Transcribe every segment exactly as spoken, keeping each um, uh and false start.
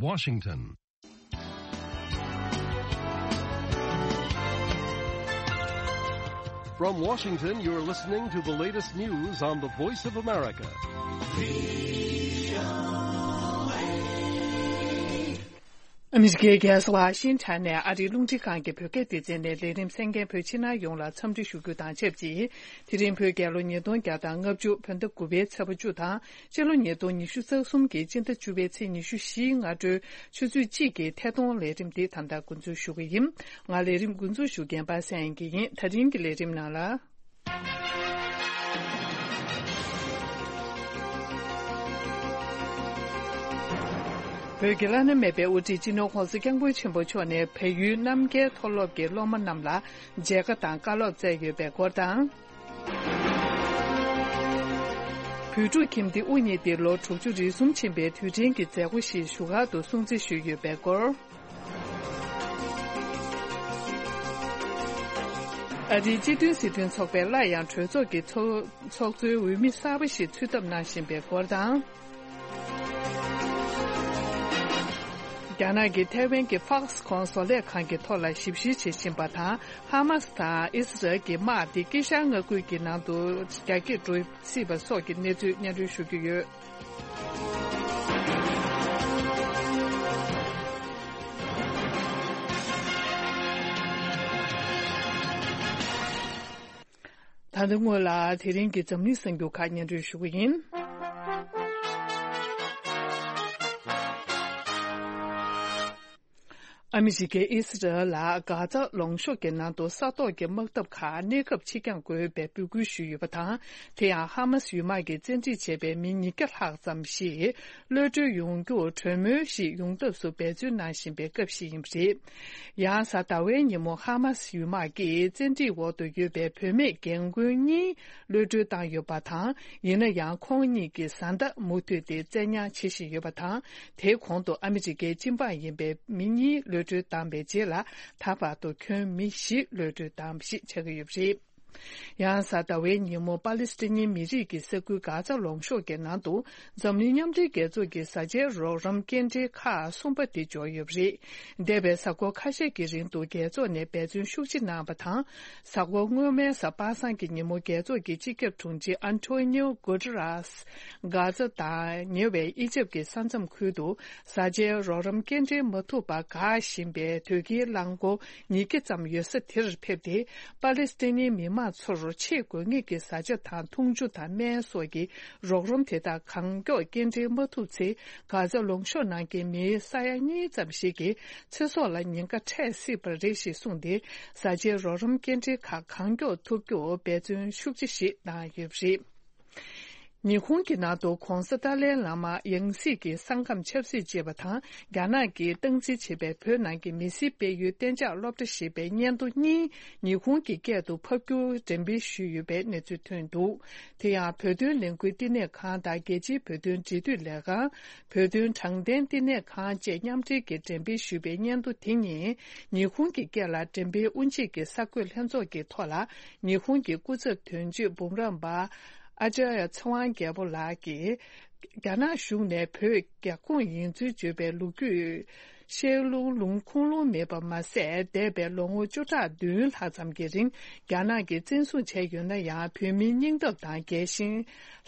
Washington. From Washington, you're listening to the latest news on the Voice of America. ཨ་མི་རི་ཀའི་རྒྱལ་ས་ཝ་ཤིང་ཊོན་ནས་ཨ་རིའི་རླུང་འཕྲིན་ཁང་གི་བོད་སྐད་སྡེ་ཚན་ནས་ལས་རིམ་གསན་མཁན་བོད་ཕྱི་ནང་ཡོངས་ལ་འཚམས་འདྲི་ཞུ་རྒྱུ་དང་ཆབས་ཅིག་དེ་རིང་བོད་རྒྱལ་ལོ་ཉིས་སྟོང་བརྒྱ་དང་ལྔ་བཅུ་བོད་ཟླ་དགུ་པའི་ཚེས་པ་བཅུ་དང་། སྤྱི་ལོ་ཉིས་སྟོང་ཉི་ཤུ་རྩ་གསུམ་གྱི་སྤྱི་ཟླ་བཅུ་པའི་ཚེས་ཉི་ཤུ་བཞིའི་སྔ་དྲོའི་ཆུ་ཚོད་གཅིག་གི་ཐད་གཏོང་ལས་རིམ་འདི་ད་ལྟ་འགོ་འཛུགས་ཞུ་གི་ཡིན། ང་ལས་རིམ་འགོ་འཛུགས་ཞུ་མཁན་པ་སངས་དབྱངས་སྐྱིད་ཡིན། ད་རིང་གི་ལས་རིམ་ནང་ལ། བོད་ཀྱི་བླ་ན་མེད་པའི་དབུ་ཁྲིད་སྤྱི་ནོར་༸གོང་ས་༸སྐྱབས་མགོན་ཆེན་པོ་མཆོག་ནས་བལ་ཡུལ་རྣམ་རྒྱལ་མཐོ་སློབ་ཀྱི་སློབ་མ་རྣམས་ལ་མཇལ་ཁ་དང་བཀའ་སློབ་སྩལ་ཡོད་པའི་སྐོར་དང་། བོད་ཕྲུག་ཁྱིམ་སྡེ་དབུ་བརྙེས་ཏེ་ལོ་དྲུག་ཅུ་རེ་གསུམ་ཕྱིན་པའི་དུས་དྲན་གྱི་མཛད་སྒོ་ཞིག་བཞུགས་སྒར་དུ་སྲུང་བརྩི་ཞུས་ཡོད་པའི་སྐོར། ཨ་རིའི་སྤྱི་མཐུན་སྲིད་དོན་ཚོགས་པས་སླར་ཡང་གྲོས་ཚོགས་ཀྱི་ཚོགས་ཚོགས་གཙོའི་འོས་མི་གསར་པ་ཞིག་ཚུད་ཐབས་གནང་བཞིན་པའི་སྐོར་དང་། རྒྱ་ནག་གིས་ཐའེ་ཝན་གྱི་ཧྥོག་སི་ཁོང་བཟོ་ལས་ཁང་གི་ཐོག་ལ་ཞིབ་བཤེར་བྱེད་བཞིན་པ་དང་། ཧ་མ་སི་དང་ཨི་སི་རལ་གྱི་དམག་དེ་དཀྱིལ་ཤར་མངའ་ཁུལ་གྱི་ནང་དུ་རྒྱ་སྐྱེད་འགྲོ་སྲིད་པ་སོགས་ཀྱི་གནས་ཚུལ་སྙན་སྒྲོན་ཞུ་རྒྱུ་ཡོད། ད་ལྟ་སྔོན་ལ་དེ་རིང་གི་འཛམ་གླིང་གསར་འགྱུར་ཁག་སྙན་སྒྲོན་ཞུ་གི་ཡིན། ཨ་མི་རི་ཀས་ཨི་སི་རལ་ལ་གྷ་ཛ་ལུང་གཤོང་གི་ནང་དུ་ས་ཐོག་གི་དམག་འཐབ་ཁག་གནས་སྐབས་ཕྱིར་འགྱངས་དགོས་པའི་འབོད་སྐུལ་ཞུས་ཡོད་པ་དང་། དེ་ཡང་ཧ་མ་སི་ཡུལ་དམག་གིས་བཙན་ཁྲིད་བྱས་པའི་མི་ཉིས་བརྒྱ་ལྷག་ཙམ་ཞིག་གློད་གྲོལ་ཡོང་རྒྱུར་གྲོས་མོལ་ཞིག་ཡོང་ཐབས་སུ་འབད་བརྩོན་གནང་བཞིན་པའི་སྐབས་ཤིག་ཡིན་པ་རེད། ཡང་གཟའ་ཟླ་བའི་ཉིན་མོ་ཧ་མ་སི་ཡུལ་དམག་གིས་བཙན་ཁྲིད་འོག་ཏུ་ཡོད་པའི་བུད་མེད་རྒན་རྒོན་གཉིས་གློད་གྲོལ་བཏང་ཡོད་པ་དང་། ཡིན་ན་ཡང་ཁོང་གཉིས་ཀྱི་བཟའ་ཟླ་མུ་མཐུད་དེ་བཙན་ཉར་བྱེད་བཞིན་ཡོད་པ་དང་། དེའི་གོང་དུ་ཨ་མི་རི་ཀའི་སྤྱི་འབངས་ཡིན་པའི་མི་གཉིས་གློད་གྲོལ་བཏང་བའི་རྗེས་ལ། ད་བར་དུ་ཁྱོན་མི་བཞི་གློད་གྲོལ་བཏང་བ་ཞིག་ཆགས་ཀྱི་ཡོད་པ་རེད། ཡང་གཟའ་ཟླ་བའི་ཉིན་མོ་པ་ལི་སི་ཐན་མི་རིགས་ཀྱི་ས་ཁུལ་གྷ་ཛ་ལུང་གཤོང་གི་ནང་དུ་འཛམ་གླིང་མཉམ་འབྲེལ་རྒྱལ་ཚོགས་ཀྱི་བཟའ་བཅའི་རོགས་རམ་སྐྱེལ་འདྲེན་ཁག་གསུམ་པ་དེ་འབྱོར་ཡོད་པ་རེད། འདས་པའི་གཟའ་འཁོར་ཁ་ཤས་ཀྱི་རིང་དུ་རྒྱལ་ཚོགས་ནས་འབད་བརྩོན་ཤུགས་ཆེ་གནང་བ་དང་། གཟའ་འཁོར་སྔོན་མའི་གཟའ་པ་སངས་ཀྱི་ཉིན་མོ་རྒྱལ་ཚོགས་ཀྱི་སྤྱི་ཁྱབ་དྲུང་ཆེ་ཨན་ཐོ་ནིའོ་གུ་ཏེ་རེས་གྷ་ཛ་དང་ཉེ་བའི་ཨི་ཇེབ་ཀྱི་ས་མཚམས་ཁུལ་དུ་བཟའ་བཅའི་རོགས་རམ་སྐྱེལ་འདྲེན་མ་ཐུབ་པར་འགག་བཞིན་པའི་དོས་སྐྱེལ་རླངས་འཁོར་ཉིས་བརྒྱ་ཙམ་ཡོད་ས་དེར་ཕེབས་ཏེ། པ་ལི་སི་ཐན་མི་མང་ཚོར་ཆེས་དགོས་ངེས་ཀྱི་བཟའ་བཅའ་དང་འཐུང་ཆུ་དང་སྨན་སོགས་ཀྱི་རོགས་རམ་དེ་དག་གང་མགྱོགས་སྐྱེལ་འདྲེན་མ་ཐུབ་ཚེ། གྷ་ཛ་ལུང་གཤོང་ནང་གི་མི་ས་ཡ་གཉིས་ཙམ་ཞིག་གི་ཚེ་སྲོག་ལ་ཉེན་ཁ་འཕྲད་སྲིད་པ་རེད་ཞེས་གསུངས་ཏེ། བཟའ་བཅའི་རོགས་རམ་སྐྱེལ་འདྲེན་ཁག་གང་མགྱོགས་ཐུབ་རྒྱུར་འབད་བརྩོན་ཤུགས་ཆེ་ཞིག་གནང་ཡོད་པ་རེད། ཉི་ཧོང་གི་ནང་དུ་༸གོང་ས་ཏཱ་ལའི་བླ་མ་ཡང་སྲིད་ཀྱི་ས་ཁམས་ཆབ་སྲིད་ཅེས་པ་དང་། རྒྱ་ནག་གིས་སྟངས་འཛིན་བྱེད་པའི་བོད་ནང་གི་མི་སེར་སྤེལ་ཡུལ་གཏན་འཇགས་སློབ་གྲྭ་ཞེས་པའི་སྙན་ཐོ་གཉིས་ཉི་ཧོང་གི་སྐད་དུ་ཕབ་སྒྱུར་འགྲེམས་སྤེལ་ཞུས་ཡོད་པའི་གནས་ཚུལ་ཐོན་འདུག་དེ་ཡང་བོད་དོན་ལས་འགུལ་བསྟི་གནས་ཁང་དང་རྒྱལ་སྤྱིའི་བོད་དོན་འབྲེལ་མཐུད་ལས་ཁང་། བོད་དོན་དྲང་བདེན་བསྟི་གནས་ཁང་བཅས་མཉམ་འབྲེལ་གྱིས་འགྲེམས་སྤེལ་ཞུས་པའི་སྙན་ཐོ་དེ་ཉིད་ཉི་ཧོང་གི་སྐད་ལ་འགྲེམས་སྤེལ་དབུ་འབྱེད་ཀྱི་གསར་འགོད་ལྷན་ཚོགས་ཀྱི་ཐོག་ལ་ཉི་ཧོང་གི་སྐུ་ཚབ་དོན་གཅོད་འབུམ་རམས་པ། ཨ་ཅཱརྱ་ཚེ་དབང་རྒྱལ་པོ་ལགས་ཀྱིས། རྒྱ་ནག་གཞུང་ནས་བོད་རྒྱ་ཁོངས་ཡིན་ཚུལ་བརྗོད་པའི་ལོ་རྒྱུས་བཤད་ལུང་ལུང་ཁུངས་ལུང་མེད་པ་མ་ཟད། འདས་པའི་ལོ་ངོ་བཅུ་ཕྲག་བདུན་ལྷག་ཙམ་གྱི་རིང་རྒྱ་ནག་གིས་བཙན་བཟུང་བྱས་ཡོད་ན་ཡང་། བོད་མིའི་སྙིང་སྟོབས་དང་རྒྱལ་ཞེན།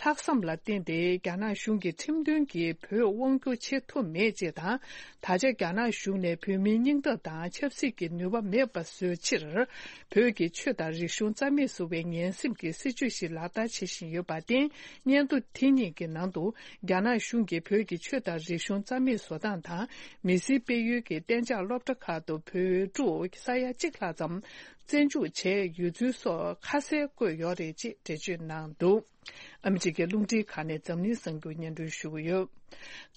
ལྷག་བསམ་ལ་བརྟེན་ཏེ་རྒྱ་ནག་གཞུང་གིས་ཁྲིམས་མཐུན་གྱིས་བོད་དབང་བསྒྱུར་བྱེད་ཐུབ་མེད་ཅེས་དང་། ད་ཆ་རྒྱ་ནག་གཞུང་ནས་བོད་མིའི་སྙིང་སྟོབས་དང་ཆབ་སྲིད་ཀྱི་ནུས་པ་མེད་པ་བཟོ་ཕྱིར། བོད་ཀྱི་ཆོས་དང་རིག་གཞུང་རྩ་མེད་བཟོ་བའི་ངན་སེམས་ཀྱི་སྲིད་བྱུས་ཤིག་ལག་བསྟར་བྱེད་བཞིན་ཡོད་པར་བརྟེན། སྙན་ཐོ་དེ་གཉིས་ཀྱི་ནང་དུ། རྒྱ་ནག་གཞུང་གིས་བོད་ཀྱི་ཆོས་དང་རིག་གཞུང་རྩ་མེད་བཟོ་སྟངས་དང་། མི་སེར་སྤེལ་ཡུལ་གྱི་གཏན་འཇགས་སློབ་གྲྭ་ཁག་ཏུ་བོད་ཕྲུག་ས་ཡ་གཅིག་ལྷག་ཙམ་བཙན་འཇུག་བྱས་ཡོད་ཚུལ་སོགས་ཁ་གསལ་བཀོད་ཡོད་རེད་ཅེས་འགྲེལ་བརྗོད་གནང་འདུག་ཨ་མི་རི་ཀའི་རླུང་འཕྲིན་ཁང་ནས་འཛམ་གླིང་གསར་འགྱུར་སྙན་སྒྲོན་ཞུ་གི་ཡོད།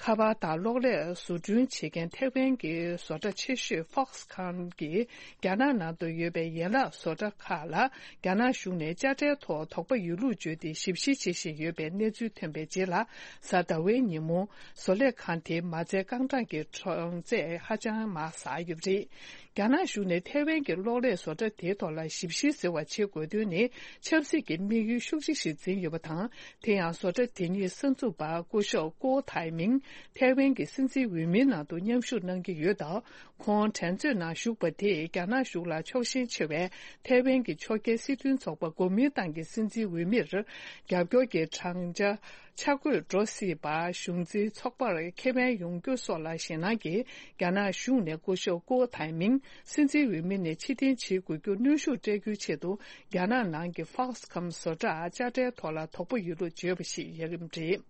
ཁ་པར་དང་གློག་ཀླད་བཟོ་སྐྲུན་བྱེད་མཁན་ཐེ་ཝན་གྱི་བཟོ་གྲྭ་ཆེ་ཤོས་ཧྥོག་སི་ཁོང་གིས་རྒྱ་ནག་ནང་དུ་ཡོད་པའི་ཡན་ལག་བཟོ་གྲྭ་ཁག་ལ་རྒྱ་ནག་གཞུང་ནས་དཔྱ་ཁྲལ་ཐོག་དོགས་པ་ཡོད་ལུགས་བརྗོད་དེ་ཞིབ་བཤེར་བྱེད་བཞིན་ཡོད་པའི་གནས་ཚུལ་ཐོན་པའི་རྗེས་ལ། གཟའ་ཟླ་བའི་ཉིན་མོ་བཟོ་ལས་ཁང་དེའི་མ་རྩའི་རྐང་གྲངས་ཀྱི་གྲངས་ཚད་ཧ་ཅང་མར་ཟགས་ཡོད་པ་རེད། རྒྱ་ནག་གཞུང་ནས་ཐེ་ཝན་གྱི་གློག་ཀླད་བཟོ་གྲྭ་ དེའི་ཐོག་ལ་ཞིབ་བཤེར་ཟེར་བ་བྱེད་དགོས་དོན་ནི་ཆབ་སྲིད་ཀྱི་དམིགས་ཡུལ་ཤུགས་ཆེ་ཞིག་འཛིན་ཡོད་པ་དང་། དེ་ཡང་བཟོ་གྲྭ་དེ་ཉིད་གསར་འཛུགས་པ་སྐུ་ཞབས་ཀོ་ཐའེ་མིང་ཐའེ་ཝན་གྱི་སྲིད་འཛིན་འོས་མིའི་ནང་དུ་མཉམ་ཞུགས་གནང་གི་ཡོད་སྟབས། ཁོང་འགྲན་རྩོད་ནང་ཞུགས་པ་དེས་རྒྱ་ནག་གཞུང་ལ་ཕྱོགས་ཞེན་ཆེ་བའི་ཐའེ་ཝན་གྱི་ཕྱོགས་འགལ་སྲིད་དོན་ཚོགས་པ་གོ་མིན་ཏང་གི་སྲིད་འཛིན་འོས་མིར་རྒྱབ་སྐྱོར་གྱི་བགྲང་བྱ་ཆ་བགོས་འགྲོ་སྲིད་པ། གཞུང་འཛིན་ཚོགས་པར་ཁེ་ཕན་ཡོང་རྒྱུ་སོགས་ལ་ཞེད་སྣང་གིས། རྒྱ་ནག་གཞུང་ནས་སྐུ་ཞབས་ཀོ་ཐའེ་མིང་སྲིད་འཛིན་འོས་མི་ནས་ཕྱིར་འཐེན་བྱེད་དགོས་རྒྱུར་གནོན་ཤུགས་སྤྲད་རྒྱུའི་ཆེད་དུ། རྒྱ་ནག་ནང་གི་Foxconn་བཟོ་གྲྭ་དཔྱ་ཁྲལ་ཐོག་ལ་དོགས་པ་ཡོད་ལུགས་བརྗོད་པ་ཞིག་ཡོད་རིམ་རེད།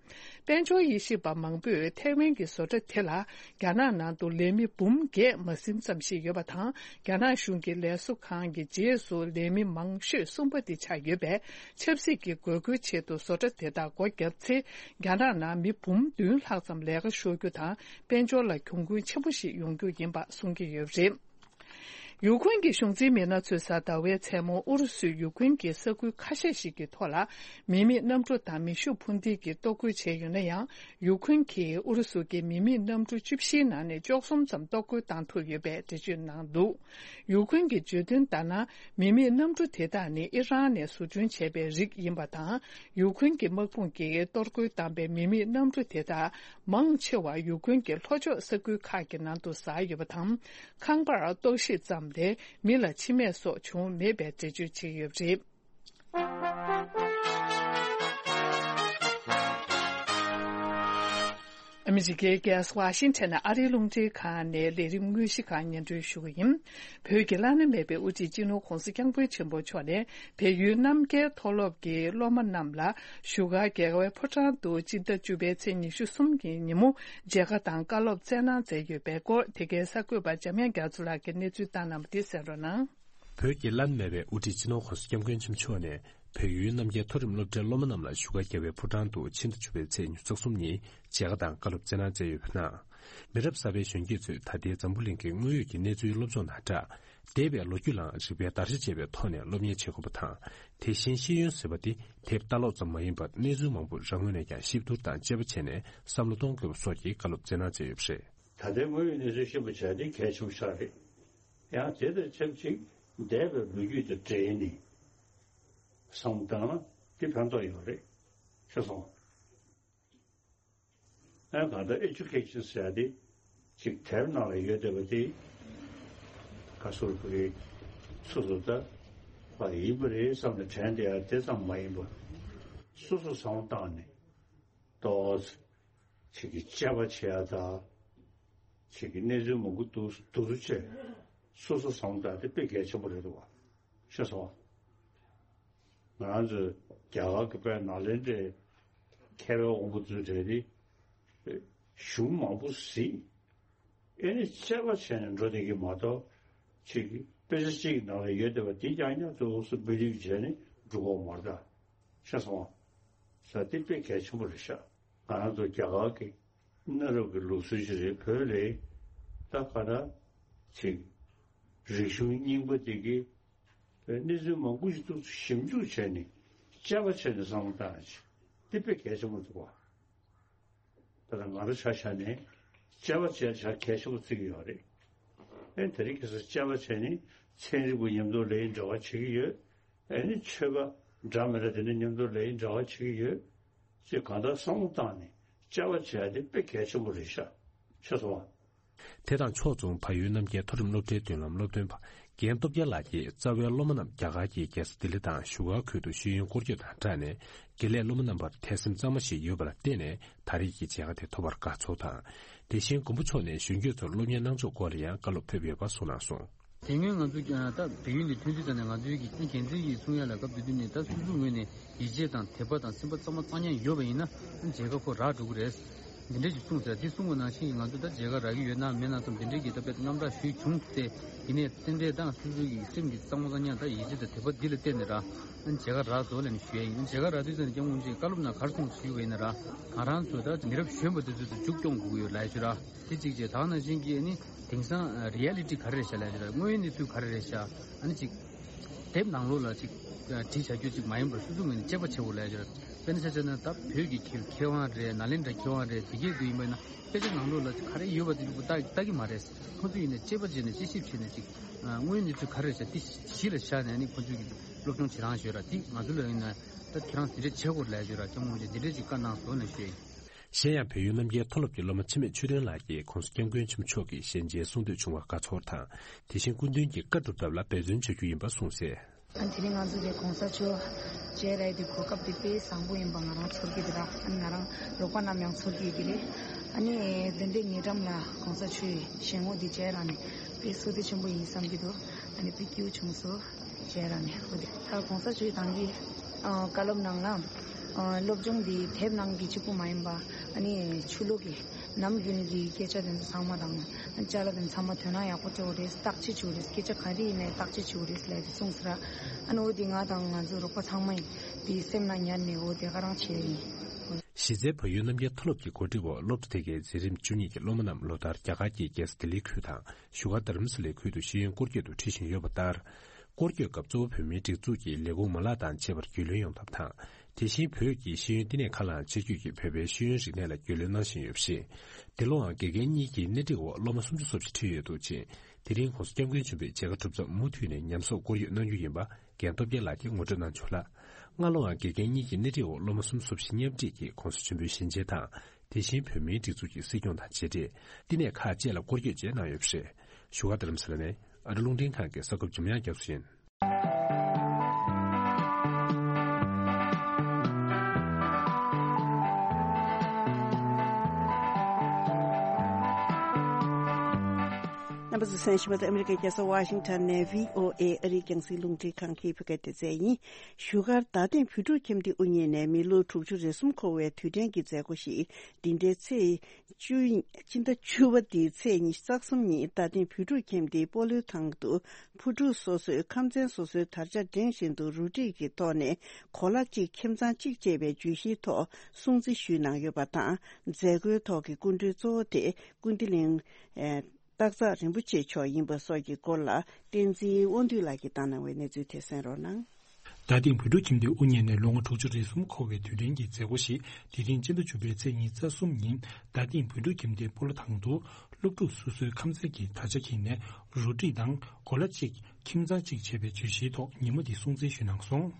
དཔལ་འབྱོར་དབྱེ་ཞིབ་པ་མང་པོས་ཐའེ་ཝན་གྱི་བཟོ་གྲྭ་དེ་ལ། རྒྱ་ནག་ནང་དུ་ལས་མི་འབུམ་བརྒྱད་མ་ཟིན་ཙམ་ཞིག་ཡོད་པ་དང་། རྒྱ་ནག་གཞུང་གི་ལས་བཟོ་ཁང་གི་རྗེས་སུ་ལས་མི་མང་ཤོས་གསུམ་པ་དེ་ཆགས་ཡོད་པས། ཆབ་སྲིད་ཀྱི་དགོས་མཁོའི་ཆེད་དུ་བཟོ་གྲྭ་དེ་དག་སྒོ་བརྒྱབ་ཚེ། རྒྱ་ནག་ནང་མི་འབུམ་བདུན་ལྷག་ཙམ་ལས་ཀ་ཤོར་རྒྱུ་དང་། དཔལ་འབྱོར་ལ་གྱོང་གུན་ཆེན་པོ་ཞིག་ཡོང་རྒྱུ་ཡིན་པ་གསུང་གི་ཡོད་པ་རེད། ཡུ་ཁུན་གྱི་གཞུང་འཛིན་མི་སྣ་ཚོས་གཟའ་ཟླ་བའི་མཚན་མོ་ཨུ་རུ་སུས་ཡུ་ཁུན་གྱི་ས་ཁུལ་ཁ་ཤས་ཤིག་གི་ཐོག་ལ། མི་མེད་གནམ་གྲུ་དང་མེ་ཤུགས་འཕུར་མདེལ་གྱིས་གཏོར་རྒོལ་བྱས་ཡོད་ན་ཡང་། ཡུ་ཁུན་གྱིས་ཨུ་རུ་སུ་གྱི་མི་མེད་གནམ་གྲུ་བཅུ་བཞིའི་ནང་ནས་བཅུ་གསུམ་ཙམ་གཏོར་རྒོལ་བཏང་ཐུབ་ཡོད་པའི་འགྲེལ་བརྗོད་གནང་འདུག་ཡུ་ཁུན་གྱིས་བརྗོད་དོན་ལྟར་ན། མི་མེད་གནམ་གྲུ་དེ་དག་ནི་ཨི་རན་ནས་བཟོ་སྐྲུན་བྱས་པའི་རིགས་ཡིན་པ་དང་། ཡུ་ཁུན་གྱི་དམག་དཔུང་གིས་གཏོར་རྒོལ་བཏང་པའི་མི་མེད་གནམ་གྲུ་དེ་དག་མང་ཆེ་བ་ཡུ་ཁུན་གྱི་ལྷོ་ཕྱོགས་ས་ཁུལ་ཁག་གི་ནང་དུ་ཟགས་ཡོད་པ་དང་། ཁང་པར་གཏོར་བཤིག་ཙམ་ལས་མི་ལ་འཆི་རྨས་སོགས་བྱུང་མེད་པའི་འགྲེལ་བརྗོད་བྱས་ཡོད་པ་རེད། ཨ་མི་རི་ཀའི་རྒྱལ་ས་ཝ་ཤིང་ཊོན་ནས་ཨ་རིའི་རླུང་འཕྲིན་ཁང་ནས་ལས་རིམ་དངོས་གཞི་ཁག་སྙན་སྒྲོན་ཞུ་གི་ཡིན། བོད་ཀྱི་བླ་ན་མེད་པའི་དབུ་ཁྲིད་སྤྱི་ནོར་༧གོང་ས་༧སྐྱབས་མགོན་ཆེན་པོ་མཆོག་ནས་བལ་ཡུལ་རྣམ་རྒྱལ་མཐོ་སློབ་ཀྱི་སློབ་མ་རྣམས་ལ་བཞུགས་སྒར་རྒྱལ་བའི་ཕོ་བྲང་དུ་སྤྱི་ཟླ་བཅུ་པའི་ཚེས་ཉི་ཤུ་གསུམ་གྱི་ཉིན་མོ་མཇལ་ཁ་དང་བཀའ་སློབ་སྩལ་གནང་མཛད་ཡོད་པའི་སྐོར། དེ་གའི་གསར་འགོད་པ་འཇམ་དབྱངས་རྒྱ་མཚོ་ལགས་ཀྱིས་གནས་ཚུལ་བཏང་གནང་བ་དེ་གསན་རོགས་གནང་། བོད་ཀྱི་བླ་ན་མེད་པའི་དབུ་ཁྲིད་སྤྱི་ནོར་༧གོང་ས་༧སྐྱབས་མགོན་ཆེན་པོ་མཆོག་ནས་བལ་ཡུལ་རྣམ་རྒྱལ་མཐོ་རིམ་སློབ་གྲྭའི་སློབ་མ་རྣམས་ལ་བཞུགས་སྒར་རྒྱལ་བའི་ཕོ་བྲང་དུ་ཕྱི་ཟླ་བཅུ་པའི་ཚེས་ཉི་ཤུ་རྩ་གསུམ་ཉིན་མཇལ་ཁ་དང་བཀའ་སློབ་སྩལ་གནང་མཛད་ཡོད་པའི་ནང་། མི་རབས་གསར་པའི་གཞོན་སྐྱེས་ཚོས་ད་ལྟའི་འཛམ་བུ་གླིང་གི་དངོས་ཡོད་ཀྱི་གནས་ཚུལ་སློབ་སྦྱོང་དང་སྦྲགས། འདས་པའི་ལོ་རྒྱུས་ལའང་རིག་པའི་བརྡར་ཤ་བཅད་པའི་ཐོག་ནས་སློབ་གཉེར་བྱེད་དགོས་པ་དང་། དེ་བཞིན་ཤེས་ཡོན་ཟེར་བ་དེ་དེབ་ལྟ་ཀློག་ཙམ་མ་ཡིན་པར་གནས་ཚུལ་མང་པོ་རང་ངོས་ནས་ཀྱང་ཞིབ་བསྡུར་དང་དཔྱད་པ་བྱས་ནས་བསམ་བློ་གཏོང་དགོས་པ་སོགས་ཀྱི་བཀའ་སློབ་སྩལ་གནང་མཛད་ཡོད་པ་རེད། ད་ལྟའི་དངོས་ཡོད་གནས་ཚུལ་ཤེས་པ་བྱས་ཏེ་གལ་ཆེན་པོ་ཆགས་རེད། ཡང་དེ་དང་ཆབས་ཅིག་འདས་པའི་ལོ་རྒྱུས་དང་འབྲེལ་ནས་བསམ་བློ་བཏང་ན་དེ་ཕན་ཐོགས་ཡོད་རེད། ཤེས་སོང་། ཨ་གང་ལྟར་ཨེ་ཌུ་ཀེ་ཤན་ཟེར་ཡ་དེ་ཅིག་དེབ་ནང་ལ་ཡོད་བསྡད་པ་དེ་ག་ཟེར་དགོས་རེད། སོ་སོ་ད་ཕ་ཡིན་པ་རེད་བསམ་ནས་དྲན་བསྡད་ཡ་དེ་ཙམ་མ་ཡིན་པ། སོ་སོ་བསམ་བློ་བཏང་ནས་ཏོག་ཙམ་ཅིག་གི་དཔྱད་པ་བྱེད་ཡ་དང་། ཅིག་གི་གནས་ཚུལ་མང་པོ་འདུག་འདུག་སེ་བྱས་སོ་སོ་བསམ་བློ་བཏང་དེ་དཔེ་གལ་ཆེན་པོ་རེད་འདུག་བ། ཤེས་སོང་། ང་རང་ཚོའི་རྒྱ་གར་གྱི་དཔེ་ནཱ་ལེནྡྲའི་མཁས་པའི་དབང་པོ་ཚོའི་གྲས་དེ་གཞུང་མང་པོ་གཟིགས། ཨེ་ནི་དཔྱད་པ་བྱས་ནས་འགྲོ་བསྡད་ཀྱི་མ་གཏོགས། ཅིག་དཔེ་ཆ་གཅིག་གི་ནང་ལ་ཡོད་བསྡད་པ་དེ་རྐྱང་རྐྱང་ཙོག་ཙོག་བེ་ལིབ་བྱས་ནས་འགྲོ་གི་མ་རེད་ད། ཤེས་སོང་། ས་དེ་དཔེ་གལ་ཆེན་པོ་རེད་ཤག་ང་རང་ཚོ་རྒྱ་གར་གྱི་གནའ་རབས་ཀྱི་ལུགས་སྲོལ་ཞིག་རེད། བོད་ལ་ད་ག་ད་ཅིག་རིག་གཞུང་རྙིང་པ་དེ་གི་གནས་ཚུལ་མང་པོ་ཞིག་ཏུ་ཞིབ་འཇུག་བྱས་ནས་དཔྱད་པ་བྱས་ནས་བསམ་བློ་བཏང་ཡ་ཅིག་དེ་དཔེ་གལ་ཆེན་པོ་འདུག་བ། ད་ལྟ་ང་རང་ཆ་བཞག་ནས་དཔྱད་པ་བྱས་ཆ་གལ་ཆེན་པོ་བརྩི་གི་ཡོད་རེད། ཨེ་དེ་རིང་ཁ་སང་དཔྱད་པ་བྱས་ནས་ཚན་རིག་པ་མཉམ་དུ་ལས་འབྲེལ་བ་བྱེད་ཀྱི་ཡོད། ཨེ་ནི་ཆོས་པ་འདྲ་མི་འདྲ་དེ་འདྲ་མཉམ་དུ་ལས་འབྲེལ་བ་བྱེད་ཀྱི་ཡོད། ཅེས་གང་ལྟར་བསམ་བློ་བཏང་ནས་དཔྱད་པ་བྱས་ཏེ་དཔེ་གལ་ཆེན་པོ་རེད་ཤག་ཤེས་སོང་ང་། དེ་དང་ཕྱོགས་མཚུངས་བལ་ཡུལ་རྣམ་རྒྱལ་མཐོ་རིམ་སློབ་གྲྭའི་མདུན་ལམ་སློབ་སྟོན་པ་རྒན་སྟོབས་རྒྱལ་ལགས་ཀྱིས་རྩ་བའི་སློབ་མ་རྣམས་རྒྱ་གར་གྱི་རྒྱལ་ས་ལྡི་ལི་དང་བཞུགས་སྒར་ཁུལ་དུ་ཤེས་ཡོན་སྐོར་སྐྱོད་དང་སྦྲགས་ནས། དགེ་ལས་སློབ་མ་རྣམ་པར་དད་སེམས་གཙང་མ་ཞིག་ཡོད་པ་ལ་བརྟེན་ནས་ད་རེས་ཀྱི་མཇལ་ཁ་དེ་ཐོབ་པར་དགའ་ཚོར་དང་། དེ་བཞིན་མགོན་པོ་མཆོག་ནས་གཞོན་སྐྱེས་ཚོར་སློབ་གཉེར་གནང་ཕྱོགས་སྐོར་ལ་ཡང་བཀའ་སློབ་ཕེབས་ཡོད་པ་གསུངས་གནང་སོང་། དེ་སྔོན་ང་ཚོ་ཀྱང་ད་བལ་ཡུལ་ནས་ཐོན་དུས་ཙམ་ནས་ང་ཚོའི་གི་འགན་འཛིན་གྱིས་གསུང་ཡ་ལ་སྐབས་དེ་དུས་ནས་ད་སོ་སོའི་ངོས་ནས་ཡིད་ཆེས་དང་དད་པ་དང་སེམས་པ་གཙང་མ་གཙང་རྐྱང་ཡོད་པ་ཡིན་ན་མཇལ་ཁ་ཁོ་རག་འགྲོ་གི་རེད། འདི་འདྲས་ཀྱི་གསུངས་ཟེར། འདི་གསུངས་པ་ནང་བཞིན་ང་ཚོ་ད་མཇལ་ཁ་རག་གི་ཡོད་ན་མེད་ན་ཙམ་འདི་འདྲས་ཀྱི་ད་དཔེ་རྣམ་གྲངས་ཞུས་བྱུང་སྟེ་ཡིན་ནའི་རྟེན་འབྲེལ་དང་སོ་སོའི་གི་སེམས་ཀྱི་གཙང་མ་གཙང་རྐྱང་ད་ཡིད་ཆེས་དང་དད་པ་འདི་ལ་བརྟེན་ནས་ར་མཇལ་ཁ་རག་ཟོ་ལབ་ནས་ཞུ་ཡ་ཡིན། མཇལ་ཁ་རག་དུས་ཙམ་ནས་སྐྱབས་མགོན་མཆོག་གི་བཀའ་སློབ་ནང་ག་རེ་གསུངས་ཞུས་པ་ཡིན་ན་ར་ང་རང་ཚོ་ད་མི་རབས་གཞོན་པ་འདི་ཚོ་ཚོ་མཇུག་སྐྱོང་དགོས་ཀྱི་ཡོད་ལབ་ཞུ་ར། དེ་གཅིག་བྱས། ད་ནང་བཞིན་གྱི་ཨ་ནི་དེང་སང་རི་ཡ་ལི་ཊི་ག་རེ་རེད་ཤག་ལབ་ཡ་ཅིག་ར། དངོས་ཡོད་གནས་ཚུལ་ག་རེ་རེད་ཤག་ཨ་ནི་ཅིག་དེབ་ནང་ལོགས་ལ་ཅིག་བྲིས་བྱ་རྒྱུ་ཅིག་མ་ཡིན་པར་སོ་སོ་ངོས་ནས་དཔྱད་པ་བྱེད་དགོས་ལབ་ཡ་ཅིག་ར། དཔེར་ན་ཆ་བཞག་ན་ད་བོད་ཀྱི་མཁས་མཁས་དབང་རེད། ནཱ་ལེནྡྲ་མཁས་དབང་རེད། དེ་གས་དུ་ཡིན་པ་ན་དཔེ་ཆ་ནང་ལོགས་ལ་ག་རེ་ཡོད་པ་དེ་ལྟ་ལྟ་གི་མ་རེད། ཁོ་ཚོ་ཡིན་ན་དཔྱད་པ་བྱས་ནས་དཔྱད་ཞིབ་བྱས་ནས་ཅིག་དངོས་ཡོད་གནས་ཚུལ་ག་རེ་རེད་ཟེར་དེ་གཞི་ལ་བཞག་ནས་ནི་ཁོ་ཚོས་ཀྱི་སློབ་སྦྱོང་བྱེད་རང་ཞོད་ར། དེ་ང་ཚོ་ལ་ཡིན་ན་ད་ཁྱེད་རང་དེ་འདྲས་བྱེད་དགོས་ལབ་ཞོད་ར། སྐྱབས་མགོན་རིན་པོ་ཆེ་དེ་འདྲས་ཅིག་བཀའ་གནང་སོང་ལབ་ཞུ་ཡ་ཡིན། གཞན་ཡང་བལ་ཡུལ་རྣམ་རྒྱལ་མཐོ་སློབ་ཀྱི་སློབ་མ་འཆི་མེད་ཆོས་སྒྲོན་ལགས་ཀྱིས་༸གོང་ས་༸སྐྱབས་མགོན་ཆེན་པོ་མཆོག་གི་ཞལ་མཇལ་གསུང་ཐོས་བྱུང་བར་དགའ་ཚོར་དང་། དེ་བཞིན་སྐུ་མདུན་གྱི་བཀའ་སྒྲུབ་ཐབས་ལ་འབད་བརྩོན་བྱ་རྒྱུ་ཡིན་པ་གསུངས་གསལ། ཨ་ནི་དེ་རིང་ང་ཚོ་གི་གོང་ས་མཆོག་མཇལ་རག་དེ་གོ་སྐབས་དེ་དཔེ་བཟང་པོ་ཡིན་པ་ང་རང་ཚོར་གྱི་འདུག་ར། ཨ་ནི་ང་རང་རོགས་པ་རྣམས་ཡང་ཚོར་གྱི་ཡོད་ཀྱི་རེད། ཨ་ནི་དེ་འདྲའི་ཉེ་འགྲམ་ལ་གོང་ས་མཆོག་གི་ཞལ་ངོ་དེ་མཇལ་རག་ནས་དཔེ་བསོད་བདེ་ཆེན་པོ་ཡིན་བསམ་གྱི་འདུག་ཨ་ནི་དཔེ་སྐྱིད་པོ་བྱུང་སོང་། མཇལ་རག་ནས་འོ་དེ་ད་གོང་ས་མཆོག་གི་ད་གིན་ཨ་བཀའ་སློབ་ནང་ལ་ཨ་སློབ་སྦྱོང་འདི་དེབ་ནང་གི་གཅིག་པུ་མ་ཡིན་པ་ཨ་ནི་ཆོས་ལུགས་ཀྱི་ནམ་རྒྱུན་གྱི་སྐད་ཆ་དེ་ཚོ་ཚང་མ་དང་ཅ་ལག་དེ་ཚང་མ་དོ་སྣང་ཡག་པོ་སྤྲོད་དགོས་རེད། བརྟག་དཔྱད་བྱེད་དགོས་རེད། སྐད་ཆ་ག་རེ་ཡིན་ནའི་བརྟག་དཔྱད་བྱེད་དགོས་རེད་ལབ་དེ་གསུངས་སོང་ར། ཨ་ནི་འོ་དེ་ང་དང་ང་ཚོ་རོགས་པ་ཚང་མ་ཡིན་དེ་སེམས་ནང་ཉར་ནས་འོ་དེ་ག་རང་བྱས་ཡིན། གཞི་རྩའི་བལ་ཡུལ་རྣམ་རྒྱལ་མཐོ་སློབ་ཀྱི་གོ་སྒྲིག་འོག་སློབ་གྲྭ་དེ་གའི་འཛིན་རིམ་བཅུ་གཉིས་ཀྱི་སློབ་མ་རྣམས་ལོ་ལྟར་རྒྱ་གར་གྱི་རྒྱལ་ས་ལྡི་ལི་ཁུལ་དང་བཞུགས་སྒར་དྷ་རམ་ས་ལའི་ཁུལ་དུ་ཤེས་ཡོན་སྐོར་སྐྱོད་དུ་ཁྲིད་བཞིན་ཡོད་པ་ལྟར། སྐོར་སྐྱོད་སྐབས་གཙོ་བོ་བོད་མིའི་སྒྲིག་འཛུགས་ཀྱི་ལས་ཁུངས་མ་ལག་དང་བཅས་པར་རྒྱུས་ལོན་ཡོང་ཐབས་དང་། དེ་བཞིན་བོད་ཀྱི་ཤེས་ཡོན་བསྟི་གནས་ཁག་ལའང་ཆེད་བསྐྱོད་ཀྱིས་བོད་པའི་ཤེས་ཡོན་རིག་གནས་ལ་རྒྱུས་ལོན་གནང་བཞིན་ཡོད་པ་རེད། འདི་ལོའང་དགེ་རྒན་གཉིས་ཀྱི་སྣེ་ཁྲིད་འོག་སློབ་མ་སུམ་ཅུ་སོ་བཞི་ཁྲིད་ཡོད་འདུག་ཅིང་། དེ་རིང་༸གོང་ས་༸སྐྱབས་མགོན་ཆེན་པོས་མཇལ་ཁ་གྲུབ་མཚམས་མུ་མཐུད་ནས་ཉམས་གསོག་སྐོར་སྐྱོད་གནང་རྒྱུ་ཡིན་པ་རྒན་སྟོབས་རྒྱལ་ལགས་ཀྱིས་ངོ་སྤྲོད་གནང་བྱུང་ལ། སྔ་ལོའང་དགེ་རྒན་གཉིས་ཀྱི་སྣེ་ཁྲིད་འོག་སློབ་མ་སུམ་ཅུ་སོ་བཞི་མཉམ་ཁྲིད་ཀྱིས་༸གོང་ས་ཆེན་པོའི་ཞལ་མཇལ་དང་། དེ་བཞིན་བོད་མིའི་སྒྲིག་འཛུགས་ཀྱི་སྲིད་སྐྱོང་དང་མཇལ་འཕྲད། བསྟི་གནས་ཁག་བཅས་ལ་སྐོར་སྐྱོད་བཅས་གནང་ཡོད་པ་རེད། བཞུགས་སྒར་དྷ་རམ་ས་ལ་ནས་ཨ་རི་རླུང་འཕྲིན་ཁང་གི་གསར་འགོད་འཇམ་དབྱངས་རྒྱ་མཚོ་ཡིན། རྣམ་པ་ཚོས་གསན་བཞིན་པ་དེ་ཨ་མི་རི་ཀའི་རྒྱལ་ས་ཝ་ཤིང་ཊོན་ནས་བྷི་ཨོ་ཨེ་ཨ་རིའི་རྒྱང་སྲིང་རླུང་འཕྲིན་ཁང་གི་བོད་སྐད་སྡེ་ཚན་ཡིན། བཞུགས་སྒར་རྡ་སྟེང་བོད་ཕྲུག་ཁྱིམ་སྡེ་དབུ་བརྙེས་ནས་མི་ལོ་དྲུག་ཅུ་རེ་གསུམ་འཁོར་བའི་དུས་དྲན་གྱི་མཛད་སྒོ་ཞིག་འདི་ཟླའི་ཚེས་བཅུ། སྤྱི་ཟླ་བཅུ་པ་འདིའི་ཚེས་ཉི་ཤུ་རྩ་གསུམ་ཉིན་རྡ་སྟེང་བོད་ཕྲུག་ཁྱིམ་སྡེའི་སྤོ་ལོའི་ཐང་དུ་བོད་ཕྲུག་སོ་སོའི་ཁམས་ཚན་སོ་སོའི་དར་ཆ་སྒྲེང་བཞིན་དུ་རུ་སྒྲིག་གི་ཐོག་ནས་གོ་ལ་གཅིག་ཁྱིམ་ཚང་གཅིག་ཅེས་པའི་བརྗོད་གཞིའི་ཐོག་སྲུང་བརྩི་ཞུས་གནང་ཡོད་པ་དང་། མཛད་སྒོའི་ཐོག་གི་སྐུ་མགྲོན་གཙོ་བོ་དེ་ཀུན་བདེ་གླིང་། ཨེ། སྟག་འཚག་རིན་པོ་ཆེ་མཆོག་ཡིན་པ་སོགས་ཀྱི་སྐོར་ལ་བསྟན་འཛིན་དབང་འདུས་ལགས་ཀྱིས་བཏང་གནང་བའི་གནས་ཚུལ་དེ་གསན་རོགས་གནང་། རྡ་སྟེང་བོད་ཕྲུག་ཁྱིམ་སྡེ་དབུ་བརྙེས་ནས་ལོ་ངོ་དྲུག་ཅུ་རེ་གསུམ་འཁོར་བའི་དུས་དྲན་གྱི་མཛད་སྒོ་ཞིག་དེ་རིང་སྤྱི་ཟླ་བཅུ་པའི་ཚེས་ཉི་ཤུ་རྩ་གསུམ་ཉིན་རྡ་སྟེང་བོད་ཕྲུག་ཁྱིམ་སྡེའི་སྤོ་ལོ་ཐང་དུ་སློབ་ཕྲུག་སོ་སོའི་ཁམས་ཚན་གྱི་དར་ཆ་འཁྱེར་ནས་རུ་སྒྲིག་དང་གོ་ལ་གཅིག་ཁྱིམ་ཚང་གཅིག་ཅེས་པའི་བརྗོད་གཞིའི་ཐོག་ཉིན་མོ་འདི་སྲུང་བརྩི་ཞུས་གནང་སོང་།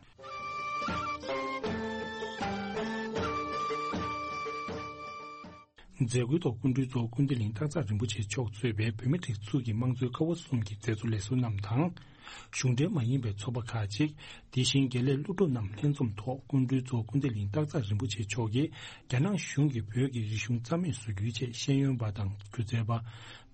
མཛད་སྒོའི་ཐོག་སྐུ་མགྲོན་གཙོ་བོ་ཀུན་བདེ་གླིང་སྟག་འཚག་རིན་པོ་ཆེ་མཆོག་གཙོས་པའི་བོད་མིའི་སྒྲིག་འཛུགས་ཀྱི་དམངས་གཙོའི་ཀ་བ་གསུམ་གྱི་མཛད་གཙོ་ལས་ཟུར་རྣམས་དང་། གཞུང་འབྲེལ་མ་ཡིན་པའི་ཚོགས་པ་ཁག་ཅིག་དེ་བཞིན་དགེ་ལས་སློབ་ཕྲུག་རྣམས་ལྷན་འཛོམས་ཐོག་སྐུ་མགྲོན་གཙོ་བོ་ཀུན་བདེ་གླིང་སྟག་འཚག་རིན་པོ་ཆེ་མཆོག་གིས་རྒྱ་ནག་གཞུང་གིས་བོད་ཀྱི་རིག་གཞུང་རྩ་མེད་བཟོ་རྒྱུའི་ཆེད་ཤེས་ཡོན་པ་དང་སྒྱུ་རྩལ་པ།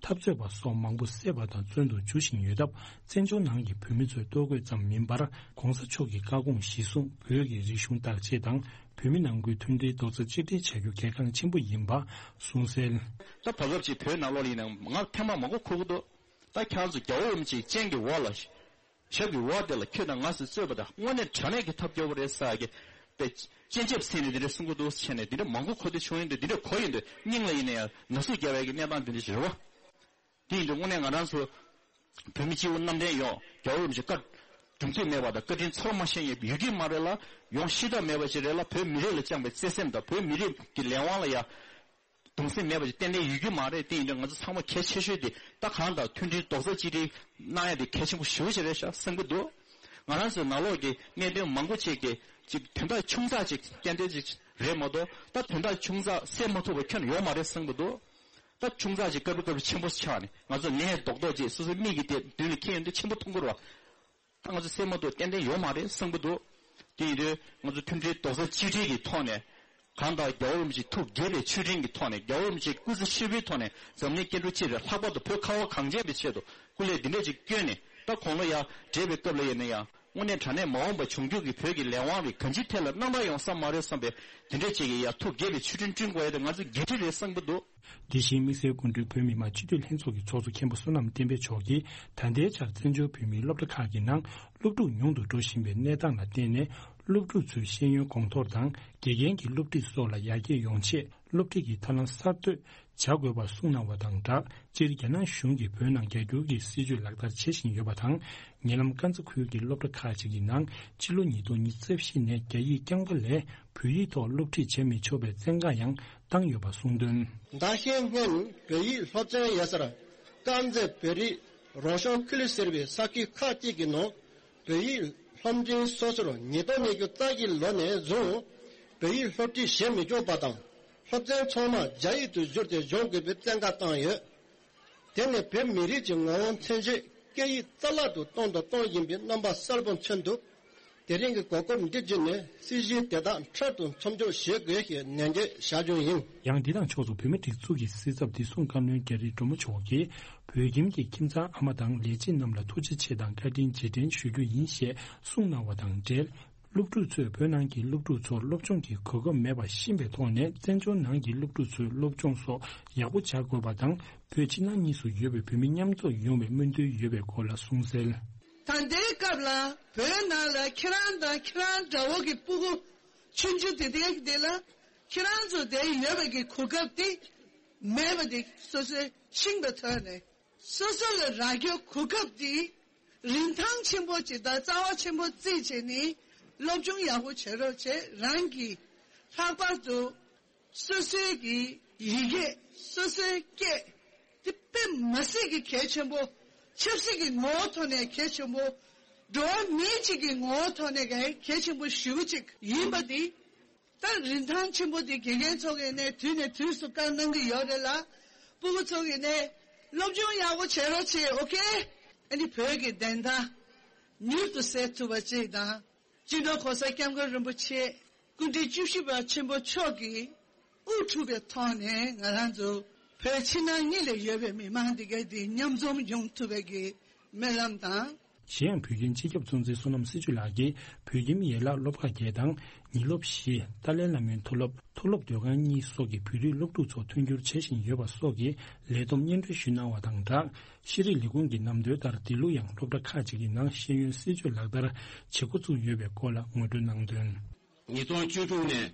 འཐབ་རྩོད་པ་སོགས་མང་པོ་བསད་པ་དང་བཙོན་དུ་འཇུ་བཞིན་ཡོད་སྟབས། བཙན་བྱོལ་ནང་གི་བོད་མི་ཚོའི་ལྟོ་གོས་ཙམ་མིན་པར། ༸གོང་ས་མཆོག་གི་བཀའ་དགོངས་གཞིར་བཟུང་བོད་ཀྱི་རིག་གཞུང་བདག་གཅེས་དང་། བོད་མི་ནང་ཁུལ་མཐུན་སྒྲིལ་རྡོག་རྩ་གཅིག་སྒྲིལ་བྱ་རྒྱུ་གལ་འགངས་ཆེན་པོ་ཡིན་པ་གསུངས་གསལ། ད་བར་སྐབས་ཅིག་བོད་ནང་ལོགས་ལ་ཡིན་ན་ང་ཐེངས་མ་མང་པོ་གོ་གི་འདུག་ད་ཁྱེད་རང་ཚོ་རྒྱལ་བ་རིན་པོ་ཆེའི་སྤྱན་གྱི་འོག་ལ། ཞབས་ཀྱི་འོག་དེ་ལ་ཁྱོད་དང་ང་ཟེར་རྩོད་པ་དང་དངོས་གནས་དྲང་གནས་ཀྱི་ཐབས་སྐྱོ་པོ་རེད་ཟེར་གི། དཔེ་སྤྱན་ཆབ་ཟིན་ནས་འདི་འདྲ་གསུང་གི་འདུག་བྱས་ནས་འདི་འདྲ་མང་པོ་གོ་བདེ་བྱུང་ཡོད་འདུག་འདི་འདྲ་གོ་ཡོད་འདུག་སྙིང་ལ་ཡིན་ན་ཡང་ན་ཟུག་རྒྱག་པའི་གི་གནས་སྟངས་འདི་འདྲ་ཞིག་རེད་བ། དེ་ཡིན་དུས་དངོས་གནས་ང་རང་ཚོ་བོད་མི་སྤྱི་བོ་གནམ་བསྟན་ཡོང་རྒྱལ་བ་རིན་པོ་ཆེ་བཀའ་སྒྲུབ་ཚུལ་མེད་པ་དང་བཀའ་དྲིན་ཚོར་མ་ཤེས་ཡོད་ཡོད་ཀྱི་མ་རེད་ལ། ཡོང་ཤེས་ཐབས་མེད་པ་ཞིག་རེད་ལ། བོད་མི་རིགས་ལ་བཅངས་པའི་བརྩེ་སེམས་དང་བོད་མི་རིགས་ཀྱི་ལས་དབང་ལ་ཡང་གདུང་སེམས་མེད་པ་ཞིག་ཏན་ཏན་ཡོད་ཀྱི་མ་རེད། དེ་ཡིན་དུས་ང་ཚོ་ཚང་མ་གལ་ཆེ་ཤོས་དེ་ད་གང་ལྟར་མཐུན་སྒྲིལ་རྡོག་རྩ་གཅིག་སྒྲིལ་གནང་ཡ་དེ་གལ་ཆེན་པོ་ཞེ་པོ་ཅིག་རེད་ཤག་བསམ་གྱི་འདུག་ང་རང་ཚོའི་ནང་ལོགས་ཀྱི་གནད་དོན་མང་པོ་ཅིག་གི་ཅིག་དོན་དག་ཆུང་ཙག་ཅིག་ཏན་ཏན་ཅིག་རེད་མ་གཏོགས། ད་དོན་དག་ཆུང་ཙག་སེལ་མ་ཐུབ་པ་ཁྱོན་ནས་ཡོད་མ་རེད་བསམ་གྱི་འདུག་ད་ཆུང་ཙག་ཅིག་སྐབས་རེ་སྐབས་རེ་ཆེན་པོ་ཆགས་ནས་ང་ཚོ་ནད་རྡོག་རྡོག་ཅིག་སོ་སོའི་མིག་གི་སྟེང་མདུན་ལ་འཁྱེར་ཡོང་དུས་ཆེན་པོ་མཐོང་གི་རེད་བ། ད་ང་ཚོ་སེལ་མ་ཐུབ་ཏན་ཏན་ཡོད་མ་རེད་བསམ་གྱི་འདུག་དེ་ཡིན་དུས་ང་ཚོ་མཐུན་སྒྲིལ་རྡོག་རྩ་གཅིག་སྒྲིལ་གྱི་ཐོག་ནས། གང་ལྟར་རྒྱལ་བ་རིན་པོ་ཆེའི་ཐུགས་དགྱེས་པའི་མཆོད་སྤྲིན་གྱི་ཐོག་ནས། རྒྱལ་བ་རིན་པོ་ཆེའི་སྐུ་ཚེ་ཧྲིལ་པོའི་ཐོག་ནས་འཛམ་གླིང་སྐྱེ་འགྲོ་སྤྱི་དང་ལྷག་པར་དུ་བོད་ཁ་བ་གངས་ཅན་པའི་ཆེད་དུ་སྐུ་ལས་འདི་འདྲ་ཅིག་བསྐྱོན་ནས། ད་དགུང་ལོ་ཡར་བགྲེས་པའི་སྐབས་ལ་ཡིན་ན་ཡང་། དངོས་གནས་དྲང་གནས་མ་འོངས་པ་འབྱུང་འགྱུར་གྱི་བོད་ཀྱི་ལས་དབང་རེད། གང་ཅིའི་ཐད་ལ་རྣམ་པར་ཡོང་ས་མ་རེད་བསམ་པའི་དེ་འདྲ་ཅིག་གི་ཡ་ཐུགས་དགྱེས་པའི་མཆོད་སྤྲིན་བསྐྲུན་དགོས་ཡ་དེ་ང་ཚོ་འགན་འཁྲི་རེད་བསམ་གྱི་འདུག་དེ་བཞིན་དམིགས་བསལ་སྐུ་མགྲོན་བོད་མི་མང་སྤྱི་འཐུས་ལྷན་ཚོགས་ཀྱི་ཚོགས་གཙོ་མཁན་པོ་བསོད་ནམས་བསྟན་འཕེལ་མཆོག་གིས་ད་ལྟའི་ཆར་བཙན་བྱོལ་བོད་མིའི་སློབ་གྲྭ་ཁག་གི་ནང་སློབ་ཕྲུག་ཉུང་དུ་འགྲོ་བཞིན་པའི་གནས་སྟངས་ལ་བརྟེན་ནས། སློབ་ཕྲུག་ཚོའི་ཤེས་ཡོན་གོང་མཐོར་དང་དགེ་རྒན་གྱི་སློབ་ཁྲིད་སོགས་ལ་ཡར་རྒྱས་ཡོང་ཆེད། སློབ་ཁྲིད་ཀྱི་ཐབས་ལམ་གསར་གཏོད་ བྱ་དགོས་པ་གསུངས་གནང་བ་དང་སྦྲགས། སྤྱིར་རྒྱ་ནག་གཞུང་གིས་བོད་ནང་རྒྱ་སྒྱུར་གྱི་སྲིད་བྱུས་ལག་བསྟར་བྱེད་བཞིན་ཡོད་པ་དང་། ཉེ་ལམ་ཀན་ཚ་ཁུལ་གྱི་སློབ་གྲྭ་ཁག་ཅིག་གི་ནང་ཕྱི་ལོ་ཉིས་སྟོང་ཉི་ཤུ་རྩ་བཞི་ནས་རྒྱ་ཡིག་རྐྱང་པ་ལས་བོད་ཡིག་ཐོག་སློབ་ཁྲིད་བྱེད་མི་ཆོག་པའི་བཙན་བཀག་ཡང་བཏང་ཡོད་པ་གསུངས་དོན། ཟླ་ཤས་སྔོན་བོད་ཡིག་སློབ་ཚན་ཡོད་སར་དཀར་མཛེས་བོད་རིགས་རོགས་སྐྱོར་ཁུལ་ཟེར་བའི་ས་ཁུལ་ཁག་ཅིག་གི་ནང་བོད་ཡིག་སློབ་འབྲིང་སོ་སོར་ཉིས་སྟོང་ཉི་ཤུ་རྩ་བཞིའི་ལོ་ནས་བཟུང་བོད་ཡིག་སློབ་ཁྲིད་བྱེད་མི་ཆོག་པ་དང་། སློབ་ཚན་ཚང་མ་རྒྱ་ཡིག་ཏུ་བསྒྱུར་ཏེ་སྦྱོང་དགོས་པའི་བཙན་བཀའ་བཏང་ཡོད། དེ་ནི་བོད་མི་རིགས་ཀྱི་ངོ་བོ་མཚོན་བྱེད་སྐད་ཡིག་རྩ་བརླག་ཏུ་གཏོང་དང་གཏོང་བཞིན་པའི་རྣམ་པ་གསལ་པོ་མཚོན་ཐུབ། དེ་རིང་གི་གོ་སྐབས་འདི་བརྒྱུད་ནས་སྲིད་བྱུས་དེ་དག་འཕྲལ་དུ་མཚམས་འཇོག་བྱེད་དགོས་ཞེས་ནན་བརྗོད་བྱ་རྒྱུ་ཡིན། ཡང་འདི་དང་ཕྱོགས་སུ་བོད་མིའི་སྒྲིག་འཛུགས་ཀྱི་སྲིད་ཚབ་བདེ་སྲུང་བཀའ་བློན་རྒྱ་རི་སྒྲོལ་མ་མཆོག་གིས་བོད་ཁྱིམ་གྱི་ཁྱིམ་ཚང་ཨ་མ་དང་ལས་བྱེད་རྣམས་ལ་ཐུགས་རྗེ་ཆེ་དང་བཀའ་དྲིན་རྗེས་དྲན་ཞུ་རྒྱུ་ཡིན་ཞེས་གསུངས་གནང་བ་དང་འབྲེལ། སློབ་ཕྲུག་ཚོས་བོད་ནང་གི་སློབ་ཕྲུག་ཚོར་སློབ་སྦྱོང་གི་གོ་སྐབས་མེད་པར་ཤེས་པའི་ཐོག་ནས་བཙན་བྱོལ་ནང་གི་སློབ་ཕྲུག་ཚོའི་སློབ་སྦྱོང་སོགས་ཡག་པོ་བྱ་དགོས་པ་དང་། བོད་ཕྱི་ནང་གཉིས་སུ་ཡོད་པའི་བོད་མི་མཉམ་འཛོམས་ཡོང་བའི་སྨོན་འདུན་ཡོད་པའི་སྐོར་ལ་གསུངས་གསལ། ད་ལྟའི་སྐབས་ལ་བོད་ནང་ལ་ཁྱེད་རང་དང་ཁྱེད་རང་འདྲ་བོ་གི་སྤུ་གུ་ཆུང་ཆུང་དེ་དེ་དེ་ལ་ཁྱེད་རང་ཚོ་དེ་ཡོད་པའི་གི་གོ་སྐབས་དེ་མེད་པ་དེ་སོ་སོའི་ཤིང་དང་ཐོག་ནས། སོ་སོ་ལ་རག་རྒྱུ་གོ་སྐབས་དེ་རིན་ཐང་ཆེན་པོ་ཅིག་དང་རྩ་བ་ཆེན་པོ་བརྩིས་བྱས་ནས་སློབ་སྦྱོང་ཡག་པོ་བྱེད་རོགས་བྱེད། རང་གི་ལྷག་པར་དུ་སོ་སོའི་གི་ཡི་གེ་སོ་སོའི་སྐད་དེ་དཔེ་མ་སྲིད་ཀྱི་གལ་ཆེན་པོ། ཆབ་སྲིད་ཀྱི་ངོ་བོ་ཐོག་ནས་གལ་ཆེན་པོ། འགྲོ་བ་མི་གཅིག་གི་ངོ་བོ་ཐོག་ནས་གལ་ཆེན་པོ་ཞེ་པོ་ཅིག་ཡིན་པ་དེ། ད་རིན་ཐང་ཆེན་པོ་དེ་དགེ་རྒན་ཚོ་གིས་ནས་དུས་ནས་དུས་སུ་བཀའ་གནང་གི་ཡོད་རེད་ལ། སྤུ་གུ་ཚོ་གིས་ནས་སློབ་སྦྱོང་ཡག་པོ་བྱེད་རོགས་བྱེད། ཨོ་ཁེ། ཨ་ནི་བོད་ཀྱི་བདེན་མཐའ་མྱུར་དུ་གསལ་ཐུབ་པ་ཅིག་དང་། སྤྱི་ནོར་གོང་ས་སྐྱབས་མགོན་རིན་པོ་ཆེ་སྐུ་ཕྲེང་བཅུ་བཞི་པ་ཆེན་པོ་མཆོག་གིས་དབུ་ཁྲིད་པའི་ཐོག་ནས་ང་རང་ཚོ་བོད་ཕྱི་ནང་གཉིས་ལ་ཡོད་པའི་མི་མང་འདི་ག་དེ་མཉམ་འཛོམས་ཡོང་ཐུབ་པའི་གི་སྨོན་ལམ་དང་། གཞན་ཡང་བོད་ཁྱིམ་སྤྱི་ཁྱབ་གཙོ་འཛིན་བསོད་ནམས་སྲིད་གཅོད་ལགས་ཀྱིས་བོད་ཁྱིམ་ཡན་ལག་སློབ་ཁག་བརྒྱད་དང་ཉིན་སློབ་བཞི། ཏཱ་ལའི་བླ་མའི་མཐོ་སློབ། མཐོ་སློབ་སྡོད་ཁང་གཉིས་སོགས་ཀྱི་བོད་རིགས་སློབ་ཕྲུག་ཚོ་མཐུན་འགྱུར་བྱེད་བཞིན་ཡོད་པ་སོགས་ཀྱི་ལས་བསྡོམས་སྙན་སྒྲོན་ཞུས་གནང་བ་དང་སྦྲགས། ཤེས་རིག་ལས་ཁུངས་ཀྱི་ནང་དོན་ལྟར་འདི་ལོ་ཡང་སློབ་གྲྭ་ཁག་ཅིག་གི་ནང་ཤེས་ཡོན་སྲིད་བྱུས་ལག་བསྟར་བྱེད་འགོ་བཙུགས་ཡོད་པའི་སྐོར་ལ་ངོ་སྤྲོད་གནང་དོན། ཉིས་སྟོང་བཅུ་དྲུག་ནས་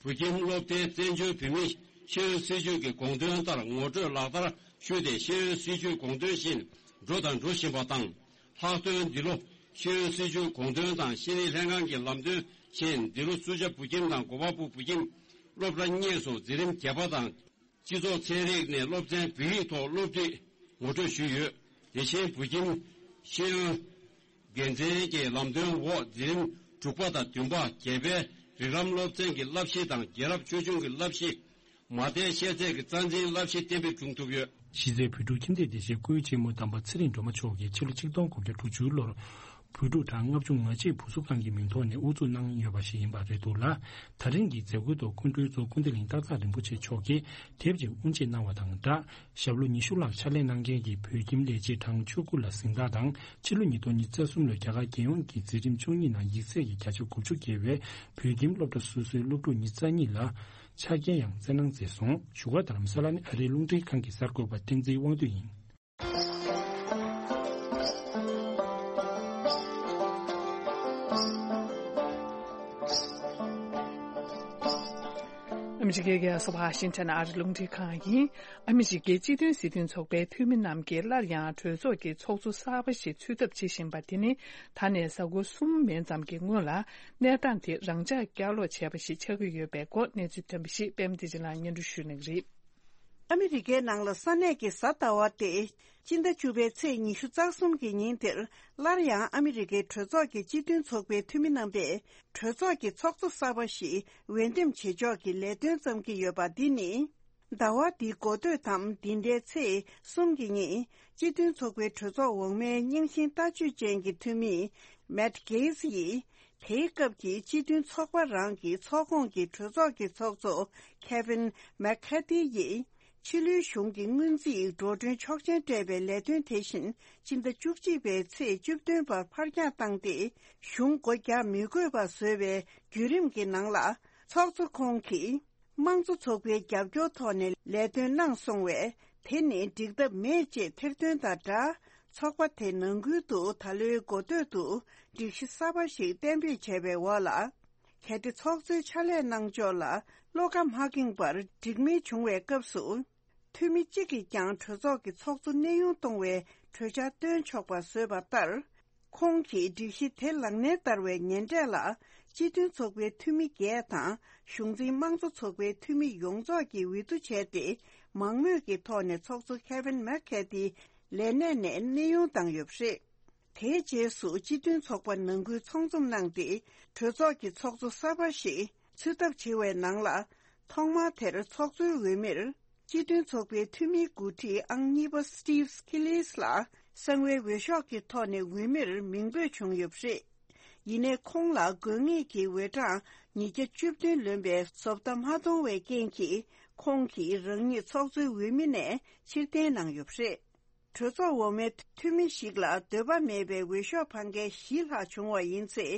བོད་ཁྱིམ་སློབ་སྡེའི་བཙན་བྱོལ་བོད་མིའི་ཤེས་ཡོན་སྲིད་བྱུས་ཀྱི་དགོངས་དོན་ལྟར་ངོ་སྤྲོད་ལག་བསྟར་ཞུས་ཏེ། ཤེས་ཡོན་སྲིད་བྱུས་དགོངས་དོན་བཞིན་འགྲོ་དང་འགྲོ་བཞིན་པ་དང་། ལྷག་དོན་འདི་ལོ་ཤེས་ཡོན་སྲིད་བྱུས་དགོངས་དོན་དང་ཤེས་རིག་ལྷན་ཁང་གི་ལམ་སྟོན་བཞིན་འདི་ལོ་སུ་ཇཱ་བོད་ཁྱིམ་དང་གོ་པལ་པུར་བོད་ཁྱིམ་སློབ་གྲྭ་གཉིས་སུ་འཛིན་རིམ་བརྒྱད་པ་དང་། སྤྱི་ཚོགས་ཚན་རིག་ནས་སློབ་ཚན་བོད་ཡིག་ཐོག་སློབ་ཁྲིད་ངོ་སྤྲོད་ཞུས་ཡོད། དེ་བཞིན་བོད་ཁྱིམ་ཤེས་ཡོན་དགེ་མཚན་གྱི་ལམ་སྟོན་འོག་འཛིན་རིམ་དྲུག་པ་དང་བདུན་པ། བརྒྱད་པའི་རིགས་ལམ་སློབ་ཚན་གྱི་བསླབ་གཞི་དང་རྒྱལ་རབས་ཆོས་འབྱུང་གི་བསླབ་གཞི། མ་མཐའི་ཤེས་ཚད་ཀྱི་རྩ་འཛིན་བསླབ་གཞི་གཏན་འབེབས་བྱུང་ཐུབ་ཡོད། གཞི་རྩའི་བོད་ཕྲུག་ཁྱིམ་སྡེ་དེ་བཞིན་སྐུའི་གཅེན་མོ་དམ་པ་ཚེ་རིང་སྒྲོལ་མ་མཆོག་གིས་ཕྱི་ལོ་ཆིག་སྟོང་དགུ་བརྒྱ་དྲུག་ཅུ་ལོར་བོད་ཕྲུག་གྲངས་ལྔ་བཅུ་ང་གཅིག་བུ་གསོ་ཁང་གི་མིང་ཐོག་ནས་དབུ་འཛུགས་གནང་ཡོད་པ་ཞིག་ཡིན་པ་རེད་འདུག་ལ། ད་རིང་གི་མཛད་སྒོའི་ཐོག་སྐུ་མགྲོན་གཙོ་སྐུ་ཚེ་རིང་སྟག་བཟའ་རིན་པོ་ཆེ་མཆོག་གིས་དེབ་ཅིག་དབུ་འབྱེད་གནང་བ་དང་སྦྲགས། ཞབས་ལོ་ཉི་ཤུ་ལྷག་ཕྱག་ལས་གནང་མཁན་གྱི་བོད་ཁྱིམ་ལས་བྱེད་གྲངས་བཅུ་དགུ་ལ་གཟེངས་རྟགས་དང་། ཕྱི་ལོ་ཉིས་སྟོང་ཉི་ཤུ་རྩ་གསུམ་ལོའི་རྒྱ་གར་རྒྱལ་ཡོངས་ཀྱི་འཛིན་རིམ་བཅུ་གཉིས་ནང་ཡིག་ཚད་ཀྱི་བརྒྱ་ཆ་དགུ་བཅུ་བརྒལ་བའི་བོད་ཁྱིམ་སློབ་གྲྭ་སོ་སོའི་སློབ་ཕྲུག་ཉི་ཤུ་རྩ་གཉིས་ལ་ཕྱག་འཁྱེར་ཡང་བསྩལ་གནང་མཛད་སོང་། བཞུགས་སྒར་རྡ་རམ་ས་ལ་ནས་ཨ་རིའི་རླུང་འཕྲིན་ཁང་གི་གསར་འགོད་པ་བསྟན་འཛིན་དབང་འདུས་ཡིན། ཨ་མི་རི་ཀའི་རྒྱལ་ས་ཝ་ཤིང་ཊོན་ཨ་རི་རླུང་འཕྲིན་ཁང་ཡིན། ཨ་མི་རི་ཀའི་སྤྱི་མཐུན་སྲིད་དོན་ཚོགས་པའི་འཐུས་མི་རྣམས་ཀྱིས་སླར་ཡང་གྲོས་ཚོགས་ཀྱི་ཚོགས་གཙོ་གསར་པ་ཞིག་འཚོལ་ཐབས་བྱེད་བཞིན་པ་དེ་ནི་ད་ནས་གཟའ་འཁོར་གསུམ་མན་ཙམ་གྱི་སྔོན་ལ་གནས་སྟངས་དེ་རང་འཇགས་བསྐྱར་ལོག་བྱས་པ་ཞིག་ཆགས་ཀྱི་ཡོད་པའི་སྐོར་གནས་ཚུལ་ཐོན་པ་ཞིག་པད་མ་བདེ་ཆེན་ལགས་སྙན་སྒྲོན་ཞུ་གནང་གི་རེད། ཨ་མི་རི་ཀའི་ནང་ལ་ས་གནས་ཀྱི་གཟའ་ཟླ་བ་སྟེ། སྤྱི་ཟླ་བཅུ་པའི་ཚེས་ཉི་ཤུ་རྩ་གསུམ་གྱི་ཉིན་དེར་སླར་ཡང་ཨ་མི་རི་ཀའི་གྲོས་ཚོགས་ཀྱི་སྤྱི་མཐུན་ཚོགས་པའི་འཐུས་མི་རྣམ་པས་གྲོས་ཚོགས་ཀྱི་ཚོགས་གཙོ་གསར་པ་ཞིག་འོས་འདེམས་བྱེད་ཕྱོགས་ཀྱི་ལས་དོན་བརྩམས་ཀྱི་ཡོད་པ་འདི་ནི། ཟླ་བ་འདིའི་འགོ་སྟོད་དམ་འདི་ཟླའི་ཚེས་གསུམ་གྱི་ཉིན་སྤྱི་མཐུན་ཚོགས་པའི་གྲོས་ཚོགས་འོག་མའི་རྙིང་ཞེན་ལྟ་སྤྱོད་ཅན་གྱི་འཐུས་མི་མེད་གྷེ་ཛི་ཡིས། དེའི་སྐབས་ཀྱི་སྤྱི་མཐུན་ཚོགས་པ་རང་གི་ཚོགས་ཁོངས་ཀྱི་གྲོས་ཚོགས་ཀྱི་ཚོགས་གཙོ་ཁེ་ཝིན་མེག་ཁ་ཐི་ཡིས། ཕྱི་ལོའི་གཞུང་གི་སྔོན་རྩིས་འགྲོ་གྲོན་ཆོག་མཆན་སྤྲད་པའི་ལས་དོན་དེ་བཞིན་ཕྱི་ཟླ་བཅུ་གཅིག་པའི་ཚེས་བཅུ་བདུན་བར་ཕར་འགྱངས་བཏང་སྟེ། གཞུང་སྒོ་རྒྱག་མི་དགོས་པ་བཟོ་བའི་བརྒྱུད་རིམ་གྱི་ནང་ལ། ཚོགས་གཙོ་ཁོང་གིས། དམངས་གཙོ་ཚོགས་པའི་རྒྱབ་སྐྱོར་ཐོག་ནས་ལས་དོན་གནང་སོང་བས། དེ་ནི་འགྲིག་ཐབས་མེད་ཅེས་ཐེར་འདོན་དང་སྦྲགས། ཚོགས་པ་དེ་ནང་ཁུལ་དུ་ད་ལོའི་འགོ་སྟོད་དུ་སྒྲིག་གཞི་གསར་པ་ཞིག་གཏན་འབེབས་བྱས་པའི་འོག་ལ། གལ་ཏེ་ཚོགས་གཙོའི་ཕྱག་ལས་གནང་ཕྱོགས་ལ་བློ་ཁ་མ་འགེངས་པར་འགྲིག་མིན་བྱུང་བའི་སྐབས་སུ། འཐུས་མི་གཅིག་གིས་ཀྱང་གྲོས་ཚོགས་ཀྱི་ཚོགས་གཙོ་གནས་དབྱུང་གཏོང་བའི་གྲོས་འཆར་བཏོན་ཆོག་པ་བཟོས་པ་ལྟར། ཁོང་གིས་སྒྲིག་གཞི་དེ་ལག་ལེན་བསྟར་བའི་ཉེ་འབྲེལ་ལ། སྤྱི་མཐུན་ཚོགས་པའི་འཐུས་མི་བརྒྱད་དང་། གཞུང་འཛིན་དམངས་གཙོ་ཚོགས་པའི་འཐུས་མི་ཡོངས་རྫོགས་ཀྱིས་འོས་བསྡུ་བྱས་ཏེ། མང་མོས་ཀྱི་ཐོག་ནས་ཚོགས་གཙོ་Kevin McCarthy་ལས་གནས་ནས་གནས་དབྱུང་བཏང་ཡོད་པ་རེད། དེའི་རྗེས་སུ་སྤྱི་མཐུན་ཚོགས་པ་ནང་ཁུལ་ཚོགས་འཛོམས་གནང་སྟེ། གྲོས་ཚོགས་ཀྱི་ཚོགས་གཙོ་གསར་པ་ཞིག་འཚོལ་ཐབས་བྱེད་པའི་ནང་ལ། ཐོག་མར་དེར་ཚོགས་གཙོའི་འོས་མིར། སྤྱི་མཐུན་ཚོགས་པའི་འཐུས་མིའི་འགོ་ཁྲིད་ཨང་གཉིས་པ་Steve Scalise་ལ་གསང་བའི་འོས་ཤོག་གི་ཐོག་ནས་འོས་མིར་མིང་འབོད་བྱུང་ཡོད་པ་རེད། ཡིན་ནའི་ཁོང་ལ་དགོས་ངེས་ཀྱི་འོས་གྲངས་ཉིས་བརྒྱ་བཅུ་བདུན་ལོན་པའི་བཟོ་ལྟ་མ་མཐོང་བའི་རྐྱེན་གྱིས། ཁོང་གིས་རང་ཉིད་ཚོགས་གཙོའི་འོས་མི་ནས་ཕྱིར་འཐེན་གནང་ཡོད་པ་རེད། གྲོས་ཚོགས་འོག་མའི་འཐུས་མི་ཞིག་ལ་འདོད་པ་མེད་པའི་འོས་ཤོག་འཕང་མཁན་བཞི་ལྷག་བྱུང་བ་ཡིན་ཚེ།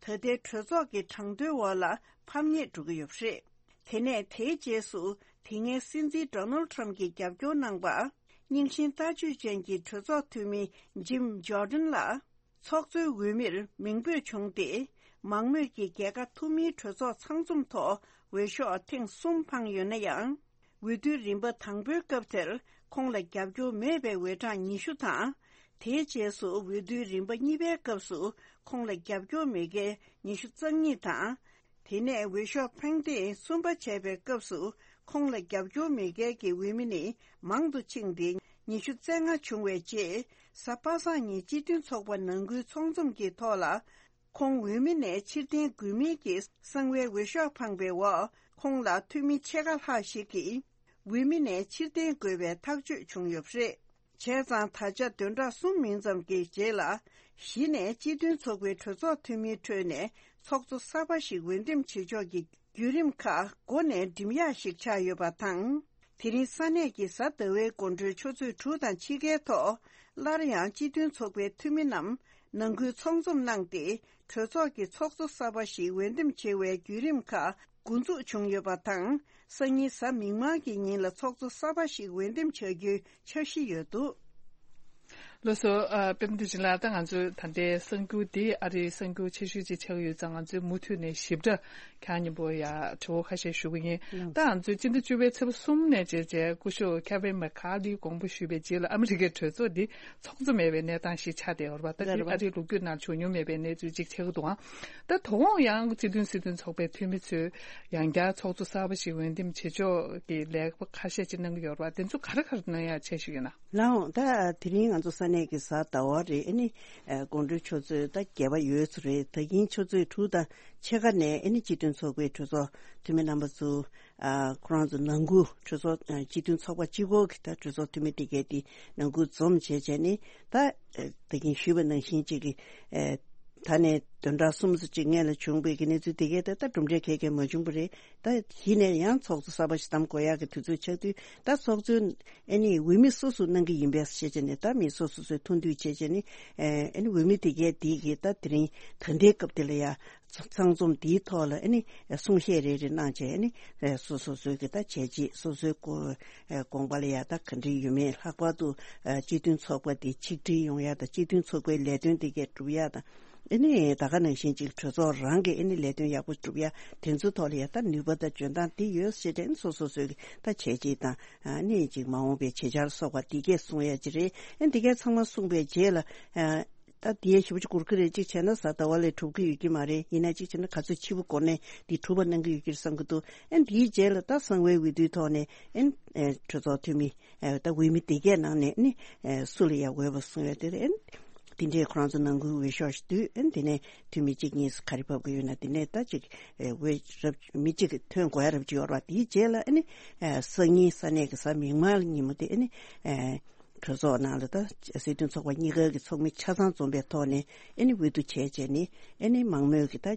ད་ལྟའི་གྲོས་ཚོགས་ཀྱི་གྲངས་ཐོའི་འོག་ལ་ཕམ་ཉེས་འགྲོ་གི་ཡོད་པ་རེད། དེ་ནས་དེའི་རྗེས་སུ། དེ་སྔའི་སྲིད་འཛིན་Donald Trump་གྱིས་རྒྱབ་སྐྱོར་གནང་པ། རྙིང་ཞེན་ལྟ་སྤྱོད་ཅན་གྱི་གྲོས་ཚོགས་འཐུས་མི་Jim Jordan་ལ། ཚོགས་གཙོའི་འོས་མིར་མིང་འབོད་བྱུང་སྟེ། མང་མོས་ཀྱིས་རྒྱལ་ཁ་ཐོབ་མིན་གྲོས་ཚོགས་ཚང་འཛོམས་ཐོག་འོས་ཤོག་ཐེངས་གསུམ་འཕངས་ཡོད་ན་ཡང་། འོས་བསྡུའི་རིམ་པ་དང་པོའི་སྐབས་དེར་ཁོང་ལ་རྒྱབ་སྐྱོར་མེད་པའི་འོས་གྲངས་ཉི་ཤུ་དང་། དེའི་རྗེས་སུ་འོས་བསྡུའི་རིམ་པ་གཉིས་པའི་སྐབས་སུ་ཁོང་ལ་རྒྱབ་སྐྱོར་མེད་མཁན་ཉི་ཤུ་རྩ་གཉིས་དང་། དེ་ནས་འོས་ཤོག་འཕངས་ཐེངས་གསུམ་པ་བྱས་པའི་སྐབས་སུ་ཁོང་ལ་རྒྱབ་སྐྱོར་མེད་མཁན་གྱི་འོས་མི་ནི་མང་དུ་ཕྱིན་ཏེ་ཉི་ཤུ་རྩ་ལྔ་བྱུང་བའི་རྗེས། གཟའ་པ་སངས་ཉིན་སྤྱི་མཐུན་ཚོགས་པ་ནང་ཁུལ་ཚོགས་འཛོམས་ཀྱི་ཐོག་ལ། ཁོང་འོས་མི་ནས་ཕྱིར་འཐེན་དགོས་མིན་གྱི་གསང་བའི་འོས་ཤོག་འཕངས་པའི་འོག་ཁོང་ལ་འཐུས་མི་ཕྱེད་ཀ་ལྷག་ཞིག་གིས་འོས་མི་ནས་ཕྱིར་འཐེན་དགོས་པའི་ཐག་གཅོད་བྱུང་ཡོད་པ་རེད། བྱས་ཙང་ད་ཆ་བདུན་ཕྲག་གསུམ་མིན་ཙམ་གྱི་རྗེས་ལ། གཞི་ནས་སྤྱི་མཐུན་ཚོགས་པའི་གྲོས་ཚོགས་འཐུས་མིའི་ཁྲོད་ནས་ཚོགས་གཙོ་གསར་པ་ཞིག་འོས་འདེམས་བྱེད་ཕྱོགས་ཀྱི་བརྒྱུད་རིམ་ཁག་འགོ་ནས་འགྲིམ་ཡག་ཞིག་ཆགས་ཡོད་པ་དང་། དེ་རིང་ས་གནས་ཀྱི་གཟའ་ཟླ་བའི་དགོང་དྲོའི་ཆུ་ཚོད་དྲུག་དང་ཕྱེད་ཀའི་ཐོག་སླར་ཡང་སྤྱི་མཐུན་ཚོགས་པའི་འཐུས་མི་རྣམས་ནང་ཁུལ་ཚོགས་འཛོམས་གནང་སྟེ། གྲོས་ཚོགས་ཀྱི་ཚོགས་གཙོ་གསར་པ་ཞིག་འོས་འདེམས་བྱེད་པའི་བརྒྱུད་རིམ་ཁག་འགོ་འཛུགས་བྱུང་ཡོད་པ་དང་། སང་ཉིན་གཟའ་མིག་དམར་གྱི་ཉིན་ལ་ཚོགས་གཙོ་གསར་པ་ཞིག་འོས་འདེམས་བྱ་རྒྱུའི་འཆར་གཞི་ཡོད་འདུག་ལགས་སོ། ཨ། པདྨ་བདེ་ཆེན་ལགས། ད་ང་ཚོའི་ད་ལྟའི་གསར་འགྱུར་འདི་ཨ་རིའི་གསར་འགྱུར་ཆེ་ཤོས་ཅིག་ཆགས་ཀྱི་ཡོད་ཙང་། ང་ཚོས་མུ་མཐུད་ནས་ཞིབ་ཕྲ་ཁྱེད་རང་མཉམ་པོ་ཡ་དྲི་བ་ཁ་ཤས་ཞུ་གི་ཡིན། ལགས། ད་ང་ཚོས་སྤྱི་ཟླ་བཅུ་པའི་ཚེས་པ་གསུམ་ནས་བྱས་བྱས་སྐུ་ཞབས་ཁེ་ཝིན་མེ་ཁ་ལིས་དགོངས་པ་ཞུས་པའི་རྗེས་ལ། ཨ་མི་རི་ཀའི་གྲོས་ཚོགས་འདི་ཚོགས་གཙོ་མེད་པའི་གནས་སྟངས་ཤིག་ཆགས་བསྡད་ཡོད་རེད་པ། ད་འདི་ཨ་རིའི་ལོ་རྒྱུས་ནང་བྱུང་མྱོང་མེད་པའི་གནས་ཚུལ་ཅིག་ཆགས་ཀྱི་འདུག་ཨང་། ད་དོ་དགོང་ཡང་སྤྱི་མཐུན་སྲིད་དོན་ཚོགས་པའི་འཐུས་མི་ཚོས་ཡང་བསྐྱར་ཚོགས་གཙོ་གསར་པ་ཞིག་འོས་འདེམས་བྱེད་ཕྱོགས་ཀྱི་ལས་ཀ་ཁ་ཤས་ཅིག་གནང་གི་ཡོད་རེད་པ། དེ་ཚོ་ག་རེ་ག་རེ་གནང་ཡག་འཆར་གཞི་ཡོད་ན། ལགས་འོང་། ད་དེ་རིང་ང་ཚོ་ས་གནས་ཀྱི་གཟའ་ཟླ་བ་རེད། ཨ་ནི་དགོང་དྲོའི་ཆུ་ཚོད་ད་བརྒྱད་པ་ཡོལ་ཚོད་རེད། ད་གིན་ཆུ་ཚོད་དྲུག་དང་ཕྱེད་ཀ་ནས་ཨ་ནི་སྤྱི་མཐུན་ཚོགས་པའི་གྲོས་ཚོགས་འཐུས་མི་རྣམ་པ་ཚོ། ཨ། ཁོ་རང་ཚོ་ནང་ཁུལ་གྲོས་ཚོགས། ཨ། སྤྱི་མཐུན་ཚོགས་པ་གཅིག་པོ་གི་ད་གྲོས་ཚོགས་འཐུས་མི་དེ་གས་དེ་ནང་ཁུལ་འཛོམས་བྱས་བྱས་ནས། ད་ད་གིན་ཞུས་པ་ནང་བཞིན་ཅིག་གི། ཨ། ད་ནས་བདུན་ཕྲག་གསུམ་ཙམ་ཅིག་སྔོན་ལ་བྱུང་བའི་གི་གནས་ཚུལ་དེ་གས་ད་ད་གྲུབ་འབྲས་ག་གས་མ་བྱུང་བ་རེད། ད་གཞི་ནས་ཡང་ཚོགས་གཙོ་གསར་པ་ཞིག་བདམས་དགོས་ཡག་གི་དུས་ཚོད་ཆགས་དུས། ད་ཚོགས་གཙོ་ཨ་ནི་འོས་མི་སོ་སོ་གནང་གི་ཡིན་པས་བྱས་བྱས་ནས། ད་མི་སོ་སོ་སོས་ཐུགས་འདུན་བྱས་བྱས་ནས། ཨ་ནི་འོས་མི་དེ་གས་དེ་གི་ད་དེ་རིང་ད་ལྟའི་སྐབས་དེ་ལ་ཡ། ཚང་འཛོམས་འདིའི་ཐོག་ལ་ཨ་ནི་གསུང་བཤད་རེ་རེ་གནང་བྱས། ཨ་ནི་སོ་སོ་སོའི་གི་ད་བྱས་རྗེས། སོ་སོའི་དགོངས་དགོངས་པ་ལ་ཡ་ད་ག་འདྲ་ཡོད་མེད། ལྷག་པར་དུ་སྤྱི་མཐུན་ཚོགས་པ་འདི་ཆིག་སྒྲིལ་ཡོང་ཡ་དང་། སྤྱི་མཐུན་ཚོགས་པའི་ལས་དོན་དེ་གས་སྒྲུབ་ཡ་དང་། ཨ་ནི་ད་ག་ནང་བཞིན་ཅིག་གྲོས་ཚོགས་རང་གི་ཨ་ནི་ལས་དོན་ཡག་པོ་སྒྲུབ་ཡ་དེ་ཚོའི་ཐོག་ལ་ཡ་ད་ནུས་པ་དང་འཇོན་ཐང་འདི་ཡོད་ཟེར་ཏེ། ཨ་ནི་སོ་སོ་སོའི་གི་ད་བྱས་རྗེས་དང་། ཨ་ནི་ཅིག་མ་འོངས་པའི་བྱེད་འཆར་སོགས་པ་འདི་གས་གསུང་ཡ་ཅིག་རེད། ཨ་ནི་འདི་གས་ཚང་མ་གསུངས་པའི་རྗེས་ལ། ཨ། ད་དེའི་ཞེ་པོ་ཅིག་འགོར་གི་རེད། གཅིག་བྱས་ན་གཟའ་ཟླ་བ་ལས་གྲུབ་ཀྱི་ཡོད་ཀྱི་མ་རེད། ཡིན་ན་གཅིག་བྱས་ན་ག་ཚོད་ཕྱི་པོ་འགོར་ནས་འདི་གྲུབ་པ་གནང་གི་ཡོད་ཀྱི་རེད་བསམ་གྱི་འདུག་ཨ་ནི་འདིའི་རྗེས་ལ་ད་གསང་བའི་འོས་བསྡུའི་ཐོག་ནས། ཨ་ནི་གྲོས་ཚོགས་འཐུས་མི། ཨ། ད་འོས་མི་དེ་གས་ནང་ནས་ནི། ཨ། སུ་ལ་ཡ་འོས་པ་གསུང་ཡ་དེ་རེད། ཨ་ནི་དེ་འདྲས་ཁོ་རང་ཚོ་ནང་ཁུལ་འོས་ཤོག་ཞིག་བསྡུས། ཨ་ནི་དེ་ནས་འཐུས་མི་གཅིག་གཉིས་ག་རེ་བབས་ཀྱི་ཡོད་ན། དེ་ནས་ད་ཅིག་འོས་རབ་མི་གཅིག་ཐོན་དགོས་ཡ་རབ་ཅིག་ཡོད་རེད་པ། དེའི་རྗེས་ལ་ཨ་ནི། ཨ། སང་ཉིན་ས་གནས་ཀྱི་གཟའ་མིག་དམར་ཉིན་མོ་དེ། ཨ་ནི། ཨ། གྲོས་ཚོགས་ནང་ལ་ད་སྲིད་དོན་ཚོགས་པ་གཉིས་ཀ་གི་ཚོགས་མི་ཆ་ཚང་འཛོམས་པའི་ཐོག་ནས། ཨ་ནི་འོས་བསྡུ་བྱས་བྱས་ནས། ཨ་ནི་མང་མོས་ཀྱི་ད་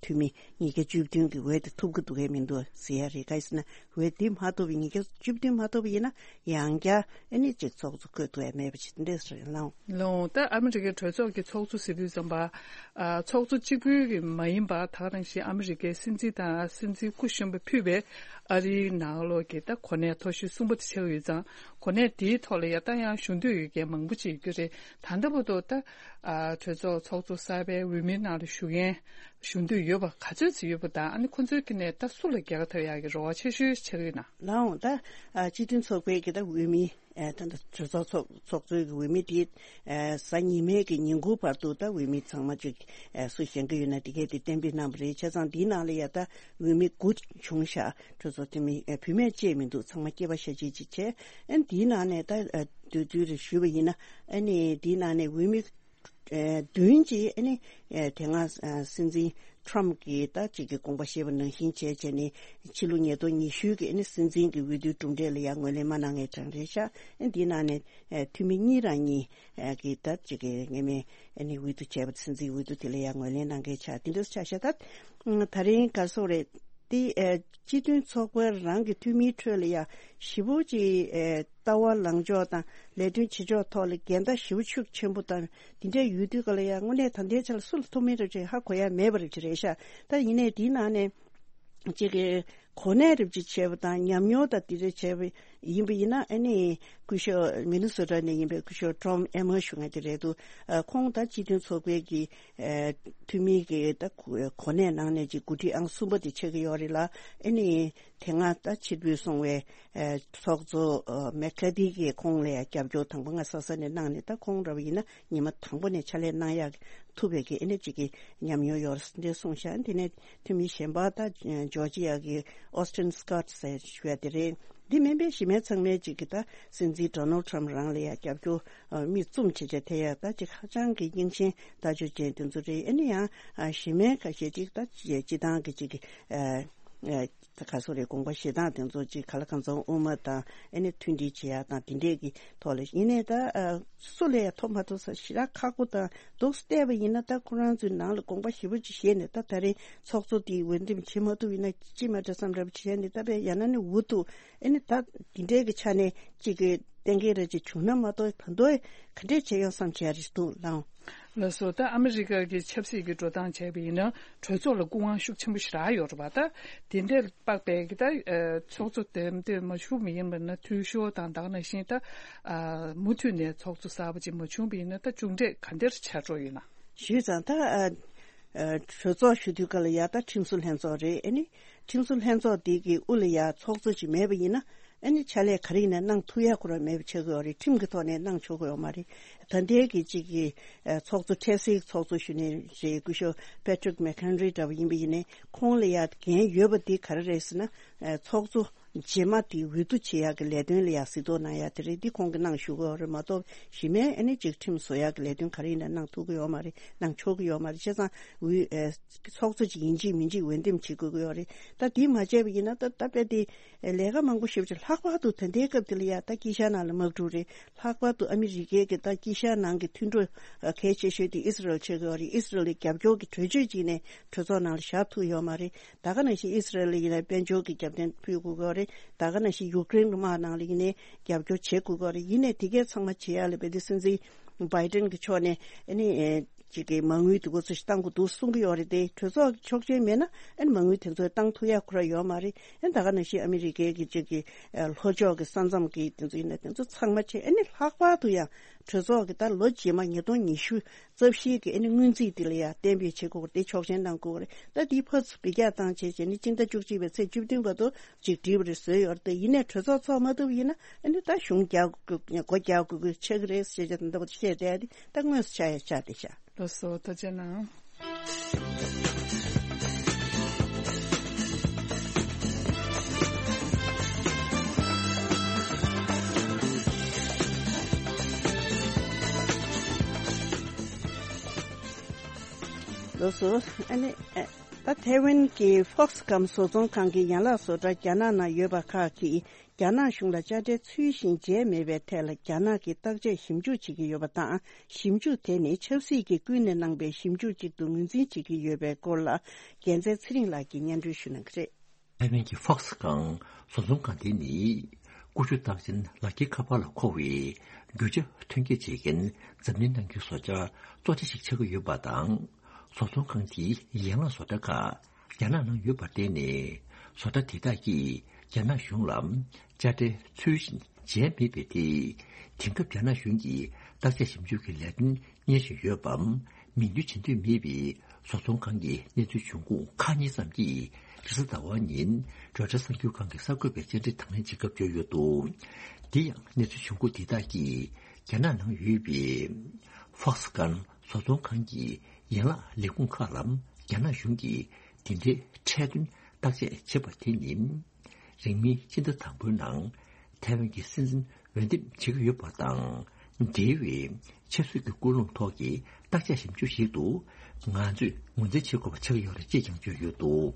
འཐུས་མི་ཉིས་བརྒྱ་བཅུ་བདུན་གྱི་འོས་དེ་ཐོབ་ཀྱི་འདུག་གས་མི་འདུག་ཟེར་ཡ་རེད། ག་རེ་ཟེར་ན། འོས་དེ་མ་ཐོབ་པ། ཉིས་བརྒྱ་བཅུ་བདུན་མ་ཐོབ་པ་ཡིན་ན། ཡང་བསྐྱར་ཨ་ནི་ཅིག་ཚོགས་གཙོ་བསྐོ་ཐུབ་ཡ་མེད་པ་ཅིག་འདྲས་རེད་ལགས། ལགས་འོང་། ད་ཨ་མི་རི་ཀའི་གྲོས་ཚོགས་ཀྱི་ཚོགས་གཙོ་ཟེར་དུས་ཙམ་པ། ཨ། ཚོགས་གཙོ་གཅིག་པུའི་གི་མ་ཡིན་པ། ད་ག་ནང་བཞིན་ཨ་མི་རི་ཀའི་སྲིད་འཛིན་དང་སྲིད་འཛིན་སྐུ་གཞོན་པ་ཕུད་པའི་ཨ་རིའི་ནང་ལོགས་ཀྱི་ད་གོ་གནས་མཐོ་ཤོས་གསུམ་པ་དེ་ཆགས་ཡོད་ཙང་། གོ་གནས་དེའི་ཐོག་ལ་ཡ་ད་ ཡང་ཞུ་འདོད་ཡོད་མཁན་མང་པོ་ཅིག་ཡོད་ཀྱི་རེད། ད་ལྟ་བར་དུ་ད་ཨ་གྲོས་ཚོགས་ཚོགས་གཙོ་གསར་པའི་འོས་མིའི་ནང་ལ་ཞུགས་མཁན་ཞུ་འདོད་ཡོད་པ་ག་ཚོད་ཅིག་ཡོད་པ་དང་། ཨ་ནི་ཁོ་ཚོའི་ཀྱི་ནས་ད་སུ་ལ་རྒྱལ་ཁ་ཐོབ་ཡག་གི་རེ་བ་ཆེ་ཤོས་ཆགས་ཡོད་ན། ལའང་ད་ཨ་སྤྱི་མཐུན་ཚོགས་པའི་གི་ད་འོས་མི་ཨ་ད་ད་གྲོས་ཚོགས་ཚོགས་ཚོགས་གཙོའི་གི་འོས་མི་དེ་ཨ་གཟའ་ཉི་མའི་གི་ཉིན་གུང་བར་དུ་ད་འོས་མི་ཚང་མ་ཅིག་ཨ་སུ་བཞེངས་གི་ཡོད་ན་དེ་གས་དེ་གཏན་འབེབས་གནང་བ་རེད། བྱས་ཙང་འདིའི་ནང་ལ་ཡ་ད་འོས་མི་དགུ་བྱུང་ཤག་གྲོས་ཚོགས་འཐུས་མི་ཨ་བུད་མེད་བཅས་མི་འདུག་ཚང་མ་སྐྱེས་པ་ཤ་གཅིག་ཅིག་བྱས། ཨ་འདིའི་ནང་ནས་ད་ཨ་དུས་ཚོད་རེ་ཞུས་པ་ཡིན་ན། ཨ་ནི་འདིའི་ནང་ནས་འོས་མི་ཨ་བདུན་གྱིས་ཨ་ནི་ཨ་དེ་སྔ་ཨ་སྲིད་འཛིན་ཊམ་གྱིས་ད་ཅིག་གི་དགོངས་པ་བཞེས་པ་ནང་བཞིན་བྱས་བྱས་ནས་ཕྱི་ལོ་ཉིས་སྟོང་ཉི་ཤུ་གི་ཨ་ནི་སྲིད་འཛིན་གྱི་འོས་བསྡུའི་གྲུབ་འབྲས་ལ་ཡང་ངོས་ལེན་མ་གནང་མཁན་གྲངས་རེད་ཤག་ཨ་འདིའི་ནང་ནས་ཨ་འཐུས་མི་གཉིས་རང་གཉིས་ཨ་གིས་ད་ཅིག་གི་ངེས་མེད་ཨ་ནི་འོས་བསྡུ་བྱས་པ། སྲིད་འཛིན་འོས་བསྡུ་དེ་ལ་ཡང་ངོས་ལེན་གནང་མཁན་ཆགས། དེ་འདྲ་ཆགས་ཤག་ད་ད་རིང་ག་སོག་རེད། དེ་ཨ་སྤྱི་མཐུན་ཚོགས་པ་རང་གི་འཐུས་མིའི་ཁྲོད་ལ་ཡ་ཞེ་པོ་ཅིག་ཨ་ལྟ་བ་ལངས་ཕྱོགས་དང་ལས་དོན་བྱེད་ཕྱོགས་ཐོག་ལ་འགལ་ཟླ་ཞེ་པོ་ཤུགས་ཆེན་པོ་དང་དེ་འདྲ་ཡོད་དུས་ག་ལ་ཡ་དངོས་གནས་ད་ལྟའི་ཆ་ལ་སུ་ལ་ཐུག་མིན་རེད་ཅེས་ཧ་གོ་ཡ་མེད་པ་རེད་ཅེས་རེད་ཤག་ད་ཡིན་ནའི་དེའི་ནང་ནས་ཅིག་གི་གོ་གནས་རེ་ཅིག་བྱས་པ་དང་ཉམས་མྱོང་དང་དེ་འདྲ་བྱས་པ་ཡིན་པ་ཡིན་ན། ཨ་ནི་སྐུ་ཞབས་མི་ནི་སོ་ཊ་ནས་ཡིན་པའི་སྐུ་ཞབས་ཊོམ་ཨེ་མར་ཞུ་མཁན་དེ་རེད་འདུག་ཨ་ཁོང་ད་སྤྱི་མཐུན་ཚོགས་པའི་གི་ཨ་འཐུས་མི་གི་ད་གོ་གནས་ནང་ནས་ཅིག་འགོ་ཁྲིད་ཨང་གསུམ་པ་དེ་ཆགས་ཀྱི་ཡོད་རེད་ལ། ཨ་ནི་དེ་སྔ་ད་ཕྱིར་འབུད་སོང་བའི་ཨ་ཚོགས་གཙོ་ཨ་མེག་ཁ་ཐི་གིས་ཁོང་ལ་ཡང་རྒྱབ་སྐྱོར་དང་པོ་སྔ་ས་ས་ནས་གནང་ནས། ད་ཁོང་འདྲ་བ་ཡིན་ན་ཉི་མ་དང་པོ་ནས་ཕྱག་ལས་གནང་ཡག་ཐུབ་པའི་གི་ཨ་ནི་ཅིག་གི་ཉམས་མྱོང་ཡོད་རེད་འདྲ་གསུངས་ཤག་དེ་ནས་འཐུས་མི་གཞན་པ་ད་ཇོར་ཇི་ཡ་གི་ཨོ་སི་ཊིན་སི་ཀོཊ་ཟེར་ཞུ་ཡ་དེ་རེད། འདི་མིན་པའི་གཞི་མེད་ཚང་མས་ཅིག་གི་ད་སྲིད་འཛིན་ཌོ་ནལ་ཊམ་རང་ལ་ཡ་རྒྱབ་སྐྱོར་ཨ་མིག་བཙུམ་བྱེད་བྱེད་དེ་ཡ་ད་ཅིག་ཧ་ཅང་གི་རྙིང་ཞེན་ལྟ་སྤྱོད་ཅན་དེ་ཚོ་རེད། ཨ་ནི་ཡང་ཨ་གཞི་མེད་ཁ་ཤས་ཅིག་ད་སྤྱི་སྤྱི་བཏང་གི་ཅིག་གི་ཨ་ཨ་ད་ག་སོ་རེད། དགོངས་པ་བཞེས་སྟངས་དེ་ཚོ་ཅིག་ག་ལ་གང་འཚམ་དབུ་མ་དང་ཨ་ནི་མཐུན་སྒྲིལ་བྱེད་ཡ་དང་དེ་འདྲས་ཀྱི་ཐོག་ལ། ཡིན་ནའི་ད་ཨ་སུ་ལ་ཡ་ཐོབ་མ་ཐོབ་ས་ཞེ་དྲག་ཁག་པོ་དང་འདུག་སེ་བལྟས་པ་ཡིན་ན། ད་ཁོ་རང་ཚོའི་ནང་ལ་དགོངས་པ་ཞེ་པོ་ཅིག་བཞེས་ནས་ད་ད་རེས་ཚོགས་གཙོ་དེ་འོས་འདེམས་བྱེད་མ་ཐུབ་ཡིན་ན་ཅི་མ་འདྲ་བསམ་འདྲ་པོ་བྱས་ནས། ད་དཔེ་ཡང་ན་ནི་འུ་ཐུག་ཨ་ནི་ད་འདི་འདྲའི་གི་ཆ་ནས་ཅིག་གི་གཏན་འཁེལ་རེ་ཅིག་བྱུང་ན་མ་གཏོགས་ད་དུང་ག་འདྲས་བྱེད་ཡོང་བསམ་བྱས་རེད་འདུག་ལགས། ལགས་སོ། ད་ཨ་མི་རི་ཀ་གི་ཆབ་སྲིད་ཀྱི་འགྲོ་སྟངས་བྱས་པ་ཡིན་ན་གྲོས་ཚོགས་ལ་སྐུ་དབང་ཤུགས་ཆེན་པོ་ཞེ་དྲག་ཡོད་རེད་པ། ད་དེ་འདྲའི་དཔག་པའི་གི་ད་ཚོགས་གཙོ་འདེམས་ཐོན་མ་བྱུང་བ་ཡིན་པ་ན་འཐུས་ཤོར་དང་ད་ག་ནང་བཞིན་ད་མུ་མཐུད་ནས་ཚོགས་གཙོ་གསར་པ་ཅིག་མ་བྱུང་བ་ཡིན་ན་ད་མཇུག་འབྲས་ག་འདྲ་ཆགས་འགྲོ་ཡོད་ན། ཞུས་ཙང་ད་གྲོས་ཚོགས་ཞུ་དུས་ག་ལ་ཡ་ད་ཁྲིམས་བཟོ་ལྷན་ཚོགས་རེད། ཨ་ནི་ཁྲིམས་བཟོ་ལྷན་ཚོགས་འདི་གི་དབུ་ལ་ཡ་ཚོགས་གཙོ་ཅིག་མེད་པ་ཡིན་ན། ཨ་ནི་ཕྱག་ལས་ག་རེ་ཡིན་ན་གནང་ཐུབ་ཡ་ཁོ་རང་མེད་པ་ཆགས་ཀྱི་ཡོད་རེད། ཁྲིམས་ཀྱི་ཐོག་ནས་གནང་ཆོག་གི་ཡོད་མ་རེད། ད་ལྟའི་གི་གཅིག་གི་ཨ་ཚོགས་གཙོ་འཕྲལ་སེལ་ཚོགས་གཙོ་ཞུ་ནས་རེད། སྐུ་ཞབས་པེ་ཊི་རིག་མེག་ཁན་རི་འདྲ་བ་ཡིན་པ་ཡིན་ནའི་ཁོང་ལ་ཡ་འགན་ཡོད་པ་འདི་ག་རེ་རེད་ཟེར་ན། ཨ་ཚོགས་གཙོ་རྗེས་མ་དེ་འོས་བསྡུ་བྱེད་ཡག་གི་ལས་དོན་ལ་ཡ་གཟིགས་རྟོག་གནང་ཡ་དེ་རེད། འདི་ཁོང་གིས་གནང་ཞུ་གི་ཡོད་རེད་མ་གཏོགས། གཞི་མའི་ཨ་ནི་གཅིག་ཁྲིམས་བཟོ་ཡག་གི་ལས་དོན་ག་རེ་ཡིན་ན་གནང་ཐུབ་ཀྱི་ཡོད་མ་རེད། གནང་ཆོག་གི་ཡོད་མ་རེད། བྱས་ཙང་འོས་ཨ་ཚོགས་གཙོ་ཅིག་ཡིན་གཅིག་མིན་གཅིག་འོས་འདེམས་བྱེད་དགོས་ཀྱི་ཡོད་རེད། ད་དེ་མ་བྱས་པ་ཡིན་ན་ད་ད་དཔེ་དེ་ལས་ཀ་མང་པོ་ཞེ་པོ་ཅིག་ལྷག་པར་དུ་ད་ལྟའི་སྐབས་དེ་ལ་ཡ་ད་དཀྱིལ་ཤར་ནང་ལ་དམག་འཁྲུག་རེད། ལྷག་པར་དུ་ཨ་མི་རི་ཀའི་གི་ད་དཀྱིལ་ཤར་ནང་གི་མཐུན་གྲོགས་ཨ་གལ་ཆེ་ཤོས་དེ་ཨི་སི་རལ་ཆགས་ཀྱི་ཡོད་རེད། ཨི་སི་རལ་ལ་རྒྱབ་སྐྱོར་གྱི་གྲོས་ཆོད་ཅིག་ནས་གྲོས་ཚོགས་ནང་ལ་བཞག་ཐུབ་ཡོད་མ་རེད། ད་ག་ནང་བཞིན་ཨི་སི་རལ་ལ་ཡིན་ན་དཔལ་འབྱོར་གྱི་རྒྱབ་རྟེན་ཕུལ་དགོས་ཀྱི་ཡོད་རེད། ད་ག་ནང་བཞིན་ཡུཀ་རེན་གྱི་དམག་ནང་ལ་ཡིན་ནའི་རྒྱབ་སྐྱོར་བྱེད་དགོས་ཀྱི་ཡོད་རེད། ཡིན་ནའི་དེ་གས་ཚང་མ་བྱེད་ཡ་ལ་དཔེ་དེ་སྲིད་འཛིན་བྷའི་ཏན་གྱི་ཕྱོགས་ནས་ཨ་ནི་ཅིག་གི་མ་དངུལ་དེ་གོ་ཚོད་ཞིག་བཏང་དགོས་འདུག་གསུང་གི་ཡོད་རེད་དེ། གྲོས་ཚོགས་ཀྱི་ཆོག་མཆན་མེད་ན་ཨ་ནི་མ་དངུལ་དེ་ཚོ་བཏང་ཐུབ་ཡ་ཁོ་རང་ཡོད་མ་རེད། ཨ་ནི་ད་ག་ནང་བཞིན་ཨ་མི་རི་ཀའི་གི་ཅིག་གི་ཨ་ལྷོ་ཕྱོགས་ཀྱི་ས་མཚམས་ཀྱི་དེ་ཚོ་ཡིན་ན་དེ་ཚོ་ཚང་མ་བྱས། ཨ་ནི་ལྷག་པར་དུ་ཡང་གྲོས་ཚོགས་ཀྱི་ད་ལོ་རྗེས་མ་ཉིས་སྟོང་ཉི་ཤུ་རྩ་བཞིའི་གི་ཨ་ནི་སྔོན་རྩིས་དེ་ལ་ཡང་གཏན་འབེབས་བྱེད་དགོས་རེད། དེ་ཆོག་མཆན་གནང་དགོས་རེད། ད་དེའི་ཕར་ཚུར་འབུད་རྒྱག་བཏང་བྱས་བྱས་ནས་སྤྱི་ཟླ་བཅུ་གཅིག་པའི་ཚེས་བཅུ་བདུན་བར་དུ་ཅིག་འགྲིག་པ་རེད་བཟོས་ཡོད་རེད་དེ། ཡིན་ནའི་གྲོས་ཚོགས་ཚོགས་མ་ཐུབ་ཡིན་ན་ཨ་ནི་ད་གཞུང་རྒྱག་དགོས་སྒོ་རྒྱག་དགོས་དགོས་ཆགས་ཀྱི་རེད་ཟེར་བྱས་ད་ལྟ་བར་བཤད་བསྡད་དེ་ད་དངོས་སུ་ཆགས་ཡ་ཆགས་བསྡད་ཤག་ལགས་སོ། ཐུགས་རྗེ་གནང་། ལགས་སོ། ཨ་ནི་ཨ་ད་ཐའེ་ཝན་གྱི་ཧྥོག་སི་ཀམ་བཟོ་ཚོང་ཁང་གི་ཡན་ལག་བཟོ་གྲྭ་རྒྱ་ནག་ནང་ཡོད་པ་ཁག་གིས་རྒྱ་ནག་གཞུང་ལ་དཔྱ་ཁྲལ་ཚུལ་བཞིན་འཇལ་མེད་པའི་ཐད་ལ་རྒྱ་ནག་གིས་བརྟག་དཔྱད་ཞིབ་འཇུག་བྱེད་ཀྱི་ཡོད་པ་དང་། ཞིབ་འཇུག་དེ་ནི་ཆབ་སྲིད་ཀྱིས་ཀུན་ནས་གནང་པའི་ཞིབ་འཇུག་ཅིག་ཏུ་ངོས་འཛིན་བྱེད་ཀྱི་ཡོད་པའི་སྐོར་ལ་རྒྱལ་མཚན་ཚེ་རིང་ལགས་ཀྱིས་སྙན་སྒྲོན་ཞུ་གནང་གི་རེད། ཐའེ་ཝན་གྱི་ཧྥོག་སི་ཀམ་བཟོ་ཚོང་ཁང་དེ་ནི་ཀུ་ཤུ་རྟགས་ཅན་ལག་འཁྱེར་ཁ་པར་ལ་མཁོ་བའི་རྒྱུ་ཆ་ཐོན་སྐྱེད་བྱེད་མཁན་འཛམ་གླིང་ནང་གི་བཟོ་གྲྭ་གཙོ་ཆེ་ཞིག་ཆགས་ཀྱི་ཡོད་པ་དང་། བཟོ་ཚོང་ཁང་དེའི་ཡན་ལག་བཟོ་གྲྭ་ཁག་རྒྱ་ནག་ནང་ཡོད་པར་བརྟེན་ནས། བཟོ་གྲྭ་དེ་དག་གིས་རྒྱ་ནག་གཞུང་ལ་དཔྱ་ཁྲལ་ཚུལ་བཞིན་ བྱས་མེད་པའི་ཐད། དེང་སྐབས་རྒྱ་ནག་གཞུང་གིས་བརྟག་དཔྱད་ཞིབ་འཇུག་གི་ལས་དོན་གཉེར་བཞིན་ཡོད་པའམ། མིང་འདོན་བྱེད་འདོད་མེད་པའི་བཟོ་ཚོང་ཁང་གི་གནས་ཚུལ་འབྱུང་ཁུངས་ཁག་གཉིས་ཙམ་གྱིས་རེས་གཟའ་ཟླ་བ་ཉིན་རོའི་ཊར་གསར་འགྱུར་ཁང་གི་གསར་འགོད་པའི་བཅར་འདྲི་དང་ལེན་བྱེད་སྐབས་བརྗོད་ཡོད་འདུག། དེ་ཡང་གནས་ཚུལ་འབྱུང་ཁུངས་འདི་དག་གིས་རྒྱ་ནག་ནང་ཡོད་པའི་ཧྥོག་སི་ཀན་བཟོ་ཚོང་ཁང་གི་ཡན་ལག་ལས་ཁུངས་ཁག་ལ་རྒྱ་ནག་གཞུང་གིས་དེ་འདྲའི་ཁྲལ་དོན་བརྟག་དཔྱད་བྱེད་པ་དེ་ནི། རིང་མིན་སྤྱི་ཟླ་དང་པོའི་ནང་ཐའེ་ཝན་གྱི་སྲིད་འཛིན་འོས་འདེམས་བྱེད་ཀྱི་ཡོད་པ་དང་། འབྲེལ་བའི་ཆབ་སྲིད་ཀྱི་ཀུན་སློང་ཐོག་གི་བརྟག་དཔྱད་ཞིབ་འཇུག་ཞིག་ཏུ་ང་ཚོས་ངོས་འཛིན་བྱེད་དགོས་པ་ཆགས་ཀྱི་ཡོད་རེད་ཅེས་ཀྱང་བརྗོད་ཡོད་འདུག།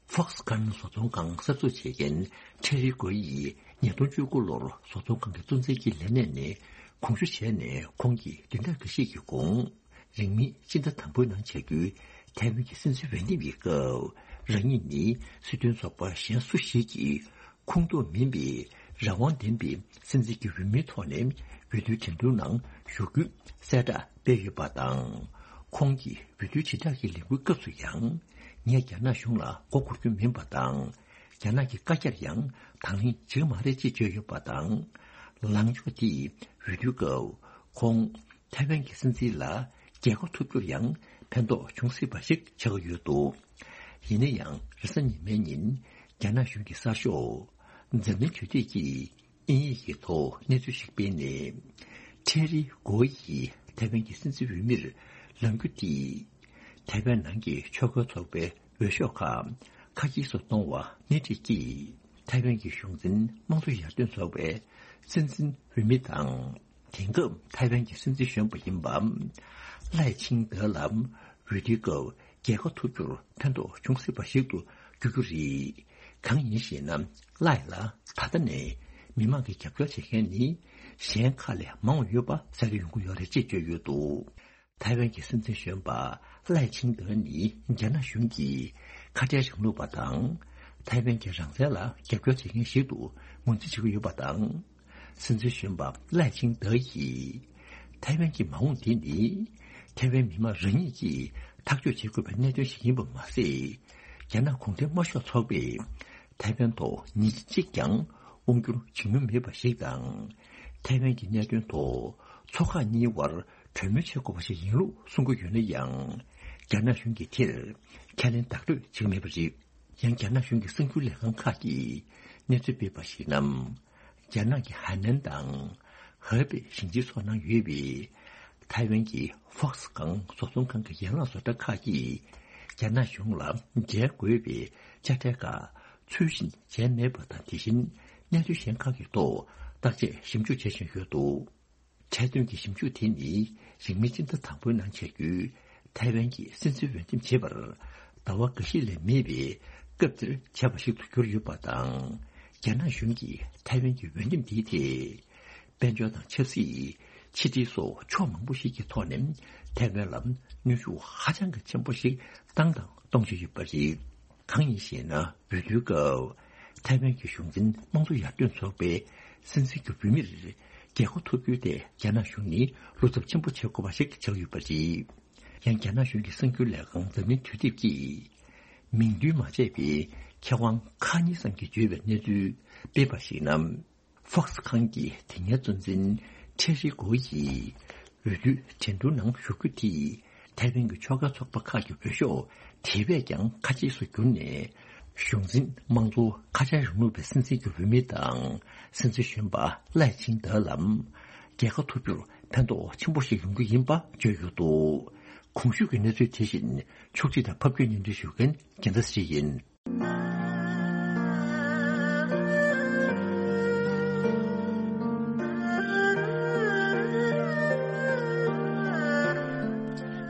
ཧྥོག་སི་ཀན་བཟོ་ཚོང་ཁང་གསར་འཛུགས་བྱེད་མཁན་ཁྲེ་རི་གོ་ཡིས་ཉིས་སྟོང་བཅུ་དགུ་ལོར་བཟོ་ཚོང་ཁང་གི་གཙོ་འཛིན་གྱི་ལས་གནས་ནས་དགོངས་ཞུ་བྱས་ནས། ཁོང་གིས་བདུན་ཕྲག་འགའ་ཤས་ཀྱི་གོང་། རིང་མིན་སྤྱི་ཟླ་དང་པོའི་ནང་བྱ་རྒྱུའི་ཐའེ་ཝན་གྱི་སྲིད་འཛིན་འོས་འདེམས་ཀྱི་སྐབས། རང་ཉིད་ནི་སྲིད་དོན་ཚོགས་པ་གཞན་སུ་ཞིག་གི་ཁོངས་གཏོགས་མིན་པའི་རང་དབང་ལྡན་པའི་སྲིད་འཛིན་གྱི་འོས་མིའི་ཐོག་ནས་འོས་བསྡུའི་འགྲན་བསྡུར་ནང་ཞུགས་རྒྱུའི་གསལ་བསྒྲགས་སྤེལ་ཡོད་པ་དང་། ཁོང་གིས་འོས་བསྡུའི་དྲིལ་བསྒྲགས་ཀྱི་ལས་འགུལ་སྐབས་སུ་ཡང་། ངས་རྒྱ་ནག་གཞུང་ལ་མགོ་འཁོར་རྒྱུ་མིན་པ་དང་། རྒྱ་ནག་གི་བཀའ་རྒྱར་ཡང་དང་ལེན་བྱེད་ཀྱི་མ་རེད་ཅེས་བརྗོད་ཡོད་པ་དང་། ལངས་ཕྱོགས་དེས་འོས་བསྡུའི་སྐབས་ཁོང་ཐའེ་ཝན་གྱི་སྲིད་འཛིན་ལ་རྒྱལ་ཁ་ཐོབ་རྒྱུར་ཡང་ཕན་ཐོགས་འབྱུང་སྲིད་པ་ཞིག་ཆགས་ཀྱི་ཡོད་འདུག། ཡིན་ན་ཡང་རེས་གཟའ་ཉི་མའི་ཉིན་རྒྱ་ནག་གཞུང་གི་གསར་ཤོག་འཛམ་གླིང་དུས་དེབ་ཀྱིས་དབྱིན་ཡིག་གི་ཐོག་གནས་ཚུལ་ཞིག་སྤེལ་ནས། ཁྲེ་རི་གོ་ཡིས་ཐའེ་ཝན་གྱི་སྲིད་འཛིན་འོས་མིར་ལངས་རྒྱུ་དེས། ཐའེ་ཝན་ནང་གི་ཆོལ་ཁ་ཚོགས་པའི་འོས་ཤོག་ཁག་ཁ་གྱེས་སུ་གཏོང་བ་སྣེ་ཁྲིད་ཀྱིས། ཐའེ་ཝན་གྱི་གཞུང་འཛིན་དམངས་གཙོ་ཡར་ཐོན་ཚོགས་པའི་སྲིད་འཛིན་འོས་མི་དང་། དེང་སྐབས་ཐའེ་ཝན་གྱི་སྲིད་འཛིན་གཞོན་པ་ཡིན་པ། ལའེ་ཆིང་ཏེ་ལ་འོས་བསྡུའི་སྐབས་རྒྱལ་ཁ་ཐོབ་རྒྱུར་ཕན་ཐོགས་འབྱུང་སྲིད་པ་ཞིག་ཏུ་འགྱུར་རྒྱུ་རེད། གང་ཡིན་ཞེ་ན། ལའེ་ལ་ད་ལྟ་ནས་མི་མང་གིས་རྒྱབ་སྐྱོར་བྱེད་མཁན་ནི་གཞན་ཁག་ལས་མང་བ་ཡོད་པ་གསལ་སྟོན་ཡོང་གི་ཡོད་རེད་ཅེས་བརྗོད་ཡོད་འདུག། ཐའེ་ཝན་གྱི་སྲིད་འཛིན་གཞོན་པ་ལའེ་ཆིང་ཏེ་ནི་རྒྱ་ནག་གཞུང་གིས་ཁ་བྲལ་རིང་ལུགས་པ་དང་། ཐའེ་ཝན་གྱི་རང་བཙན་ལ་རྒྱབ་སྐྱོར་བྱེད་མཁན་ཞིག་ཏུ་ངོས་འཛིན་བྱེད་ཀྱི་ཡོད་པ་དང་། སྲིད་འཛིན་གཞོན་པ་ལའེ་ཆིང་ཏེ་ཡིས། ཐའེ་ཝན་གྱི་མ་འོངས་དེ་ནི། ཐའེ་ཝན་མི་མང་རང་ཉིད་ཀྱིས་ཐག་གཅོད་བྱེད་དགོས་པའི་གནད་དོན་ཞིག་ཡིན་པ་མ་ཟད། རྒྱ་ནག་གུང་ཁྲན་དམར་ཤོག་ཚོགས་པས་ཐའེ་ཝན་ཐོག་ཉིན་གཅིག་ཀྱང་དབང་བསྒྱུར་བྱེད་མྱོང་མེད་པ་ཞིག་དང་། ཐའེ་ཝན་གྱི་གནད་དོན་ཐོག་ཚོགས་ཁག་གཉིས་བར་གྲོས་མོལ་བྱེད་དགོས་པ་ཞིག་ཡིན་ལུགས་གསུང་གི་ཡོད་ན་ཡང་། རྒྱ་ནག་གཞུང་གིས་དེར་ཁས་ལེན་བདག་སྤྲོད་བྱེད་ཀྱི་མེད་པ་རེད། ཡང་རྒྱ་ནག་གཞུང་གི་གསར་འགྱུར་ལས་ཁང་ཁག་གིས་གནས་ཚུལ་སྤེལ་བར་གཞིགས་ན། རྒྱ་ནག་གི་ཧའེ་ནན་དང་ཧེ་པེ་ཞིང་ཆེན་སོགས་ནང་ཡོད་པའི་ཐའེ་ཝན་གྱི་ཧྥོག་སི་ཁང་བཟོ་ཚོང་ཁང་གི་ཡན་ལག་བཟོ་གྲྭ་ཁག་གིས་རྒྱ་ནག་གཞུང་ལ་འཇལ་དགོས་པའི་དཔྱ་ཁྲལ་ཁག་ཚུལ་བཞིན་འཇལ་མེད་པ་དང་། དེ་བཞིན་གནད་དོན་གཞན་ཁག་གི་ཐོག་བརྟག་དཔྱད་ཞིབ་འཇུག་བྱེད་བཞིན་ཡོད་འདུག། ཁྲལ་དོན་གྱི་ཞིབ་འཇུག་དེ་ནི་རིང་མིན་སྤྱི་ཟླ་དང་པོའི་ནང་བྱ་རྒྱུའི་ཐའེ་ཝན་གྱི་སྲིད་འཛིན་འོས་འདེམས་བྱེད་པར་ཟླ་བ་འགའ་ཤས་ལས་མེད་པའི་སྐབས་འདིར་བྱས་པ་ཞིག་ཏུ་གྱུར་ཡོད་པ་དང་། རྒྱ་ནག་གཞུང་གིས་ཐའེ་ཝན་གྱི་འོས་འདེམས་འདིའི་ཐད། དཔལ་འབྱོར་དང་ཆབ་སྲིད། ཕྱི་འབྲེལ་སོགས་ཕྱོགས་མང་པོ་ཞིག་གི་ཐོག་ནས་ཐའེ་ཝན་ལ་གནོན་ཤུགས་ཧ་ཅང་གི་ཆེན་པོ་ཞིག་བཏང་དང་གཏོང་བཞིན་ཡོད་པ་རེད། གང་ཡིན་ཞེ་ན། འོས་བསྡུའི་སྐབས་ཐའེ་ཝན་གྱི་གཞུང་འཛིན་དམངས་གཙོ་ཡར་ཐོན་ཚོགས་པའི་སྲིད་འཛིན་གྱི་འོས་མིར་རྒྱལ་ཁ་ཐོབ་རྒྱུའི་ཐད་རྒྱ་ནག་གཞུང་ནི་བློ་འཚབ་ཆེན་པོ་བྱེད་དགོས་པ་ཞིག་ཆགས་ཡོད་པ་རེད། ཡང་རྒྱ་ནག་གཞུང་གི་གསར་འགྱུར་ལས་ཁང་འཛམ་གླིང་དུས་དེབ་ཀྱིས། མིང་འདོན་མ་བྱས་པའི་མཁས་དབང་ཁག་གཉིས་ཙམ་གྱིས་བརྗོད་པའི་གནས་ཚུལ་སྤེལ་བར་གཞིགས་ན། ཧྥོག་སི་ཁང་གི་དེ་སྔའི་གཙོ་འཛིན་ཁྲེ་རི་གོ་ཡིས་འོས་བསྡུའི་འགྲན་བསྡུར་ནང་ཞུགས་རྒྱུ་དེས་ཐའེ་ཝན་གྱི་ཆོལ་ཁ་ཚོགས་པ་ཁག་གི་འོས་ཤོག་དེ་བས་ཀྱང་ཁ་གྱེས་སུ་གྱུར་ནས། གཞུང་འཛིན་དམངས་གཙོ་ཁ་བྲལ་རིང་ལུགས་པའི་སྲིད་འཛིན་གྱི་འོས་མི་དང་། སྲིད་འཛིན་གཞོན་པ་ལའེ་ཆིང་ཏེ་ལ་རྒྱལ་ཁ་ཐོབ་རྒྱུར་ཕན་ཐོགས་ཆེན་པོ་ཞིག་ཡོང་རྒྱུ་ཡིན་པ་བརྗོད་ཡོད་འདུག། གོང་ཞུས་ཀྱི་གནས་ཚུལ་དེ་བཞིན་ཕྱོགས་སྒྲིག་དང་ཕབ་སྒྱུར་སྙན་སྒྲོན་ཞུ་མཁན་རྒྱལ་མཚན་ཞིག་ཡིན།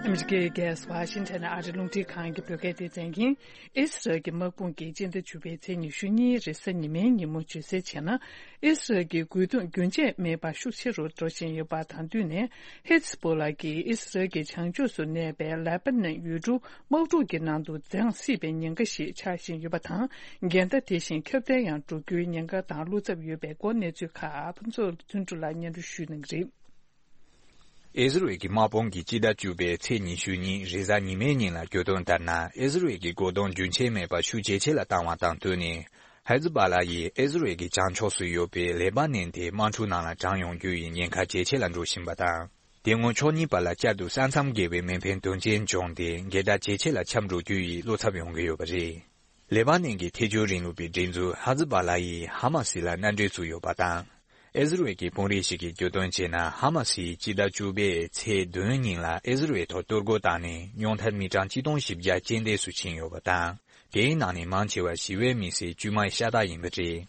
ཨ་མི་རི་ཀའི་རྒྱལ་ས་ཝ་ཤིང་ཊོན་ཨ་རི་རླུང་འཕྲིན་ཁང་གི་བོད་སྐད་སྡེ་ཚན་གྱིས། ཨི་སི་རལ་གྱི་དམག་དཔུང་གིས་སྤྱི་ཟླ་བཅུ་པའི་ཚེས་ཉི་ཤུ་གཉིས་རེས་གཟའ་ཉི་མའི་ཉིན་མོ་བརྗོད་གསལ་བྱས་ན། ཨི་སི་རལ་གྱི་རྒོལ་རྡུང་རྒྱུན་ཆད་མེད་པར་ཤུགས་ཆེ་རུ་འགྲོ་བཞིན་ཡོད་པ་དང་བསྟུན་ནས། ཧི་ཛ་པོ་ལ་གིས་ཨི་སི་རལ་གྱི་བྱང་ཕྱོགས་སུ་གནས་པའི་ལེ་པ་ནན་ཡུལ་གྲུ་དམག་འཁྲུག་གི་ནང་དུ་འཛིང་སྲིད་པའི་ཉེན་ཁ་ཞིག་ཆགས་བཞིན་ཡོད་པ་དང་། འགལ་ཟླ་དེ་བཞིན་ཁྱབ་གདལ་ཡང་འགྲོ་རྒྱུའི་ཉེན་ཁ་དང་བློ་འཚབ་ཡོད་པའི་སྐོར་གནས་ཚུལ་ཁག་ཕུན་ཚོགས་བརྩོན་འགྲུས་ལགས་སྙན་སྒྲོན་ཞུ་གནང་གི་རེད། ཨི་ཟི་རལ་གྱི་དམག་དཔུང་གིས་སྤྱི་ཟླ་བཅུ་པའི་ཚེས་ཉི་ཤུ་གཉིས་རེས་གཟའ་ཉི་མའི་ཉིན་ལ་བརྗོད་དོན་ལྟར་ན། ཨི་ཟི་རལ་གྱི་རྒོལ་རྡུང་རྒྱུན་ཆད་མེད་པར་ཤུགས་ཇེ་ཆེ་ལ་བཏང་བ་དང་བསྟུན་ནས། ཧེ་ཛི་བྷ་ལ་ཡིས་ཨི་ཟི་རེལ་གྱི་བྱང་ཕྱོགས་སུ་ཡོད་པའི་ལེ་པ་ནན་དེ་དམག་འཁྲུག་ནང་ལ་དྲངས་ཡོང་རྒྱུ་ཡི་ཉེན་ཁ་ཇེ་ཆེ་ལ་འགྲོ་བཞིན་པ་དང་། དེ་སྔོན་ཕྱོགས་གཉིས་བར་ལ་བསྐྱར་དུ་ས་མཚམས་བརྒལ་བའི་མེ་འཕེན་དོན་རྐྱེན་བྱུང་སྟེ་འགལ་ཟླ་ཇེ་ཆེ་ལ་ཁྱབ་འགྲོ་རྒྱུ་ཡི་བློ་འཚབ་ཡོང་གི་ཡོད་པ་རེད། ལེ་པ་ནན་གྱི་ཐལ་འགྱུར་རིང་ལུགས་པའི་སྒྲིག་འཛུགས་ཧ་ཛི་བྷ་ལ་ཡིས་ཧ་མ་སི་ལ་མནའ་འབྲེལ་བཙུགས་ཡོད་པ་དང་། ཨི་ཟི་རེལ་གྱི་དཔོན་རིགས་ཤིག་གིས་བརྗོད་དོན་བྱས་ན། ཧ་མ་སིས་སྤྱི་ཟླ་བཅུ་པའི་ཚེས་བདུན་ཉིན་ལ་ཨི་ཟི་རེལ་ཐོག་གཏོར་རྒོལ་བཏང་ནས་རྙོག་ཐར་མི་གྲངས་ཆིག་སྟོང་བཞི་བརྒྱ་རྐྱེན་འདས་སུ་ཕྱིན་ཡོད་པ་དང་། དེའི་ནང་ནས་མང་ཆེ་བ་ཞི་བའི་མི་སེར་དཀྱུས་མའི་ཤ་སྟག་ཡིན་པ་རེད།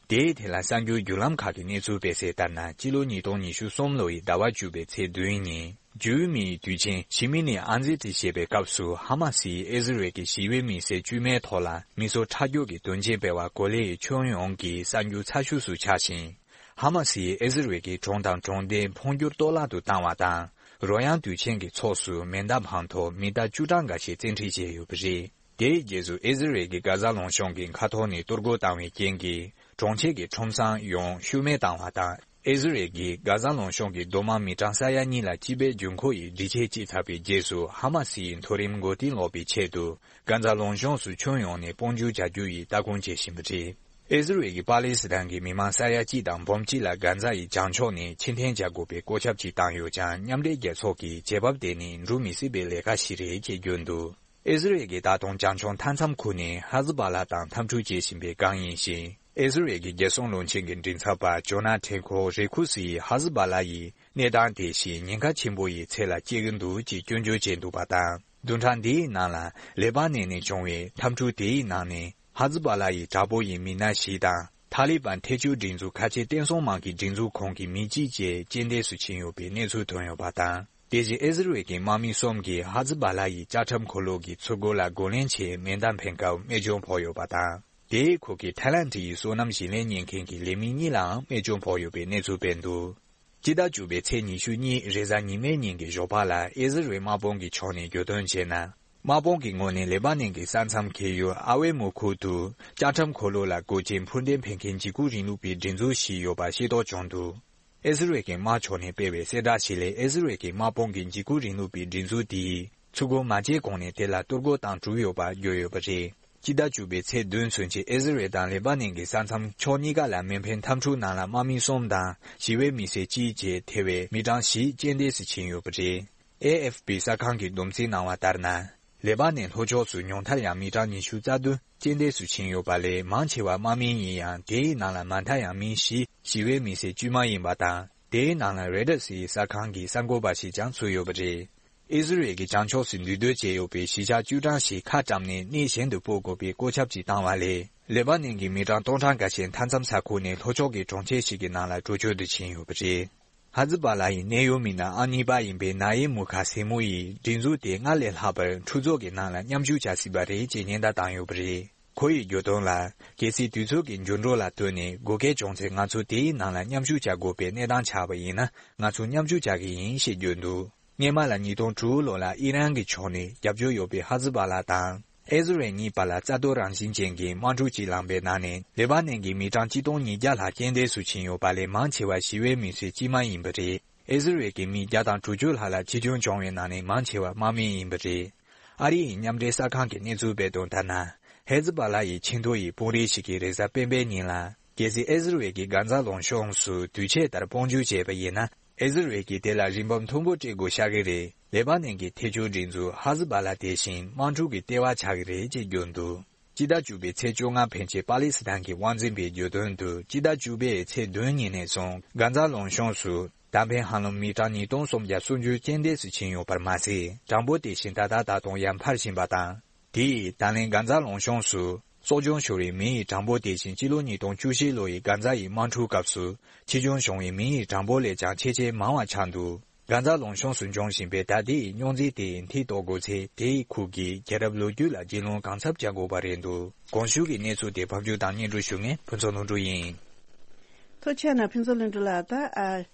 དེའི་ཐད་ལ་གསར་འགྱུར་བརྒྱུད་ལམ་ཁག་གིས་གནས་ཚུལ་སྤེལ་གསལ་ལྟར་ན། སྤྱི་ལོ་ཉིས་སྟོང་ཉི་ཤུ་གསུམ་ལོ་ཡི་ཟླ་བ་བཅུ་པའི་ཚེས་བདུན་ཉིན། ཇུའུ་མིའི་དུས་ཆེན་ཞི་མི་ནི་ཨན་ཛི་ཏི་ཞེས་པའི་སྐབས་སུ། ཧ་མ་སིས་ཨི་ཟི་རེལ་གྱི་ཞི་བའི་མི་སེར་དཀྱུས་མའི་ཐོག་ལ་མི་གསོད་ཁྲག་སྦྱོར་གྱི་དོན་རྐྱེན་སྤེལ་བ་གོ་ལའི་ཁྱོན་ཡོངས་ཀྱི་གསར་འགྱུར་ཚ་ཤོས་སུ་ཆགས་ཤིང་། ཧ་མ་སིས་ཨི་ཟི་རེལ་གྱི་གྲོང་དང་གྲོང་རྡལ་འཕོ་འགྱུར་གཏོར་བརླག་ཏུ་བཏང་བ་དང་། རོལ་དབྱངས་དུས་ཆེན་གྱི་ཚོགས་སུ་མེ་མདའ་འཕངས་ཐོག་མི་ཟླ་བཅུ་གྲངས་འགའ་ཤས་བཙན་ཁྲིད་བྱས་ཡོད་པ་རེད། དེའི་རྗེས་སུ་ཨི་ཟི་རེལ་གྱིས་གྷ་ཛ་ལུང་གཤོང་གི་མཁའ་ཐོག་ནས་གཏོར་རྒོལ་བཏང་བའི་རྐྱེན་གྱིས། གྲོང་ཁྱེར་གྱི་ཁྲོམ་སྲང་ཡོངས་ཤུལ་མེད་བཏང་བ་དང་། ཨི་ཟི་རེལ་གྱིས་གྷ་ཛ་ལུང་གཤོང་གི་རྡོ་དམག་མི་གྲངས་ས་ཡ་གཉིས་ལ་སྤྱི་པའི་འབྱུང་ཁུངས་ཡི་སྒྲིག་ཆས་བསྐྱིས་ཚར་བའི་རྗེས་སུ། ཧ་མ་སི་ཡི་མཐོ་རིམ་འགོ་རྟིང་སློག་པའི་ཆེད་དུ། གྷ་ཛ་ལུང་གཤོང་སུ་ཁྱོན་ཡོངས་ནས་དཔུང་འཇུག་བྱ་རྒྱུ་ཡི་ལྟ་སྐུལ་བྱེད་བཞིན་པ་རེད། ཨི་ཟི་རེལ་གྱིས་པ་ལི་སི་ཐན་གྱི་མི་མང་ས་ཡ་གཅིག་དང་འབུམ་གཅིག་ལ་གྷ་ཛ་ཡི་བྱང་ཕྱོགས་ནས་ཕྱིར་འཐེན་བྱ་དགོས་པའི་བཀོད་ཁྱབ་ཅིག་བཏང་ཡོད་ཀྱང་། མཉམ་འབྲེལ་རྒྱལ་ཚོགས་ཀྱིས་བྱེད་བབ་དེ་ནི་འགྲུབ་མི་སྲིད་པའི་ལས་ཀ་ཞིག་རེད་ཅེས་བརྗོད་འདུག་ཨི་ཟི་རེལ་གྱིས་ད་དུང་བྱང་ཕྱོགས་མཐའ་མཚམས་ཁུལ་ནས་ཧ་ཛི་བྷ་ལ་དང་འཐབ་འཁྲུག་བྱེད་བཞིན་པའི་སྒང་ཡིན་ཞིང་། ཨི་ཟི་རེལ་གྱི་རྒྱལ་སྲུང་བློན་ཆེན་གྱི་མགྲིན་ཚབ་པ་ཇོ་ན་ཐན་ཁོ་རེ་ཁུ་སིས་ཧ་ཛི་བྷ་ལ་ཡི་གནས་སྟངས་དེ་བཞིན་ཉེན་ཁ་ཆེན་པོ་ཡི་ཚད་ལ་སྐྱེལ་གྱི་འདུག་ཅེས་སྐྱོན་བརྗོད་བྱས་འདུག་པ་དང་། བདུན་ཕྲག་འདིའི་ནང་ལ་ལེ་པ་ནན་ནས་བྱུང་བའི་འཐབ་འཁྲུག་དེའི་ནང་ནས། ཧ་ཛི་བྷ་ལ་ཡི་དྲག་པོ་ཡི་མི་སྣ་བཞི་དང་། ཐ་ལི་བན་ཐལ་འགྱུར་སྒྲིག་འཛུགས་ཁ་ཆེ་བསྟན་སྲུང་དམག་གི་སྒྲིག་འཛུགས་ཁོངས་ཀྱི་མི་གཅིག་བཅས་རྐྱེན་འདས་སུ་ཕྱིན་ཡོད་པའི་གནས་ཚུལ་ཐོན་ཡོད་པ་དང་། དེ་བཞིན་ཨི་ཟི་རེལ་གྱི་དམག་མི་གསུམ་གྱིས་ཧ་ཛི་བྷ་ལ་ཡི་ལྕགས་ཁྲབ་འཁོར་ལོ་གི་ཚུར་རྒོལ་ལ་རྒོལ་ལན་ཆེད་མེ་མདའ་འཕེན་སྐབས་རྨས་སྐྱོན་ཕོག་ཡོད་པ་དང་། དེའི་ཁུལ་གྱི་ཐའི་ལན་ཌི་ཡི་སོ་ནམ་ཞིང་ལས་གཉེར་མཁན་གྱི་ལས་མི་གཉིས་ལའང་རྨས་སྐྱོན་ཕོག་ཡོད་པའི་གནས་ཚུལ་སྤེལ་འདུག་སྤྱི་ཟླ་བཅུ་པའི་ཚེས་ཉི་ཤུ་གཉིས་རེས་གཟའ་ཉི་མའི་ཉིན་གྱི་ཞོགས་པ་ལ་ཨི་ཟི་རེལ་དམག་དཔུང་གི་ཕྱོགས་ནས་བརྗོད་དོན་བྱས་ན། དམག་དཔུང་གི་ངོས་ནས་ལེ་པ་ནན་གྱི་ས་མཚམས་འཁེལ་ཡུལ་ཨ་ཝེ་མུ་ཁུག་ཏུ་ལྕགས་ཁྲབ་འཁོར་ལོ་ལ་རྒོལ་ཆེན་འཕུར་མདེལ་འཕེན་མཁན་འཇིགས་སྐུལ་རིང་ལུགས་པའི་སྒྲིག་འཛུགས་ཤིག་ཡོད་པ་ཤེས་རྟོགས་བྱུང་འདུག་ཨི་ཟི་རེལ་གྱི་དམག་ཕྱོགས་ནས་སྤེལ་བའི་གསལ་བསྒྲགས་ཤིག་ལས། ཨི་ཟི་རེལ་གྱི་དམག་དཔུང་གིས་འཇིགས་སྐུལ་རིང་ལུགས་པའི་སྒྲིག་འཛུགས་དེའི་ཚུར་རྒོལ་མ་བྱས་གོང་ནས་དེ་ལ་གཏོར་རྒོལ་བཏང་གྲུབ་ཡོད་པ་བརྗོད་ཡོད་པ་རེད། སྤྱི་ཟླ་བཅུ་པའི་ཚེས་བདུན་ཚུན་ཆད་ཨི་ཟི་རེལ་དང་ལེ་པ་ནན་གྱི་ས་མཚམས་ཕྱོགས་གཉིས་ཀ་ལ་མེ་འཕེན་འཐབ་འཁྲུག་ནང་ལ་དམག་མི་གསུམ་དང་ཞི་བའི་མི་སེར་གཅིག་བཅས་ཐེ་བའི་མི་གྲངས་བཞི་རྐྱེན་འདས་སུ་ཕྱིན་ཡོད་པ་རེད། ཨེ་ཨེཕ་པི་གསར་ཁང་གིས་བསྡོམས་རྩིས་གནང་བ་ལྟར་ན། ལེ་པ་ནན་ལྷོ་ཕྱོགས་སུ་ཉུང་མཐར་ཡང་མི་གྲངས་ཉི་ཤུ་རྩ་བདུན་རྐྱེན་འདས་སུ་ཕྱིན་ཡོད་པ་ལས། མང་ཆེ་བ་དམག་མི་ཡིན་ཡང་། དེའི་ནང་ལ་མང་མཐར་ཡང་མི་བཞི་ཞི་བའི་མི་སེར་དཀྱུས་མ་ཡིན་པ་དང་། དེའི་ནང་ལ་རོའི་ཊར་སི་གསར་ཁང་གི་གསར་འགོད་པ་ཞིག་ཀྱང་ཚུད་ཡོད་པ་རེད། ཨི་ཟི་རེལ་གྱི་བྱང་ཕྱོགས་སུ་འདུས་སྡོད་བྱས་ཡོད་པའི་གཞིས་ཆགས་བཅུ་གྲངས་ཤིག་ཁ་བཀྲམ་ནས་གནས་གཞན་དུ་སྤོ་དགོས་པའི་བཀོད་ཁྱབ་ཅིག་བཏང་བ་ལས། ལེ་པ་ནན་གྱི་མི་གྲངས་སྟོང་གྲངས་འགའ་ཤས་མཐའ་མཚམས་ས་ཁུལ་ནས་ལྷོ་ཕྱོགས་ཀྱི་གྲོང་ཁྱེར་ཞིག་གི་ནང་ལ་འགྲོ་བསྐྱོད་དུ་ཕྱིན་ཡོད་པ་རེད། ཧ་ཛི་བྷ་ལ་ཡི་གནད་ཡོད་མི་སྣ་ཨ་གཉིས་པ་ཡིན་པའི་ན་ཡེ་མུ་ཁ་སེ་མུ་ཡིས་སྒྲིག་འཛུགས་དེ་སྔར་ལས་ལྷག་པར་འཁྲུག་རྩོད་ཀྱི་ནང་ལ་མཉམ་ཞུགས་བྱ་སྲིད་པ་རེད་ཅེས་ཉེན་བརྡ་བཏང་ཡོད་པ་རེད། ཁོ་ཡིས་བརྗོད་དོན་ལ། གལ་སྲིད་དུས་ཚོད་ཀྱི་འགྱུར་འགྲོས་ལ་ལྟོས་ནས་དགོས་གལ་བྱུང་ཚེ། ང་ཚོ་དེའི་ནང་ལ་མཉམ་ཞུགས་བྱ་དགོས་པའི་གནས་སྟངས་ཆགས་པ་ཡིན་ན། ང་ཚོ་མཉམ་ཞུགས་བྱ་གི་ཡིན་ཞེས་བརྗོད་འདུག་སྔོན་མ་ལ་ཉིས་སྟོང་དྲུག་ལོ་ལ་ཨི་རན་གྱི་ཕྱོགས་ནས་རྒྱབ་སྐྱོར་ཡོད་པའི་ཧ་ཛི་བྷ་ལ་དང་ཨི་ཟི་རེལ་གཉིས་བར་ལ་རྩ་གཏོར་རང་བཞིན་ཅན་གྱི་དམག་འཁྲུག་ཅིག་ལངས་པའི་ནང་ནས། ལེ་པ་ནན་གྱི་མི་གྲངས་ཆིག་སྟོང་ཉིས་བརྒྱ་ལྷག་རྐྱེན་འདས་སུ་ཕྱིན་ཡོད་པ་ལས། མང་ཆེ་བ་ཞི་བའི་མི་སེར་དཀྱུས་མ་ཡིན་པ་རེད། ཨི་ཟི་རེལ་གྱི་མི་བརྒྱ་དང་དྲུག་ཅུ་ལྷག་ལ་འཆི་སྐྱོན་བྱུང་བའི་ནང་ནས་མང་ཆེ་བ་དམག་མི་ཡིན་པ་རེད། ཨ་རི་ཡི་མཉམ་འབྲེལ་གསར་ཁང་གིས་གནས་ཚུལ་སྤེལ་དོན་ལྟར་ན། ཧེ་ཛི་བྷ་ལ་ཡི་ཆེས་མཐོ་ཡི་དཔོན་རིགས་ཤིག་གིས་རེས་གཟའ་སྤེན་པའི་ཉིན་ལ། གལ་སྲིད་ཨི་ཟི་རེལ་གྱིས་གྷ་ཛ་ལུང་གཤོང་སུ་དུས་ཆད་ལྟར་དཔུང་འཇུག་བྱས་པ་ཡིན་ན། ཨི་ཟི་རེལ་གྱིས་དེ་ལ་རིན་འབབ་མཐོན་པོ་སྤྲད་དགོས་ཤག་གི་རེད། ལེ་པ་ནན་གྱི་ཐལ་འགྱུར་སྒྲིག་འཛུགས་ཧ་ཛི་བྷ་ལ་དེ་བཞིན་དམག་འཁྲུག་གི་ལྟེ་བ་ཆགས་ཀྱི་རེད་ཅེས་བརྗོད་འདུག་སྤྱི་ཟླ་བཅུ་པའི་ཚེས་བཅོ་ལྔ་ཕན་ཆད་པ་ལི་སི་ཐན་གྱི་དབང་འཛིན་པས་བརྗོད་དོན་དུ། སྤྱི་ཟླ་བཅུ་པའི་ཚེས་བདུན་ཉིན་ནས་བཟུང་གྷ་ཛ་ལུང་གཤོང་སུ་མདའ་འཕེན་ཧ་ལམ་མི་གྲངས་ཉིས་སྟོང་སུམ་བརྒྱ་སུམ་ཅུ་རྐྱེན་འདས་སུ་ཕྱིན་ཡོད་པར་མ་ཟད། གྲངས་འབོར་དེ་བཞིན་ད་ལྟ་ད་དུང་ཡང་འཕར་བཞིན་པ་དང་། དེས་ད་ལན་གྷ་ཛ་ལུང་གཤོང་སུ་སྲོག་སྐྱོན་ཤོར་བའི་མི་ཡི་གྲངས་འབོར་དེ་བཞིན་སྤྱི་ལོ་ཉིས་སྟོང་བཅུ་བཞི་ལོ་ཡི་གྷ་ཛ་ཡི་དམག་འཁྲུག་སྐབས་སུ་འཆི་སྐྱོན་བྱུང་བའི་མི་ཡི་གྲངས་འབོར་ལས་ཀྱང་ཆེས་ཆེས་མང་བ་ཆགས་འདུག་གྷ་ཛ་ལུང་གཤོང་སུ་འབྱུང་བཞིན་པའི་ཟླ་འདིའི་རྙོག་འཛིང་དེ་མཐིལ་རྟོགས་དགོས་ཚེ། དེའི་ཁུལ་གྱི་རྒྱལ་རབས་ལོ་རྒྱུས་ལ་རྒྱུས་ལོན་གང་ཚབས་བྱ་དགོས་པ་རེད་འདུག་གོང་ཞུས་ཀྱི་གནས་ཚུལ་དེ་ཕབ་སྒྱུར་དང་སྙན་སྒྲོན་ཞུ་མཁན་ཕུན་ཚོགས་ལྷུན་གྲུབ་ཡིན། ཐུགས་རྗེ་གནང་ཕུན་ཚོགས་ལྷུན་གྲུབ་ལགས། ད་ཨ།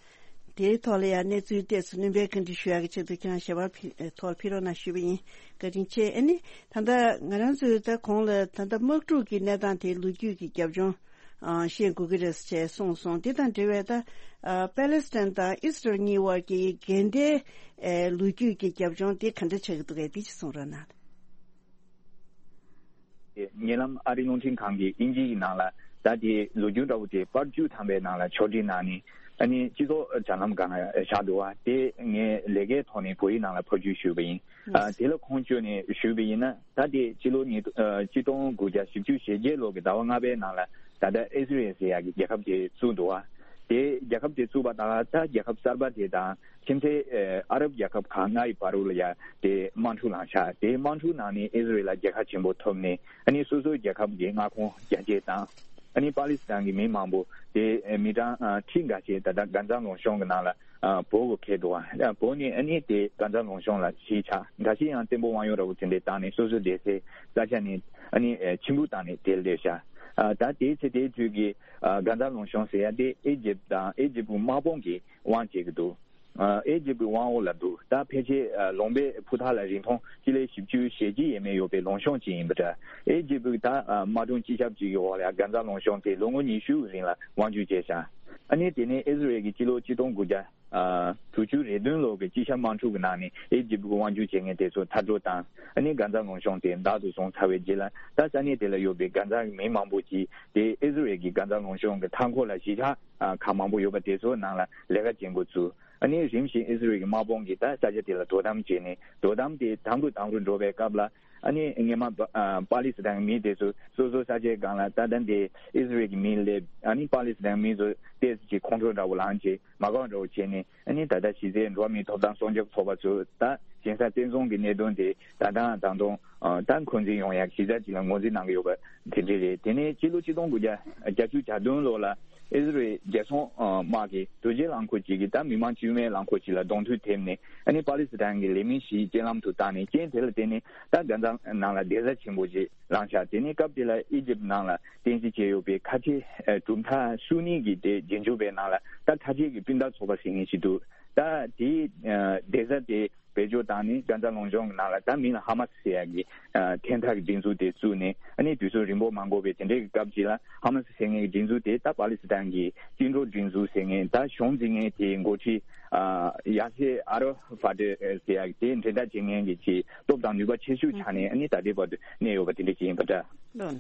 དེའི་ཐོག་ལ་ཡང་གནས་ཚུལ་ཏོག་ཙམ་སྣོན་པ་བཀའ་འདྲི་ཞུ་ཡག་གི་ཆེད་དུ་ཁྱེད་རང་ཞལ་པར་ཕུལ་ཐོག་ཕུལ་རོགས་གནང་ཞུས་པ་ཡིན། བཀའ་དྲིན་ཆེ། ཨ་ནི་ད་ལྟ་ང་རང་ཚོས་ད་གོང་ལ་ད་ལྟ་དམག་འཁྲུག་གི་གནས་སྟངས་དེ་ལོ་རྒྱུས་ཀྱི་རྒྱབ་ལྗོངས་ཨ་ཤེས་དགོས་ཀྱི་རེད་ཅེས་གསུངས་སོང་། དེ་དང་འབྲེལ་བའི་ད་ཨ་པེ་ལེ་སི་ཐན་དང་ཨི་སི་རལ་གཉིས་དབར་གྱི་འགལ་ཟླའི་ཨ་ལོ་རྒྱུས་ཀྱི་རྒྱབ་ལྗོངས་དེ་ག་འདྲ་ཆགས་ཀྱི་འདུག་གས། དེ་ཅིག་གསུང་རོགས་གནང་། ཉེ་ལམ་ཨ་རིའི་རླུང་འཕྲིན་ཁང་གིས་དབྱིན་ཇིའི་ནང་ལ་ད་དེ་ལོ་རྒྱུས་འདྲ་བོ་དེ་པར་བཅུ་ཐམ་པའི་ནང་ལ་ཕྱོགས་སྒྲིག་གནང་ནས་ཨ་ནི་སྤྱི་ཚོགས་དྲ་ལམ་སྒང་ལ་བཞག་འདུག་བ། དེ་ངས་ལས་ཀའི་ཐོག་ནས་བོད་ཡིག་ནང་ལ་ཕབ་བསྒྱུར་ཞུས་པ་ཡིན། ཨ་དེ་ལ་ཁུངས་བཅོལ་ནས་ཞུས་པ་ཡིན་ན། ད་དེ་སྤྱི་ལོ་ཉིས་ཨ་གཅིག་སྟོང་དགུ་བརྒྱ་བཞི་བཅུ་ཞེ་བརྒྱད་ལོ་གི་ཟླ་བ་ལྔ་པའི་ནང་ལ་ད་ལྟ་ཨི་སི་རེལ་ཟེར་ཡག་གི་རྒྱལ་ཁབ་དེ་བཙུགས་འདུག་བ། དེ་རྒྱལ་ཁབ་དེ་བཙུགས་པ་དང་ད་རྒྱལ་ཁབ་གསར་པ་དེ་དང་ཁྱིམ་མཚེས་ཨ་རབ་རྒྱལ་ཁབ་ཁག་ལྔ་ཡི་བར་དུ་ལ་ཡ་དེ་དམག་འཁྲུག་ལངས་ཤག་དེ་དམག་འཁྲུག་ནང་ནས་ཨི་སི་རེལ་ལ་རྒྱལ་ཁ་ཆེན་པོ་ཐོབ་ནས་ཨ་ནི་སོ་སོའི་རྒྱལ་ཁབ་ཀྱི་མངའ་ཁོངས་རྒྱ་སྐྱེད་བཏང་། ཨ་ནི་པ་ལི་སི་ཐན་གྱི་མི་མང་པོ་དེ་མི་གྲངས་ཁྲི་འགའ་ཤས་ད་ལྟ་གྷ་ཛ་ལུང་གཤོང་གི་ནང་ལ་བོར་དགོས་འཁེལ་འདུག་བ། བོར་ནས་ཨ་ནི་དེ་གྷ་ཛ་ལུང་གཤོང་ལ་གཞིས་ཆགས། འགའ་ཤས་ཡང་བཙན་པོ་དབང་ཡོད་འདྲ་བོ་དེ་འདྲས་བཏང་ནས་སོ་སོའི་བསྡད་སའི་ས་ཆ་ནས་ཨ་ནི་ཕྱིར་འབུད་བཏང་ནས་དེར་སླེབས་ཤག་ད་དེའི་ཚེ་དེའི་དུས་ཀྱི་གྷ་ཛ་ལུང་གཤོང་ཟེར་ཡ་དེ་ཨི་ཇིབ་དང་ཨི་ཇིབ་དམག་དཔུང་གིས་དབང་བྱེད་ཀྱི་འདུག་ཨེ་ཇིབ་ཀྱི་དབང་འོག་ལ་འདུག་ད་ཕལ་ཆེར་ལུང་པའི་ཕུ་ཐག་ལ་རིང་ཐུང་སྤྱི་ལེ་བཞི་བཅུ་ཞེ་གཅིག་ཡས་མས་ཡོད་པའི་ལུང་གཤོང་ཅིག་ཡིན་པ་འདྲ། ཨེ་ཇིབ་ཀྱི་ད་དམག་དྲུང་སྤྱི་ཁྱབ་ཅིག་གི་འོག་ལ་གྷ་ཛ་ལུང་གཤོང་དེ་ལོ་ངོ་ཉི་ཤུ་རིང་ལ་དབང་བསྒྱུར་བྱས་ཤག་ཨ་ནི་དེ་ནས་ཨི་ཟི་རེལ་གྱི་སྤྱི་ལོ་ཆིག་སྟོང་དགུ་བརྒྱ་དྲུག་ཅུ་རེ་བདུན་ལོ་གི་དཔྱིད་ཆར་དམག་འཁྲུག་གི་ནང་ནས་ཨེ་ཇིབ་ཀྱི་དབང་བསྒྱུར་བྱེད་མཁན་དེ་ཚོ་མཐར་སྐྲོད་བཏང་། ཨ་ནི་གྷ་ཛ་ལུང་གཤོང་དེ་བདག་ཏུ་བཟུང་ཚར་བའི་རྗེས་ལ་ད་ས་གནས་དེ་ལ་ཡོད་པའི་གྷ་ཛ་གི་མི་མང་པོ་ཅིག་དེ་ཨི་ཟི་རེལ་གྱི་གྷ་ཛ་ལུང་གཤོང་གི་མཐའ་འཁོར་ལ་གཞིས་ཆགས་ཁག་མང་པོ་ཡོད་པ་དེ་ཚོའི་ནང་ལ་ལས་ཀ་བྱེད་འགོ་བཙུགས། ཨ་ནི་རིམ་བཞིན་ཨི་ཟི་རེལ་གྱི་དམག་དཔུང་གིས་ད་ས་ཆ་དེ་ལ་དོ་དམ་བྱས་ནས་དོ་དམ་དེ་དམ་རུ་དམ་རུ་འགྲོ་བའི་སྐབས་ལ་ཨ་ནི་སྔས་མ་པ་ཨ་པ་ལི་སི་ཐན་མི་དེ་ཚོ་སོ་སོ་ས་ཆའི་སྒང་ལ་ད་ལྟ་འདི་ཨི་ཟི་རེལ་གྱི་མི་སླེབས། ཨ་ནི་པ་ལི་སི་ཐན་མི་ཚོ་ཏོག་ཙམ་ཅིག་ཁོང་ཁྲོ་འདྲ་བོ་ལངས་བྱས་མ་དགའ་འདྲ་བོ་བྱས་ནས་ཨ་ནི་ད་ལྟ་གཞི་རྩའི་འགྲོ་བ་མིའི་ཐོབ་ཐང་སྲུང་སྐྱོབ་ཚོགས་པ་ཚོས་ད་གཞན་ས་བཙན་བཟུང་གི་གནད་དོན་དེ་ད་ལྟའང་ད་དུང་ད་འཁོན་འཛིན་ཡོང་ཡག་གཞི་རྩ་ཅིག་ལ་ངོས་འཛིན་གནང་གི་ཡོད་པ་དེ་འདྲ་རེད། དེ་ནས་ཕྱི་ལོ་ཆིག་སྟོང་དགུ་བརྒྱ་བརྒྱད་ཅུ་གྱ་བདུན་ལོ་ལ་ཨི་ཟི་རེལ་རྒྱལ་སྲུང་དམག་གིས་དོས་སྐྱེལ་རླངས་འཁོར་ཅིག་གིས་ད་མི་མང་དཀྱུས་མའི་རླངས་འཁོར་ཅིག་ལ་གདོང་ཐུག་ཐེབས་ནས་ཨ་ནི་པ་ལི་སི་ཐན་གྱི་ལས་མི་བཞི་རྐྱེན་ལམ་དུ་བཏང་ནས་རྐྱེན་དེ་ལ་བརྟེན་ནས་ད་གྷ་ཛ་ནང་ལ་བདེ་ས་ཆེན་པོ་ཅིག་ལངས་ཤག་དེ་ནས་སྐབས་དེ་ལ་ཨི་ཇིབ་ནང་ལ་རྟེན་གཞི་བྱས་ཡོད་པའི་ཁ་ཆེ་གྲུབ་མཐའ་བཅུ་གཉིས་ཀྱི་དེ་རྗེས་འཇུག་པའི་ནང་ལ་ད་ཁ་ཆེ་གི་སྤུན་ཟླ་ཚོགས་པ་ཟེར་མཁན་ཞིག་འདུག་ད་དེའི་བདེ་ས་དེ་བེད་སྤྱོད་བཏང་ནས་གྷ་ཛ་ལུང་གཤོང་གི་ནང་ལ་ད་མིང་ལ་ཧ་མ་སི་ཟེར་ཡག་གི་ཨ་འཐེན་ཐག་གི་སྒྲིག་འཛུགས་དེ་བཙུགས་ནས་ཨ་ནི་དུས་ཚོད་རིང་པོ་མ་འགོར་བའི་དེ་འདྲའི་གི་སྐབས་ཅིག་ལ་ཧ་མ་སི་ཟེར་མཁན་གྱི་སྒྲིག་འཛུགས་དེ་ད་པ་ལི་སི་ཐན་གྱི་བཅིངས་འགྲོལ་སྒྲིག་འཛུགས་ཟེར་མཁན་ད་གཞུང་འཛིན་མཁན་དེའི་འགོ་ཁྲིད་ཨ་ཡ་སེ་ཨ་ར་ཧྥ་ཏི་ཟེར་ཡག་དེ་འགྲན་ཟླ་བྱེད་མཁན་གྱི་ཅིག་སྟོབས་དང་ནུས་པ་ཆེ་ཤོས་ཆགས་ནས་ཨ་ནི་ད་ལྟའི་བར་དུ་གནས་ཡོད་པ་དེ་འདྲ་ཅིག་ཡིན་པ་འདྲ། རེད།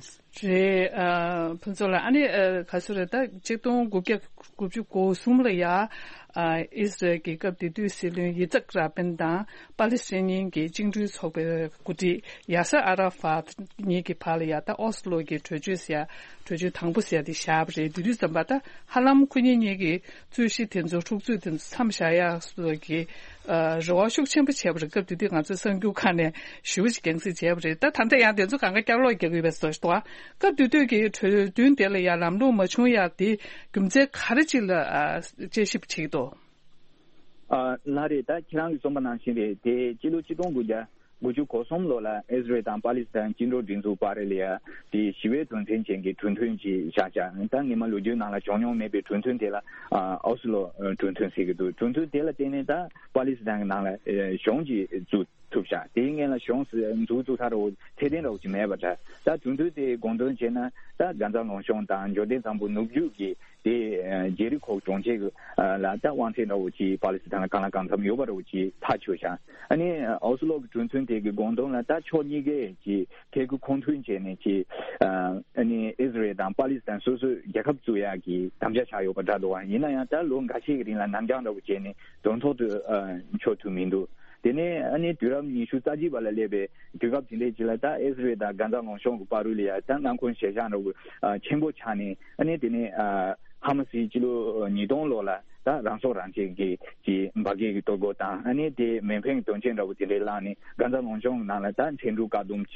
ཨ་ཕུན་ཚོགས་ལགས། ཨ་ནི་ཨ་ག་ཚོད་རེད། ད་ཆིག་སྟོང་དགུ་བརྒྱ་དགུ་བཅུ་གོ་གསུམ་ལ་ཡ་ཨ་ཨི་སི་རལ་གྱི་སྐབས་དེ་དུས་སྲིད་བློན་ཡི་ཙག་ར་པིན་དང་པ་ལི་སི་ཐན་གྱི་བཅིངས་འགྲོལ་ཚོགས་པའི་འགོ་ཁྲིད་ཡ་སེར་ཨ་ར་ཧྥ་ཏི་གཉིས་ཀྱི་བར་ལ་ཡ་ད་ཨོ་སི་ལོ་གྱི་གྲོས་ཆོད་ཟེར་ཡ་གྲོས་ཆོད་དང་པོ་ཟེར་ཡ་དེ་བཞག་པ་རེད། དེ་དུས་ཙམ་པ་ད་ཧ་ལམ་ཁོ་གཉིས་གཉིས་ཀྱི་རྩོད་གཞི་དེ་ཚོ་འཁྲུག་རྩོད་དེ་ཚོ་མཚམས་བཞག་ཡག་སོགས་ཀྱི་ཨ་རེ་བ་ཤུགས་ཆེན་པོ་བྱས་པ་རེད། སྐབས་དེ་དུས་ང་ཚོས་གསར་འགྱུར་ཁག་ནས་ཞེ་པོ་ཅིག་རྒྱང་སྲིང་བྱས་པ་རེད། ད་ད་ལྟ་ཡང་དེ་ཚོ་གང་ག་བསྐྱར་ལོག་རྒྱག་གི་ཡོད་པའི་བཟོ་ཞིག་འདུག་སྐབས་དེ་དུས་ཀྱི་གྲོས་མཐུན་དེ་ལ་ཡང་ལམ་ལྷོང་མ་བྱུང་ཡག་དེ་རྒྱུ་མཚན་ག་རེ་ཅིག་ལ་ཨ་དཔྱད་ཞིབ་བྱེད་ཀྱི་འདུག་ཨ་ལགས་རེད། ད་ཁྱེད་རང་གིས་གསུངས་པ་ནང་བཞིན་རེད། དེ་སྤྱི་ལོ་ཆིག་སྟོང་དགུ་བརྒྱ་དགུ་བཅུ་གོ་གསུམ་ལོ་ལ་ཨི་སི་རེལ་དང་པ་ལི་སི་ཐན་བཅིངས་འགྲོལ་སྒྲིག་འཛུགས་བར་ལ་ཡ་དེ་ཞི་བའི་དོན་ཚན་ཅན་གྱི་གྲོས་མཐུན་ཅིག་བཞག་བཞག་ད་སྔོན་མ་ལོ་རྒྱུས་ནང་ལ་བྱུང་མྱོང་མེད་པའི་གྲོས་མཐུན་དེ་ལ་ཨ་ཨོ་སི་ལོ་གྲོས་མཐུན་ཟེར་གྱི་འདུག་གྲོས་མཐུན་དེ་ལ་བརྟེན་ནས་ད་པ་ལི་སི་ཐན་གྱི་ནང་ལ་ཨ་གཞུང་ཅིག་བཙུགས་ཐུབ་བཞག་དེའི་སྔོན་ལ་གཞུང་འཛུགས་བཙུགས་ཚར་རོ་ཚད་ལྡན་རོ་ཅིག་མེད་པ་འདྲ། ད་གྲོས་མཐུན་དེའི་དགོངས་དོན་བྱས་ན་ད་གྷ་ཛ་ལུང་གཤོང་དང་འབྱོར་ལྡན་གཙང་པོ་ནུབ་རྒྱུད་ཀྱི་དེ་ཨ་ཇེ་རི་ཁོ་གྲོང་ཁྱེར་གྱི་ཨ་ལ་ད་དབང་ཚད་འདྲ་བོ་ཅིག་པ་ལི་སི་ཐན་ལ་གང་ལ་གང་འཚམ་ཡོད་པ་འདྲ་བོ་ཅིག་ཐག་ཆོད་ཤག་ཨ་ནི་ཨོ་སི་ལོ་གི་གྲོས་མཐུན་དེ་གི་དགོངས་དོན་ལ་ད་ཕྱོགས་གཉིས་ཀས་ཀྱི་ཐད་ཀར་ཁོང་མཐུན་བྱས་ནས་ཀྱི་ཨ་ནི་ཨི་སི་རེལ་དང་པ་ལི་སི་ཐན་སོ་སོའི་རྒྱལ་ཁབ་བཙུགས་ཡག་གི་དམ་བཅའ་བཞག་ཡོད་པ་འདྲ་འདུག་ཡིན་ན་ཡང་ད་ལོ་འགའ་ཤས་ཀྱི་རིང་ལ་ནར་འགྱངས་འདྲ་བོ་བྱས་ནས་དོན་ཐོག་ཏུ་ཨ་འཁྱོལ་ཐུབ་མི་འདུག་དེ་ནས་ཨ་ནི་དུས་རབས་ཉི་ཤུ་རྩ་གཅིག་པ་ལ་སླེབས་པའི་དུས་སྐབས་དེ་འདྲའི་ཅིག་ལ་ད་ཨི་སི་རེལ་དང་གྷ་ཛ་ལུང་གཤོང་གི་བར་དུ་ལ་ཡ་ད་མངའ་ཁོངས་གཞིས་ཆགས་འདྲ་བོ་ཨ་ཆེན་པོ་ཆགས་ནས་ཨ་ནི་དེ་ནས་ཨ་ཧ་མ་སིས་སྤྱི་ལོ་ཉིས་སྟོང་ལོ་ལ་ད་རང་སྲོག་རང་གཅོད་ཀྱི་ཀྱི་འབར་གས་ཀྱི་གཏོར་རྒོལ་དང་ཨ་ནི་དེ་མེ་འཕེན་གྱི་དོན་རྐྱེན་འདྲ་བོ་དེ་འདྲའི་བསླངས་ནས་གྷ་ཛ་ལུང་གཤོང་ནང་ལ་ད་འཕྲལ་སྒྲུག་བཀག་སྡོམ་བྱས་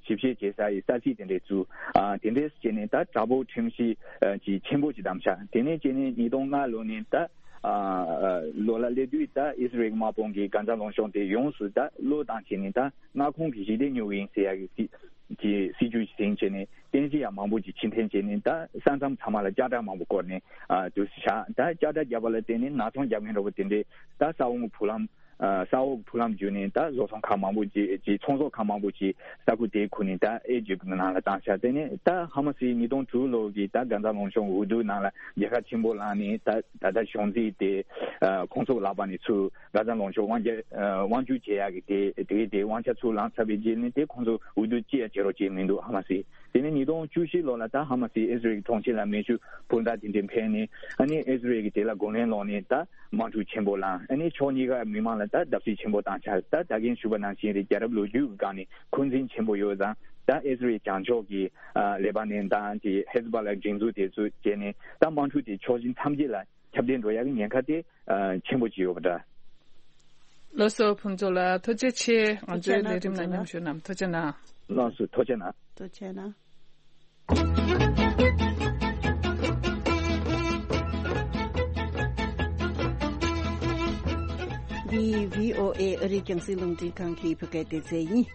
ཞིབ་བཤེར་བྱེད་ས་ཡི་ས་ཚིགས་དེ་འདྲའི་བཙུགས། ཨ་དེ་འདྲའི་བྱས་ནས་ད་དྲག་པོའི་ཁྲིམས་གཞི་ཨ་ཅིག་ཆེན་པོ་ཅིག་བསྡམས་ཤག་དེ་ནས་བྱས་ནས་ཉིས་སྟོང་ལྔ་ལོ་ནས་ད་ཨ་ལོ་ལ་སླེབས་དུས་ད་ཨི་སི་རེལ་དམག་དཔུང་གིས་གྷ་ཛ་ལུང་གཤོང་དེ་ཡོངས་སུ་ད་བློས་བཏང་བྱས་ནས་ད་མངའ་ཁོངས་ཀྱི་ཞི་བདེ་སྙོག་གི་ཡིན་ཟེར་ཡག་གི་སྲིད་ཀྱི་སྲིད་ཇུས་ཤིག་བཟུང་བྱས་ནས། རྟེན་གཞི་ཡང་མང་པོ་ཅིག་ཕྱིར་འཐེན་བྱས་ནས། ད་ས་མཚམས་ཚང་མ་ལ་ལྕགས་དྲ་མང་པོ་བསྐོར་ནས་ཨ་དུས་སུ་བཞག་ད་ལྕགས་དྲ་བརྒྱབ་པ་ལ་བརྟེན་ནས་ནག་ཚོང་རྒྱག་མཁན་འདྲ་པོ་དེ་འདྲས་ད་ས་འོག་གི་ཕུག་ལམ། ཨ་ས་འོག་གི་ཕུག་ལམ་བརྒྱུད་ནས་ད་བཟོ་ཚོང་ཁང་མང་པོ་ཅིག་ཅིག་ཚོང་ཟོག་ཁང་མང་པོ་ཅིག་ས་ཁུལ་དེའི་ཁུལ་ནས་ད་ཨེ་ཇིབ་ནང་ལ་བཏང་ཤག་དེ་ནས་ད་ཧ་མ་སི་ཉིས་སྟོང་དྲུག་ལོ་གི་ད་གྷ་ཛ་ལུང་གཤོང་འོས་བསྡུ་ནང་ལ་རྒྱལ་ཁ་ཆེན་པོ་བླངས་ནས། ད་ད་ལྟ་གཞུང་འཛིན་དེ་ཨ་ཁོང་ཚོ་ལག་པ་ནས་ཚུར་གྷ་ཛ་ལུང་གཤོང་དབང་སྒྱུར་ཨ་དབང་སྒྱུར་བྱེད་ཡག་གི་དེ་དེ་དེ་དབང་ཆ་ཚུར་བླངས་ཚར་བའི་རྗེས་ནས་དེ་ཁོང་ཚོ་འོས་བསྡུ་ཅི་ཡང་བྱེད་རོགས་བྱེད་མི་འདུག་ཧ་མ་སི། དེ་ནས་ཉིས་སྟོང་བཅུ་བཞི་ལོ་ལ་ད་ཧ་མ་སི་ཨི་ཟི་རེལ་གྱི་གྲོང་ཁྱེར་ལ་མེ་ཤུགས་འཕུར་མདའ་དེ་འདྲས་འཕེན་ནས། ཨ་ནི་ཨི་ཟི་རེལ་གྱིས་དེ་ལ་རྒོལ་ལན་སློག་ནས་ད་དམག་འཁྲུག་ཆེན་པོ་བསླངས། ཨ་ནི་ཕྱོགས་གཉིས་ཀ་མི་མང་ལ་ད་བརྡབ་གསིག་ཆེན་པོ་བཏང་ཤག་ད་ད་གིན་ཞུས་པ་ནང་བཞིན་རེད། རྒྱལ་རབས་ལོ་རྒྱུས་ཀྱི་སྒང་ནས་འཁོན་འཛིན་ཆེན་པོ་ཡོད་ཙང་། ད་ཨི་ཟི་རེལ་བྱང་ཕྱོགས་ཀྱི་ཨ་ལེ་པ་ནན་དང་དེ་ཧེ་ཛི་བྷ་ལ་སྒྲིག་འཛུགས་དེ་ཚོ་བྱས་ནས་ད་དམག་འཁྲུག་དེ་ཕྱོགས་བཞི་མཚམས་བརྒྱད་ལ་ཁྱབ་གདལ་འགྲོ་ཡག་གི་ཉེན་ཁ་དེ་ཨ་ཆེན་པོ་ཅིག་ཡོད་པ་འདྲ། ལགས་སོ་ཕུན་ཚོགས་ལགས། ཐུགས་རྗེ་ཆེ། ང་ཚོའི་ལས་རིམ་ནང་མཉམ་ཞུགས་གནང་། ཐུགས་རྗེ་གནང་། ལགས་སོ། ཐུགས་རྗེ་གནང་། ཐུགས་རྗེ་གནང་། འདི་བྷི་ཨོ་ཨེ་ཨ་རིའི་རྒྱང་སྲིང་རླུང་འཕྲིན་ཁང་གི་བོད་སྐད་སྡེ་ཚན་ཡིན།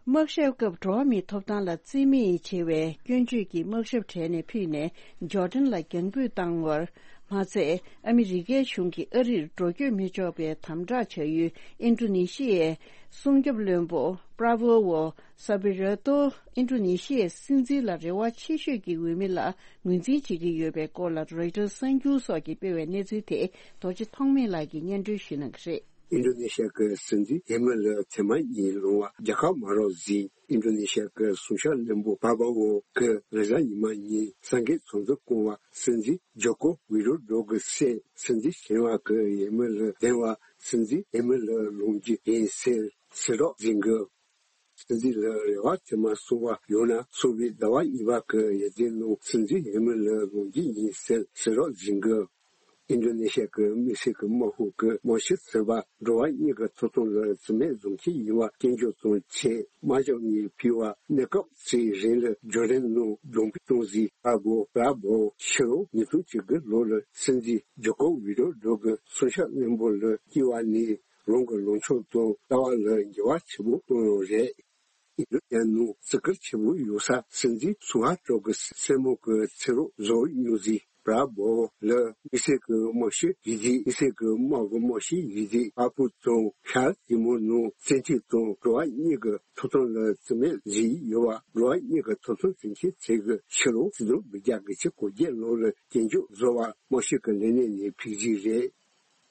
དམག་ཞབས་སྐབས་འགྲོ་བ་མིའི་ཐོབ་ཐང་ལ་བརྩི་མེད་ཆེ་བའི་སྐྱོན་བརྗོད་ཀྱི་དམག་ཞབས་གྲས་ནས་ཕུད་ནས་ཇོར་ཌན་ལ་རྒྱང་འབུད་བཏང་བར་མ་ཚད། ཨ་མི་རི་ཀའི་གཞུང་གིས་ཨ་རིར་འགྲོ་སྐྱོད་མི་ཆོག་པའི་དམ་དྲག་བྱ་ཡུལ་ཨིན་ཌོ་ནེ་ཤི་ཡའི་སྲུང་སྐྱོབ་བློན་པོ་པྲ་བོ་ཝོ་ས་བི་ར་ཏོ་ཨིན་ཌོ་ནེ་ཤི་ཡའི་སྲིད་འཛིན་ལ་རེ་བ་ཆེ་ཤོས་ཀྱི་འོས་མི་ལ་ངོས་འཛིན་བྱེད་ཀྱི་ཡོད་པའི་སྐོར་ལ་རོའི་ཊར་གསར་འགྱུར་སོགས་ཀྱིས་སྤེལ་བའི་གནས་ཚུལ་དེ་རྡོ་རྗེ་ཐོགས་མེད་ལགས་ཀྱིས་སྙན་སྒྲོན་ཞུ་གནང་གི་རེད། ཨིན་ཌོ་ནེ་ཤི་ཡ་གི་སྲིད་འཛིན་ཡེ་མི་ལི་ཐེངས་མ་གཉིས་ལོང་བ་རྒྱལ་ཁ་མ་རག་རྗེས། ཨིན་ཌོ་ནེ་ཤི་ཡ་གི་སྲུང་སྐྱོབ་བློན་པོ་པྲ་བོ་ཝོ་གིས་རེས་གཟའ་ཉི་མ་ཉིན་གསར་འགོད་ཚོགས་འདུ་བསྐོང་བར། སྲིད་འཛིན་ཇོ་ཀོ་ཝི་ཌོ་ཌོ་གི་སྲས་སྲིད་འཛིན་གཞོན་པ་གི་ཡེ་མི་ལི་འདེམས་པར་སྲིད་འཛིན་ཡེ་མི་ལི་ལངས་རྒྱུ་ཡིན་ཟེར་གསལ་བསྒྲགས་མཛད་འདུག་སྲིད་འཛིན་ལ་རེ་བ་དེ་མ་སོང་བ་ཡོང་ན་ཚོགས་པའི་ཟླ་བ་གཉིས་པ་གི་ཡར་རྒྱས་ནང་སྲིད་འཛིན་ཡེ་མི་ལི་ལངས་རྒྱུ་ཡིན་ཟེར་གསལ་བསྒྲགས་མཛད་འདུག་ཨིན་ཌོ་ནེ་ཤི་ཡ་གི་དམིགས་བསལ་གྱི་དམག་དཔུང་གིས་དམག་སྤྱི་ཟུར་པ་འགྲོ་བ་མིའི་ཐོབ་ཐང་ལ་བརྩི་མེད་བཟུང་མཁན་ཡིན་པ་སྐྱོན་བརྗོད་དང་བཅས། དམག་ཞབས་གཉིས་ཕུད་པ་གནས་སྐབས་ཅིག་རིང་ལ་ཇོར་ཌན་ནང་རྒྱང་འབུད་བཏང་རྗེས། པྲ་བོ་པྲ་བོ་ཕྱི་ལོ་ཉིས་སྟོང་བཅུ་དགུ་ལོ་ལ་སྲིད་འཛིན་ཇོ་ཀོ་ཝི་ཌོ་ཌོ་གི་སྲུང་སྐྱོབ་བློན་པོ་ལ་བསྐོས་པ་ནས་རང་གི་ལངས་ཕྱོགས་དང་ལྟ་བ་ལ་འགྱུར་བ་ཆེན་པོ་བཏང་ཡོད་རེད། ཨིན་ཌོ་ནེ་ཤི་ཡ་ནང་བརྩི་བཀུར་ཆེན་པོ་ཡོད་ས་སྲིད་འཛིན་སུ་ཧར་ཏོ་གི་སྲས་མོ་གི་ཚེ་སྲོག་རྫོགས་མྱོང་རྗེས། པྲ་བོ་ལ་དམིགས་བསལ་གྱི་དམག་སྤྱི་ཡོད་དུས། དམིགས་བསལ་གྱི་དམག་གི་དམག་སྤྱི་ཡོད་དུས། པར་ཕུད་དང་ཤར་ཏི་མོར་ནང་བཙན་ཁྲིད་དང་འགྲོ་བ་མིའི་ཐོབ་ཐང་ལ་བརྩི་མེད་བཟོས་ཡོད་པ་འགྲོ་བ་མིའི་ཐོབ་ཐང་འཛིན་སྐྱོང་ཚོགས་པ་གིས་ཕྱི་ལོ་ཆིག་སྟོང་དགུ་བརྒྱ་གྱ་དགུ་ལོ་ལ་སྐྱོན་བརྗོད་བཟོས་པ་དམག་སྤྱི་གི་ལས་གནས་ནས་ཕུད་རྩིས་རེད།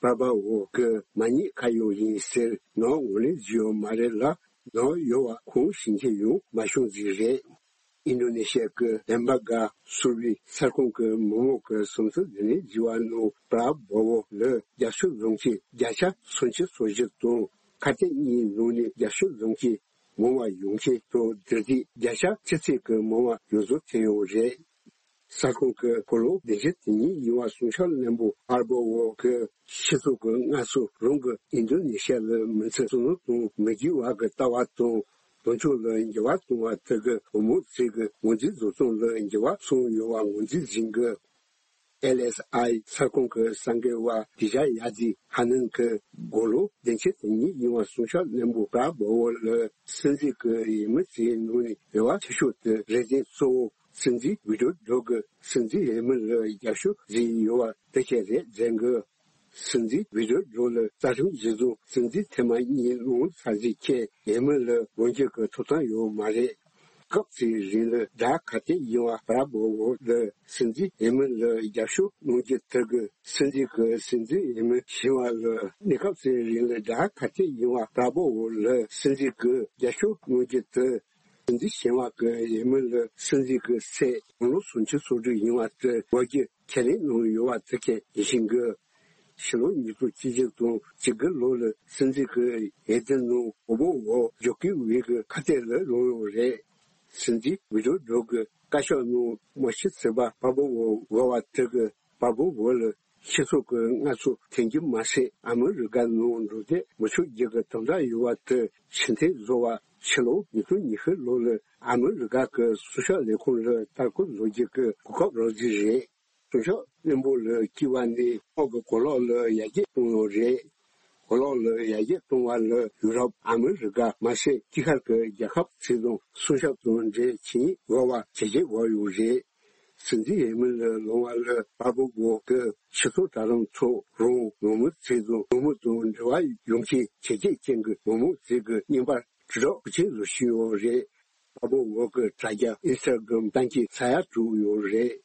པྲ་བོ་ཝོ་གིས་མ་ཉེས་ཁ་གཡོགས་ཡིན་ཟེར་ནང་ངོས་ལེན་བྱས་ཡོད་མ་རེད་ལ། ནང་ཡོད་པ་ཁུངས་ཤིག་ཡང་མ་བྱུང་རྩིས་རེད། ཨིན་ཌོ་ནེ་ཤི་ཡ་གི་དེམ་བ་གྷ་ཟུར་པའི་གསར་ཁང་གི་མི་མང་གི་བསམ་ཚུལ་ལེན་ཡིག་ཞིག་ནང་པྲ་བོ་ཝོ་ལ་རྒྱབ་སྐྱོར་བཟུང་ཆེད་བརྒྱ་ཆ་སུམ་ཅུ་སོ་བཞི་དང་ཁ་གཏད་གཉིས་ནང་ནས་རྒྱབ་སྐྱོར་བཟུང་ཆེད་མང་བ་ཡོང་ཆེད་དང་། དེ་དུས་བརྒྱ་ཆ་ཅི་ཙམ་གྱི་མང་བ་ཡོངས་རྫོགས་ཐོན་ཡོད་རེད། གསར་ཁང་གི་ཕོ་ལོ་བདུན་ཅུ་དོན་གཉིས་ཡིན་པ་སྲུང་སྐྱོབ་བློན་པོ་པྲ་བོ་ཝོ་གིས་སྤྱི་ཚོགས་ཀྱི་སྔར་སྲོལ་རང་གི་ཨིན་ཌོ་ནེ་ཤི་ཡ་ལ་མི་ཚེ་བསོད་ནམས་དང་མི་དགེ་བ་གི་ལྟ་བ་དང་། དོན་ཕྱོགས་ལ་འགྱུར་བ་གཏོང་བ་དེ་གི་འོས་མི་ཚོ་གི་ངོས་འཛིན་བཟོ་སྟངས་ལ་འགྱུར་བ་སོང་ཡོད་པ་ངོས་འཛིན་བྱེད་དགོས། ཨེལ་ཨེས་ཨའི་གསར་ཁང་གི་གསར་འགོད་པ་དི་ཇ་ཡ་ཛི་ཧ་ནན་གྱིས་དགུང་ལོ་བདུན་ཅུ་དོན་གཉིས་ཡིན་པ་སྲུང་སྐྱོབ་བློན་པོ་པྲ་བོ་ཝོ་ལ་སྲིད་འཛིན་གྱི་འོས་མི་ཚོའི་ནང་ནས་རེ་བ་ཆེ་ཤོས་དེ་རེ་འདུན་གཙོ་བོ་སྲིད་འཛིན་ཝི་ཌོ་ཌོ་གིས་སྲིད་འཛིན་འོས་མི་ལ་རྒྱབ་སྐྱོར་བྱས་ཡོད་པ་དེ་གས་རེད་ཟེར་གི། སྲིད་འཛིན་ཝི་ཌོ་ཌོ་ལ་རྩ་ཁྲིམས་གཞིར་བཟུང་སྲིད་འཛིན་ཐེངས་མ་གཉིས་ལོང་ཚར་རྗེས་ཁྱེད་འོས་མི་ལ་འོས་འཁྱེར་གྱི་ཐོབ་ཐང་ཡོད་མ་རེད། སྐབས་དེའི་རིང་ལ་དགྲ་ག་དེ་ཡིན་པ་པྲ་བོ་ཝོ་ལ་སྲིད་འཛིན་འོས་མི་ལ་རྒྱབ་སྐྱོར་གནང་རྒྱུ་དེ་གིས་སྲིད་འཛིན་གྱིས་སྲིད་འཛིན་འོས་མི་གཞན་པ་ལ་གནས་སྐབས་དེའི་རིང་ལ་དགྲ་ག་དེ་ཡིན་པ་པྲ་བོ་ཝོ་ལ་སྲིད་འཛིན་གྱིས་རྒྱབ་སྐྱོར་གནང་རྒྱུ་དེ། སྲིད་འཛིན་གཞན་པ་གི་འོས་མི་ལ་སྲིད་འཛིན་གྱི་སྲས་དགུང་ལོ་སུམ་ཅུ་སོ་དྲུག་ཡིན་པ་དེ་འོས་རྒྱུ་ཁས་ལེན་གནང་ཡོད་པ་དེ་གས་ཤེས་ཀྱི། ཕྱི་ལོ་ཉིས་སྟོང་བཅུ་བཞི་དང་བཅུ་དགུ་ལོ་ལ་སྲིད་འཛིན་གྱི་འོས་བསྡུ་ནང་པྲ་བོ་ཝོ་ཇོ་ཀོ་ཝིཌ་གི་ཁ་གཏད་ལ་ལངས་ཡོད་རེད། སྲིད་འཛིན་ཝི་ཌོ་ཌོ་གི་བཀའ་ཤག་ནང་དམག་སྤྱི་ཟུར་པ་པྲ་བོ་ཝོ་དགོས་པ་དེ་གིས་པྲ་བོ་ཝོ་ལ་སྤྱི་ཚོགས་ཀྱི་སྔར་སྲོལ་འཐེན་རྒྱུ་མ་ཟད། ཨ་མི་རི་ཀ་ནང་འགྲོ་སྡོད་མི་ཆོག་རྒྱུ་གི་དམ་དྲག་ཡོད་པ་དེ་ཕྱིར་འཐེན་བཟོ་བར་ཕྱི་ལོ་ཉིས་སྟོང་ཉི་ཤུ་ལོ་ལ་ཨ་མི་རི་ཀ་གི་སྲུང་སྐྱོབ་ལས་ཁུངས་ལ་ལྟ་སྐོར་བཟོ་རྒྱུ་གི་གོ་སྐབས་རག་རྩིས་རེད། སྲུང་སྐྱོབ་བློན་པོ་ལ་བསྐོས་པ་ནས་དམག་གི་གོ་ལག་ལ་ཡར་རྒྱས་བཏང་ཡོད་རེད། གོ་ལོག་ལ་ཡར་རྒྱས་གཏོང་བ་ལ་ཡུ་རོབ། ཨ་མི་རི་ཀ་མ་ཟད་དཀྱིལ་ཤར་གྱི་རྒྱལ་ཁབ་ཚོས་དང་སྲུང་སྐྱོབ་དང་འབྲེལ་བྱེད་དགོས་པ་ཇེ་ཆེ་འགྲོ་ཡོད་རེད། སྲིད་འཛིན་ཧེ་མི་ལ་ལོང་བ་ལ་པར་པོ་གོ་གི་ཕྱི་ཚོགས་དྲ་ལམ་ཐོག་རང་ངོ་མ་ཚོས་དང་ངོ་མ་དང་འབྲེལ་བ་ཡོང་མཁན་ཇེ་ཆེ་ཅན་གྱི་ངོ་མ་ཚོས་ཀྱི་བརྙན་པར་དྲིལ་སྒྲོག་ཤུགས་ཆེ་བཟོ་བཞིན་ཡོད་རེད། པ་པོ་འོག་གི་དྲ་རྒྱ་ཨིན་སི་ཊ་གྷ་རམ་བཏང་གི་ས་ཡ་དྲུག་ཡོད་རེད།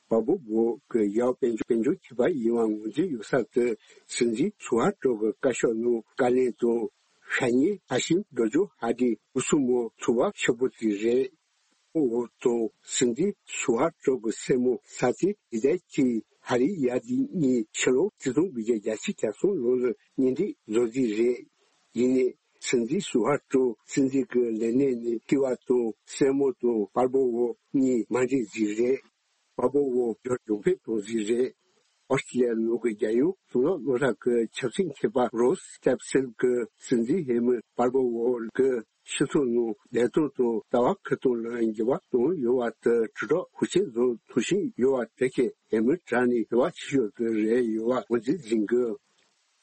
པ་པོ་འོག་གི་ཡག་དཔལ་འབྱོར་དཔལ་འབྱོར་ཁྱད་པར་ཡིན་པ་ངོས་འཛིན་ཡོད་ས་དེ་སྲིད་འཛིན་སུ་ཧ་ཀྲོ་གི་བཀའ་ཤོག་ནང་བཀའ་ལན་དང་ཤ་ཉེ་ཧ་ཤིམ་རྡོ་རྗོ་ཧ་ཏི་སྐུ་སྲུང་མོ་ཚོ་བ་ཆེ་པོ་དེ་རེད། འོག་དང་སྲིད་འཛིན་སུ་ཧ་ཀྲོ་གི་སྲས་མོ་ས་ཙི་ཡི་དའི་ཅི་ཧ་རི་ཡ་དི་གཉིས་ཕྱི་ལོ་ཆིག་སྟོང་དགུ་བརྒྱ་གྱ་གསུམ་ལོ་ལ་གཉེན་སྒྲིག་བཟོ་རྩིས་རེད། ཡིན་ནའི་སྲིད་འཛིན་སུ་ཧ་ཀྲོ་སྲིད་འཛིན་གྱི་ལས་གནས་ནས་ཐི་བ་དང་སྲས་མོ་དང་པར་པོ་འོ་གཉིས་མ་འགྲིག་རྩིས་རེད། པར་པོ་འོ་འབྱོར་འབྱོར་འཕེལ་གཏོང་རྩིས་རེད། ཨོ་སི་ཀྲི་ལི་ཡ་ནང་གི་རྒྱལ་ཡོངས་གཙུག་ལག་སློབ་གྲྭ་གི་ཆབ་སྲིད་མཁས་པ་རོས་སྟེབ་སེལ་གྱིས་སྲིད་འཛིན་ཧེ་མི་པར་པོ་འོ་གི་སྤྱི་ཚོགས་ནང་བདེ་ཐང་དང་ལྟ་བ་ཁ་ཐུག་ལ་འགྱུར་བ་བཏང་ཡོད་པ་དེ་དྲིལ་སྒྲོག་ཤུགས་ཆེ་བཟོ་ཐུབ་བཞིན་ཡོད་པ་དེ་གས་ཧེ་མི་དྲག་ནས་ཧེ་བག་ཆེ་ཤོས་དེ་རེད་ཡོད་པ་ངོས་འཛིན་འཛིན་དགོས།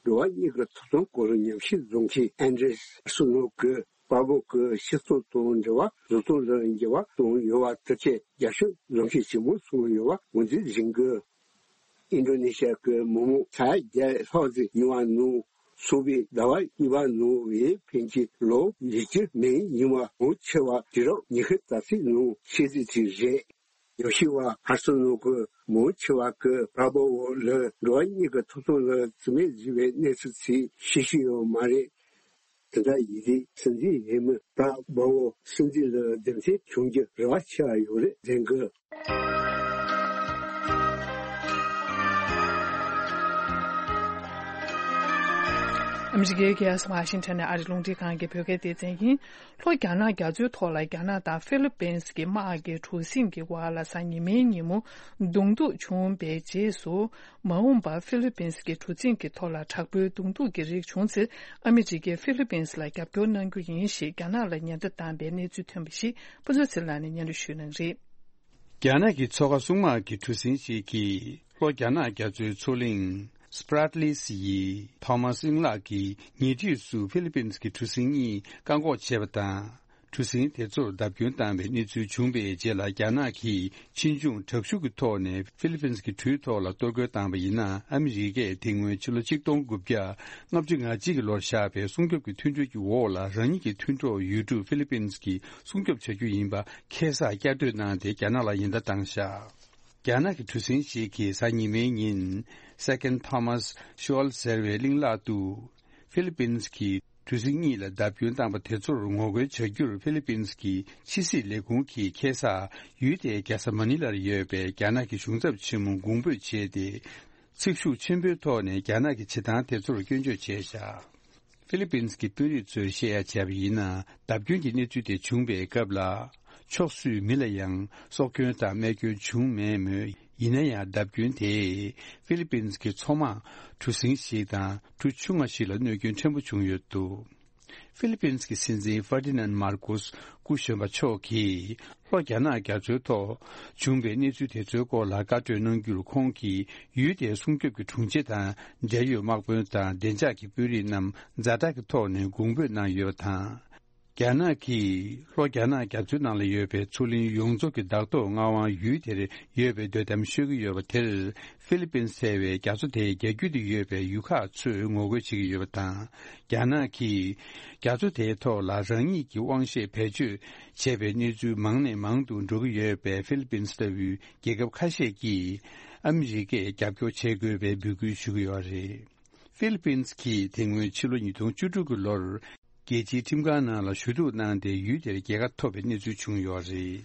འགྲོ་བ་མིའི་ཐོབ་ཐང་སྐོར་ཉམས་ཞིབ་བཟོ་མཁན་ཨན་ཌྲེས་སུ་ནོ་གིས་པར་པོ་གི་སྤྱི་ཚོགས་དང་འབྲེལ་བ་བཟོ་སྟངས་ལ་འགྱུར་བ་བཏང་ཡོད་པ་དེ་གས་རྒྱབ་སྐྱོར་བཟོ་མཁན་ཞིག་མ་སོང་ཡོད་པ་ངོས་འཛིན་འཛིན་དགོས། ཨིན་ཌོ་ནེ་ཤི་ཡ་གི་མི་མང་ས་ཡ་བརྒྱ་ལྷག་ཙམ་ཡོང་བ་ནང་། སོང་བའི་ཟླ་བ་གཉིས་པ་ནང་བའི་ཕན་ཆད་ལོ་བཞི་བཅུ་མན་ཡིན་པ་མང་ཆེ་བ་དུས་རབས་ཉི་ཤུ་རྩ་གཅིག་ནང་ཤི་རྩིས་དེ་རེད། ཉམས་ཞིབ་པ་ཧར་སོ་ནོ་གིས་མང་ཆེ་བ་གིས་པར་པོ་འོ་ལ་འགྲོ་བ་མིའི་ཐོབ་ཐང་ལ་བརྩི་མེད་བཟོས་པའི་གནས་ཚུལ་ཚིག་ཤེས་ཀྱི་ཡོད་མ་རེད། དེ་འདྲ་ཡིན་དུས་སྲིད་འཛིན་ཧེ་མི་པར་པོ་འོ་སྲིད་འཛིན་ལ་འདེམས་ཐོན་བྱུང་རྒྱུ་རེ་བ་ཆེ་བ་ཡོད་རེད་འཛིན་དགོས། ཨ་མི་རི་ཀའི་རྒྱལ་ས་ཝ་ཤིང་ཊོན་ནས་ཨ་རིའི་རླུང་འཕྲིན་ཁང་གི་བོད་སྐད་སྡེ་ཚན་ཡིན། ལྷོ་རྒྱ་ནག་རྒྱ་མཚོའི་ཐོག་ལ་རྒྱ་ནག་དང་ཧྥི་ལི་པིན་གྱི་དམག་གི་གྲུ་གཟིངས་ཀྱི་བར་ལ་གཟའ་ཉི་མའི་ཉིན་མོ་གདོང་ཐུག་བྱུང་བའི་རྗེས་སུ། མ་འོངས་པར་ཧྥི་ལི་པིན་གྱི་གྲུ་གཟིངས་ཀྱི་ཐོག་ལ་དྲག་པོའི་གདོང་ཐུག་གི་རིགས་བྱུང་ཚེ། ཨ་མི་རི་ཀས་ཧྥི་ལི་པིན་ལ་རྒྱབ་སྐྱོར་གནང་རྒྱུ་ཡིན་ཞེས་རྒྱ་ནག་ལ་ཉེན་བརྡ་བཏང་བའི་གནས་ཚུལ་ཐོན་པ་ཞིག་ཕུན་ཚོགས་ཚེ་ལགས་ནས་སྙན་སྒྲོན་ཞུ་གནང་རེད། རྒྱ་ནག་གི་མཚོ་ཁ་སྲུང་དམག་གི་གྲུ་གཟིངས་ཤིག་གིས་ལྷོ་རྒྱ་ནག་རྒྱ་མཚོའི་མཚོ་གླིང་Spratlys ཡི་ཐོ་མཱས་གླིང་ལག་གི་ཉེ་འཁྲིས་སུ་ཧྥི་ལི་པིན་གྱི་གྲུ་གཟིངས་གཉིས་བཀག་འགོག་བྱས་པ་དང་། གྲུ་གཟིངས་དེ་ཚོར་བརྡབ་སྐྱོན་བཏང་བའི་གནས་ཚུལ་བྱུང་བའི་རྗེས་ལ། རྒྱ་ནག་གིས་ཕྱིས་འབྱུང་དྲག་ཤུགས་ཀྱི་ཐོག་ནས་ཧྥི་ལི་པིན་གྱི་གྲུའི་ཐོག་ལ་གཏོར་རྒོལ་བཏང་བ་ཡིན་ན། ཨ་མི་རི་ཀས་དེ་སྔོན་ཕྱི་ལོ་ཆིག་སྟོང་དགུ་བརྒྱ་ལྔ་བཅུ་ང་གཅིག་གི་ལོར་བཞག་པའི་སྲུང་སྐྱོབ་ཀྱི་མཐུན་གྲོས་ཀྱི་འོག་ལ། རང་ཉིད་ཀྱི་མཐུན་གྲོགས་ཡུལ་གྲུ་ཧྥི་ལི་པིན་གྱིས་སྲུང་སྐྱོབ་བྱ་རྒྱུ་ཡིན་པ་ཁ་གསལ་བསྐྱར་ཟློས་གནང་སྟེ། རྒྱ་ནག་ལ་ཉེན་བརྡ་བཏང་བཞག་རྒྱ་ནག་གི་གྲུ་གཟིངས་ཤིག་གིས་གཟའ་ཉི་མའི་ཉིན་Second Thomas Shoal ཟེར་བའི་གླིང་ལག་ཏུ། ཧྥི་ལི་པིན་གྱི་གྲུ་གཟིངས་གཉིས་ལ་བརྡབ་སྐྱོན་བཏང་པ་དེ་ཚོར་ངོ་རྒོལ་བྱ་རྒྱུར། ཧྥི་ལི་པིན་གྱི་ཕྱི་སྲིད་ལས་ཁུངས་ཀྱིས་ཁ་སང་ཡུལ་དེའི་རྒྱལ་ས་མ་ནི་ལར་ཡོད་པའི་རྒྱ་ནག་གི་གཞུང་ཚབ་ཆེན་མོ་དགོངས་འབོད་བྱས་ཏེ། ཚིག་ཤུགས་ཆེན་པོའི་ཐོག་ནས་རྒྱ་ནག་གི་བྱེད་སྟངས་དེ་ཚོར་སྐྱོན་བརྗོད་བྱས་བཞག་ཧྥི་ལི་པིན་གྱི་དཔོན་རིགས་ཚོས་བཤད་ཡ་བྱས་པ་ཡིན་ན། བརྡབ་སྐྱོན་གྱི་གནས་ཚུལ་དེ་བྱུང་བའི་སྐབས་ལ། ཕྱོགས་སུའི་མི་ལ་ཡང་སྲོག་སྐྱོན་དང་རྨས་སྐྱོན་བྱུང་མེད་མོད། ཡིན་ན་ཡང་། བརྡབ་སྐྱོན་དེས་ཧྥི་ལི་པིན་གྱི་མཚོ་དམག་གྲུ་གཟིངས་ཤིག་དང་གྲུ་ཆུང་ང་ཞིག་ལ་གནོད་སྐྱོན་ཕྲན་བུ་བྱུང་ཡོད་འདུག་ཧྥི་ལི་པིན་གྱི་སྲིད་འཛིན་ཧྥར་ཏི་ནན་མར་ཀོས་སྐུ་གཞོན་པ་མཆོག་གིས། ལྷོ་རྒྱ་ནག་རྒྱ་མཚོའི་ཐོག་བྱུང་བའི་གནས་ཚུལ་དེ་ཚོའི་སྐོར་ལ་བཀའ་གྲོས་གནང་རྒྱུར། ཁོང་གིས་ཡུལ་དེའི་སྲུང་སྐྱོབ་ཀྱི་དྲུང་ཆེ་དང་འབྲེལ་ཡོད་དམག་དཔོན་དང་བདེ་འཇགས་ཀྱི་དཔོན་རིགས་རྣམས་ཛ་དྲག་གི་ཐོག་ནས་དགོངས་འབོད་གནང་ཡོད་པ་དང་། རྒྱ་ནག་གིས་ལྷོ་རྒྱ་ནག་རྒྱ་མཚོའི་ནང་ལ་ཡོད་པའི་མཚོ་གླིང་ཡོངས་རྫོགས་ཀྱི་བདག་ཐོག་མངའ་དབང་ཡུལ་དེར་ཡོད་པའི་དོ་དམ་ཤོད་ཀྱི་ཡོད་པ་དེར། ཧྥི་ལི་པིན་ཟེར་བའི་རྒྱ་མཚོ་དེའི་རྒྱ་རྒྱུད་དུ་ཡོད་པའི་ཡུལ་ཁག་ཚོས་ངོ་རྒོལ་བྱེད་ཀྱི་ཡོད་པ་དང་། རྒྱ་ནག་གིས་རྒྱ་མཚོ་དེའི་ཐོག་ལ་རང་ཉིད་ཀྱི་དབང་ཤེད་བེད་སྤྱོད་བྱས་པའི་གནས་ཚུལ་མང་ནས་མང་དུ་འགྲོ་གི་ཡོད་པས། ཧྥི་ལི་པིན་ལྟ་བུའི་རྒྱལ་ཁབ་ཁ་ཤས་ཀྱིས་ཨ་མི་རི་ཀས་རྒྱབ་སྐྱོར་བྱེད་དགོས་པའི་འབོད་སྐུལ་ཞུ་གི་ཡོད་རེད། ཧྥི་ལི་པིན་གྱིས་དེ་སྔོན་ཕྱི་ལོ་ཉིས་སྟོང་བཅུ་དྲུག་གི་ལོར། རྒྱལ་སྤྱིའི་ཁྲིམས་ཁང་ནང་ལ་ཞུ་གཏུག་གནང་སྟེ། ཡུལ་དེར་རྒྱལ་ཁ་ཐོབ་པའི་གནས་ཚུལ་བྱུང་ཡོད་རེད།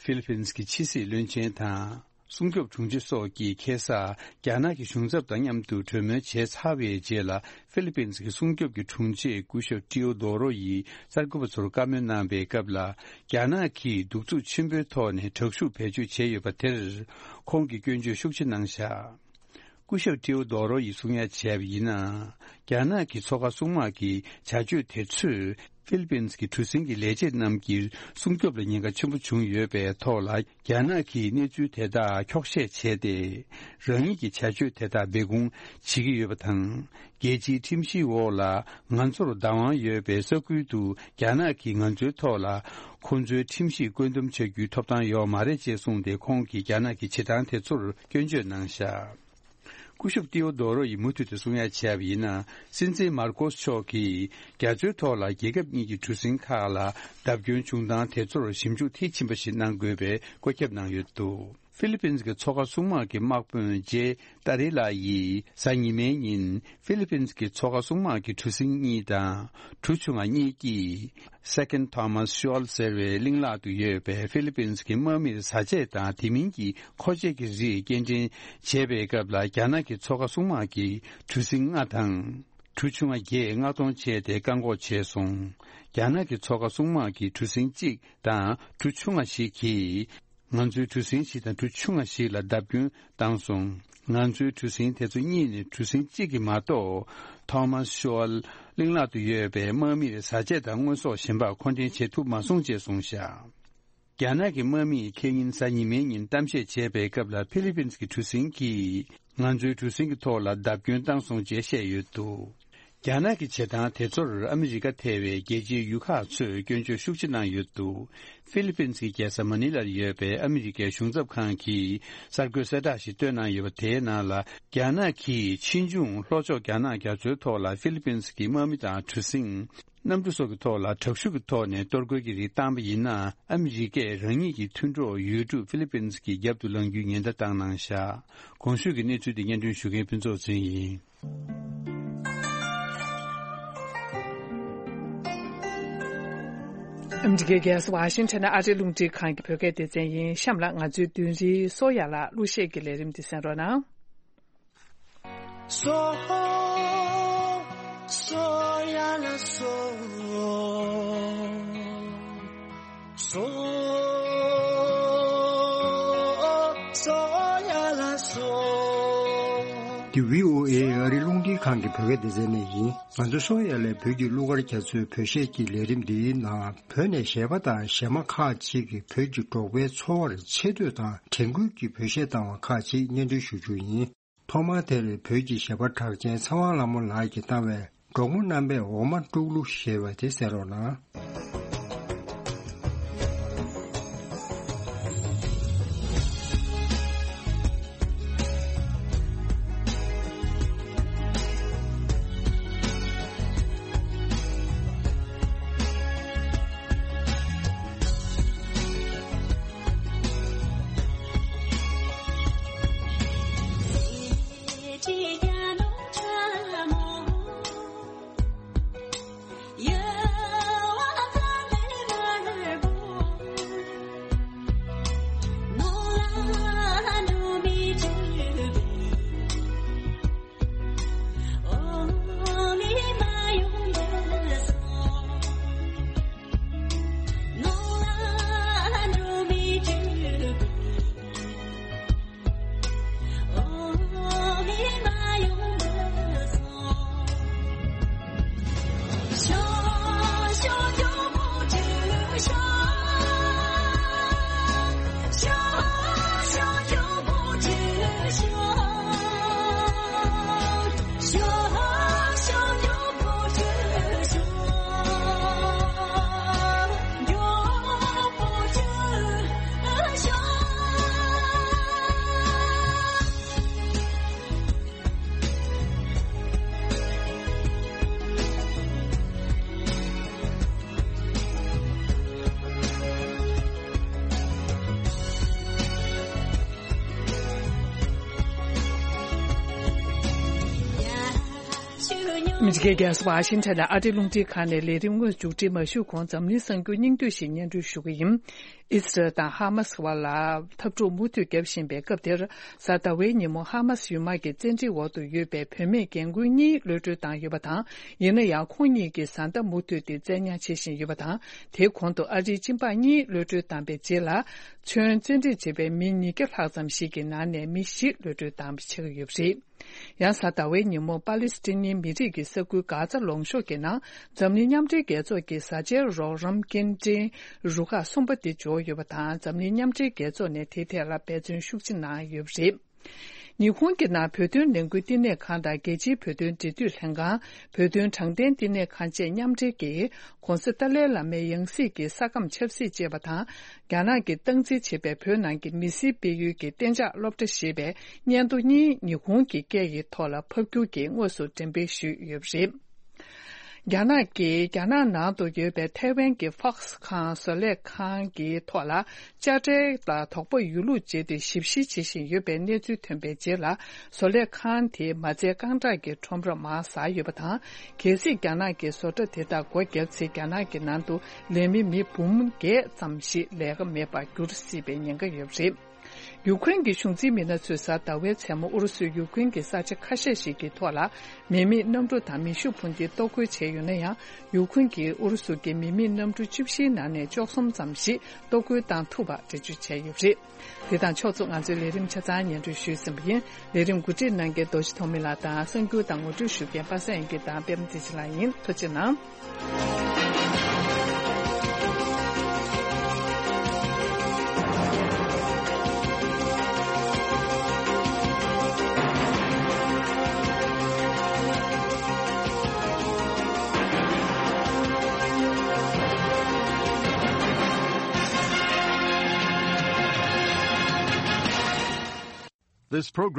ཧྥི་ལི་པིན་གྱི་ཕྱི་སྲིད་བློན་ཆེན་དང་། སྲུང་སྐྱོབ་དྲུང་ཆེ་སོགས་ཀྱིས་ཁ་སང་རྒྱ་ནག་གི་གཞུང་ཚབ་དང་མཉམ་དུ་གྲོས་མོལ་བྱས་ཚར་བའི་རྗེས་ལ། ཧྥི་ལི་པིན་གྱི་སྲུང་སྐྱོབ་ཀྱི་དྲུང་ཆེ་སྐུ་ཞབས་ཏྲིའོ་རྡོ་རོ་ཡིས་གསར་འགོད་པ་ཚོར་བཀའ་མོལ་གནང་པའི་སྐབས་ལ། རྒྱ་ནག་གིས་གདུག་རྩུབ་ཆེན་པོའི་ཐོག་ནས་དྲག་ཤུགས་བེད་སྤྱོད་བྱས་ཡོད་པ་དེར། ཁོང་གིས་སྐྱོན་བརྗོད་ཤུགས་ཆེ་གནང་བཞག་སྐུ་ཞབས་ཏྲིའོ་རྡོ་རོ་ཡིས་གསུང་ཡ་བྱས་པ་ཡིན་ན། རྒྱ་ནག་གི་མཚོ་ཁ་སྲུང་དམག་གི་བྱ་སྤྱོད་དེ་ཚོས། ཧྥི་ལི་པིན་གྱི་གྲུ་གཟིངས་ཀྱི་ལས་བྱེད་རྣམས་ཀྱི་སྲུང་སྐྱོབ་ལ་ཉེན་ཁ་ཆེན་པོ་བྱུང་ཡོད་པའི་ཐོག་ལ། རྒྱ་ནག་གིས་གནས་ཚུལ་དེ་དག་འཁྱོག་བཤད་བྱས་ཏེ། རང་ཉིད་ཀྱི་བྱ་སྤྱོད་དེ་དག་སྦས་སྐུང་བྱེད་ཀྱི་ཡོད་པ་དང་། རྒྱལ་སྤྱིའི་ཁྲིམས་གཞིའི་འོག་ལ་ང་ཚོར་བདག་དབང་ཡོད་པའི་ས་ཁུལ་དུ་རྒྱ་ནག་གིས་ང་ཚོའི་ཐོག་ལ་ཁོང་ཚོའི་ཁྲིམས་གཞི་བཀོད་འདོམས་བྱ་རྒྱུའི་ཐོབ་ཐང་ཡོད་མ་རེད་ཅེས་གསུངས་ཏེ། ཁོང་གིས་རྒྱ་ནག་གི་བྱེད་སྟངས་དེ་ཚོར་སྐྱོན་བརྗོད་གནང་བཞག་སྐུ་ཞབས་ཏིའོ་རྡོ་རོ་ཡིས་མུ་མཐུད་དུ་གསུང་ཡ་བྱས་པ་ཡིན་ན། སྲིད་འཛིན་མར་ཀོ་སི་མཆོག་གིས་རྒྱ་མཚོའི་ཐོག་ལ་རྒྱལ་ཁབ་གཉིས་ཀྱི་གྲུ་གཟིངས་ཁག་ལ་བརྡབ་སྐྱོན་བྱུང་སྟངས་དེ་ཚོར་ཞིབ་འཇུག་མཐིལ་ཕྱིན་པ་ཞིག་གནང་དགོས་པའི་བཀོད་ཁྱབ་གནང་ཡོད་འདུག་ཧྥི་ལི་པིན་གྱི་མཚོ་ཁ་སྲུང་དམག་གི་དམག་དཔོན་ཇེ་ཏཱ་རི་ལ་ཡིས་གཟའ་ཉི་མའི་ཉིན་ཧྥི་ལི་པིན་གྱི་མཚོ་ཁ་སྲུང་དམག་གི་གྲུ་གཟིངས་གཉིས་དང་གྲུ་ཆུང་ང་གཉིས་ཀྱིས། Second Thomas Shoal ཟེར་བའི་གླིང་ལག་ཏུ་ཡོད་པའི་ཧྥི་ལི་པིན་གྱི་དམག་མིར་བཟའ་ཆས་དང་དེ་མིན་གྱི་མཁོ་ཆས་ཀྱི་རིགས་སྐྱེལ་འདྲེན་བྱས་པའི་སྐབས་ལ། རྒྱ་ནག་གི་མཚོ་ཁ་སྲུང་དམག་གིས་གྲུ་གཟིངས་ལྔ་དང་གྲུ་ཆུང་ང་བརྒྱད་མངགས་གཏོང་བྱས་ཏེ་བཀག་འགོག་བྱས་སོང་། རྒྱ་ནག་གི་མཚོ་ཁ་སྲུང་དམག་གིས་གྲུ་གཟིངས་གཅིག་དང་གྲུ་ཆུང་ང་ཞིག་གིས། ང་ཚོའི་གྲུ་གཟིངས་ཤིག་དང་གྲུ་ཆུང་ང་ཞིག་ལ་བརྡབ་སྐྱོན་བཏང་སོང་། ང་ཚོའི་གྲུ་གཟིངས་དེ་ཚོ་གཉིས་ནི་གྲུ་གཟིངས་གཅིག་གི་མ་གཏོགས། Thomas Shoal གླིང་ལག་ཏུ་ཡོད་པའི་དམག་མིར་བཟའ་ཆས་དང་དངོས་ཟོག་གཞན་པ་མཁོ་འདྲེན་བྱེད་ཐུབ་མ་སོང་ཅེས་གསུངས་བཞག་རྒྱ་ནག་གི་དམག་མིས་ཁེ་ཉིན་གཟའ་ཉི་མའི་ཉིན་གཏམ་བཤད་བྱས་པའི་སྐབས་ལ། ཧྥི་ལི་པིན་གྱི་གྲུ་གཟིངས་ཀྱིས་ང་ཚོའི་གྲུ་གཟིངས་ཀྱི་ཐོག་ལ་བརྡབ་སྐྱོན་བཏང་སོང་ཅེས་བཤད་ཡོད་འདུག་རྒྱ་ནག་གི་བྱེད་སྟངས་དེ་ཚོར་ཨ་མི་རི་ཀ་ཐེ་བའི་རྒྱལ་སྤྱིའི་ཡུལ་ཁག་ཚོས་སྐྱོན་བརྗོད་ཤུགས་ཆེ་གནང་ཡོད་འདུག་ཧྥི་ལི་པིན་གྱི་རྒྱལ་ས་མ་ནི་ལར་ཡོད་པའི་ཨ་མི་རི་ཀའི་གཞུང་ཚབ་ཁང་གིས་གསར་འགོད་གསལ་བསྒྲགས་ཤིག་བཏོན་གནང་ཡོད་པ། དེའི་ནང་ལ། རྒྱ་ནག་གིས་ཕྱིས་འབྱུང་ལྷོ་ཕྱོགས་རྒྱ་ནག་རྒྱ་མཚོའི་ཐོག་ལ་ཧྥི་ལི་པིན་གྱི་དམག་མི་དང་གྲུ་གཟིངས། གནམ་གྲུ་སོགས་ཀྱི་ཐོག་ལ་དྲག་ཤུགས་ཀྱི་ཐོག་ནས་གཏོར་རྒོལ་གྱི་རིགས་བཏང་པ་ཡིན་ན། ཨ་མི་རི་ཀས་རང་ཉིད་ཀྱི་མཐུན་གྲོགས་ཡུལ་གྲུ་ཧྥི་ལི་པིན་གྱི་རྒྱབ་ཏུ་ལངས་རྒྱུའི་ཉེན་བརྡ་བཏང་གནང་བཞག་གོང་ཞུས་ཀྱི་གནས་ཚུལ་འདི་སྙན་སྒྲོན་ཞུ་མཁན་ཕུན་ཚོགས་ཚེ་རིང་ཡིན། ཨ་མི་རི་ཀའི་རྒྱལ་ས་ཝ་ཤིང་ཊོན་ནས་ཨ་རིའི་རླུང་འཕྲིན་ཁང་གི་བོད་སྐད་སྡེ་ཚན་ཡིན། གཤམ་ལ་ང་ཚོའི་མདུན་རིའི་སོ་ཡ་ལ་གླུ་གཞས་ཀྱི་ལས་རིམ་འདི་གསན་རོགས་གནང་། སོ། སོ་ཡ་ལ་སོ། སོ། སོ་ཡ་ལ་སོ། འདི་བྷི་ཨོ་ཨེ་ཨ་རིའི་རླུང་འཕྲིན་ཁང་གི་བོད་སྐད་སྡེ་ཚན་ནས་ཡིན། ང་ཚོ་སོ་ཡ་ལའི་བོད་ཀྱི་གླུ་གར་རྒྱ་མཚོའི་བོད་གཞས་ཀྱི་ལས་རིམ་འདིའི་ནང་། བོད་ནས་གཞས་པ་དང་གཞས་མ་ཁག་ཅིག་གིས་བོད་ཀྱི་འབྲོག་པའི་འཚོ་བར་ཆེ་བསྟོད་དང་དྲན་སྐུལ་གྱི་བོད་གཞས་བཏང་བ་ཁག་ཅིག་སྙན་སྒྲོན་ཞུ་རྒྱུ་ཡིན། ཐོག་མར་དེར་བོད་ཀྱི་གཞས་པ་གྲགས་ཅན་ཚེ་དབང་ལྷ་མོ་ལགས་ཀྱིས་བཏང་བའི་འབྲོག་མོ་རྣམ་པས་འོ་མ་དཀྲུག་གླུ་ཞེས་པ་དེ་གསན་རོགས་གནང་། ཨ་མི་རི་ཀའི་རྒྱལ་ས་ཝ་ཤིང་ཊོན་ནས་ཨ་རིའི་རླུང་འཕྲིན་ཁང་ནས་ལས་རིམ་དངོས་མཇུག་སྒྲིལ་མ་ཞུས་གོང་འཛམ་གླིང་གསར་འགྱུར་སྙིང་བསྡུས་ཤིག་སྙན་སྒྲོན་ཞུ་གི་ཡིན། ཨི་སི་རལ་དང་ཧ་མ་སི་བར་ལ་འཐབ་འཁྲུག་མུ་མཐུད་བརྒྱབ་བཞིན་པའི་སྐབས་དེར། གཟའ་ཟླ་བའི་ཉིན་མོ་ཧ་མ་སི་ཡུལ་དམག་གི་བཙན་ཁྲིད་འོག་ཏུ་ཡོད་པའི་བུད་མེད་རྒན་རྒོན་གཉིས་གློད་གྲོལ་བཏང་ཡོད་པ་དང་། ཡིན་ན་ཡང་ཁོང་གཉིས་ཀྱིས་བཟའ་ཟླ་མུ་མཐུད་དེ་བཙན་ཉར་བྱེད་བཞིན་ཡོད་པ་དང་། དེའི་གོང་དུ་ཨ་རིའི་སྤྱི་འབངས་གཉིས་གློད་གྲོལ་བཏང་པའི་རྗེས་ལ། ཁྱོན་བཙན་ཁྲིད་བྱས་པའི་མི་ཉིས་བརྒྱ་ལྷག་ཙམ་ཞིག་གི་ནང་ནས་མི་བཞི་གློད་གྲོལ་བཏང་བྱེད་ཀྱི་ཡོད་པ་རེད། ཡང་གཟའ་ཟླ་བའི་ཉིན་མོ་པ་ལི་སི་ཐན་མི་རིགས་ཀྱི་ས་ཁུལ་གྷ་ཛ་ལུང་གཤོང་གི་ནང་འཛམ་གླིང་མཉམ་འབྲེལ་རྒྱལ་ཚོགས་ཀྱི་བཟའ་བཅའི་རོགས་རམ་སྐྱེལ་འདྲེན་རུ་ཁག་གསུམ་པ་དེ་འབྱོར་ཡོད་པ་དང་། འཛམ་གླིང་མཉམ་འབྲེལ་རྒྱལ་ཚོགས་ནས་དེའི་ཐད་ལ་འབད་བརྩོན་ཤུགས་ཆེ་གནང་ཡོད་པ་རེད། ཉི་ཧོང་གི་ནང་བོད་དོན་ལས་འགུལ་བསྟི་གནས་ཁང་དང་རྒྱལ་སྤྱིའི་བོད་དོན་འབྲེལ་མཐུད་ལྷན་ཁང་། བོད་དོན་དྲང་བདེན་བསྟི་གནས་ཁང་བཅས་མཉམ་འབྲེལ་གྱིས། ྋགོང་ས་ཏཱ་ལའི་བླ་མའི་ཡང་སྲིད་ཀྱི་ས་ཁམས་ཆབ་སྲིད་ཅེས་པ་དང་། རྒྱ་ནག་གིས་སྟངས་འཛིན་བྱེད་པའི་བོད་ནང་གི་མི་སེར་སྤེལ་ཡུལ་གྱི་གཏན་འཇགས་སློབ་གྲྭ་ཞེས་པའི་སྙན་ཐོ་གཉིས་ཉི་ཧོང་གི་སྐད་ཀྱི་ཐོག་ལ་ཕབ་སྒྱུར་གྱིས་དངོས་སུ་འགྲེམས་སྤེལ་ཞུས་ཡོད་པ་རེད། རྒྱ་ནག་གིས་རྒྱ་ནག་ནང་དུ་ཡོད་པའི་ཐའེ་ཝན་གྱི་ཧྥོག་སི་ཁང་བཟོ་ལས་ཁང་གི་ཐོག་ལ་དཔྱ་ཁྲལ་ལ་དོགས་པ་ཡོད་ལུགས་བརྗོད་དེ་ཞིབ་བཤེར་བྱེད་བཞིན་ཡོད་པའི་གནས་ཚུལ་ཐོན་པའི་རྗེས་ལ། བཟོ་ལས་ཁང་དེས་མ་རྩའི་རྐང་གྲངས་ཀྱི་ཁྲོམ་ར་མར་ཟགས་ཡོད་པ་དང་། གལ་སྲིད་རྒྱ་ནག་གིས་བཟོ་གྲྭ་དེ་དག་སྒོ་བརྒྱབ་ཚེ། རྒྱ་ནག་གི་ནང་དུ་ལས་མི་མི་འབུམ་བརྒྱད་ཙམ་ཞིག་ལས་ཀ་མེད་པར་འགྱུར་སྲིད་པའི་ཉེན་ཁ་ཡོད་པ་རེད། ཡུ་ཁུ་རེན་གྱི་གཞུང་འཛིན་མི་སྣ་ཚོས་གཟའ་ཟླ་བའི་མཚན་མོ་ཨུ་རུ་སུས་ཡུ་ཁུ་རེན་གྱི་ས་ཆ་ཁ་ཤས་ཤིག་གི་ཐོག་ལ་མི་མེད་གནམ་གྲུ་དང་མེ་ཤུགས་འཕུར་མདེལ་གཏོར་རྒོལ་བྱས་ཡོད་ན་ཡང་། ཡུ་ཁུ་རེན་གྱིས་ཨུ་རུ་སུ་གྱི་མི་མེད་གནམ་གྲུ་བཅུ་བཞིའི་ནང་ནས་བཅུ་གསུམ་ཙམ་ཞིག་གཏོར་རྒོལ་བཏང་ཐུབ་པ་འགྲེལ་བརྗོད་བྱས་ཡོད་པ་རེད། དེ་དང་ཕྱོགས་མཚུངས་ང་ཚོའི་ལས་རིམ་ཆ་ཚང་སྙན་སྒྲོན་ཞུས་ཟིན་པ་ཡིན། ལས་རིམ་གོ་སྒྲིག་གནང་མཁན་རྡོ་རྗེ་ཐོགས་མེད་ལགས་དང་། གསར་འགྱུར་དང་ངོ་སྤྲོད་ཞུ་མཁན་པ་སངས་དབྱངས་སྐྱིད་དང་པད་མ་བདེ་ཆེན་ལགས་ཡིན། ཐུགས་རྗེ་གནང་། This program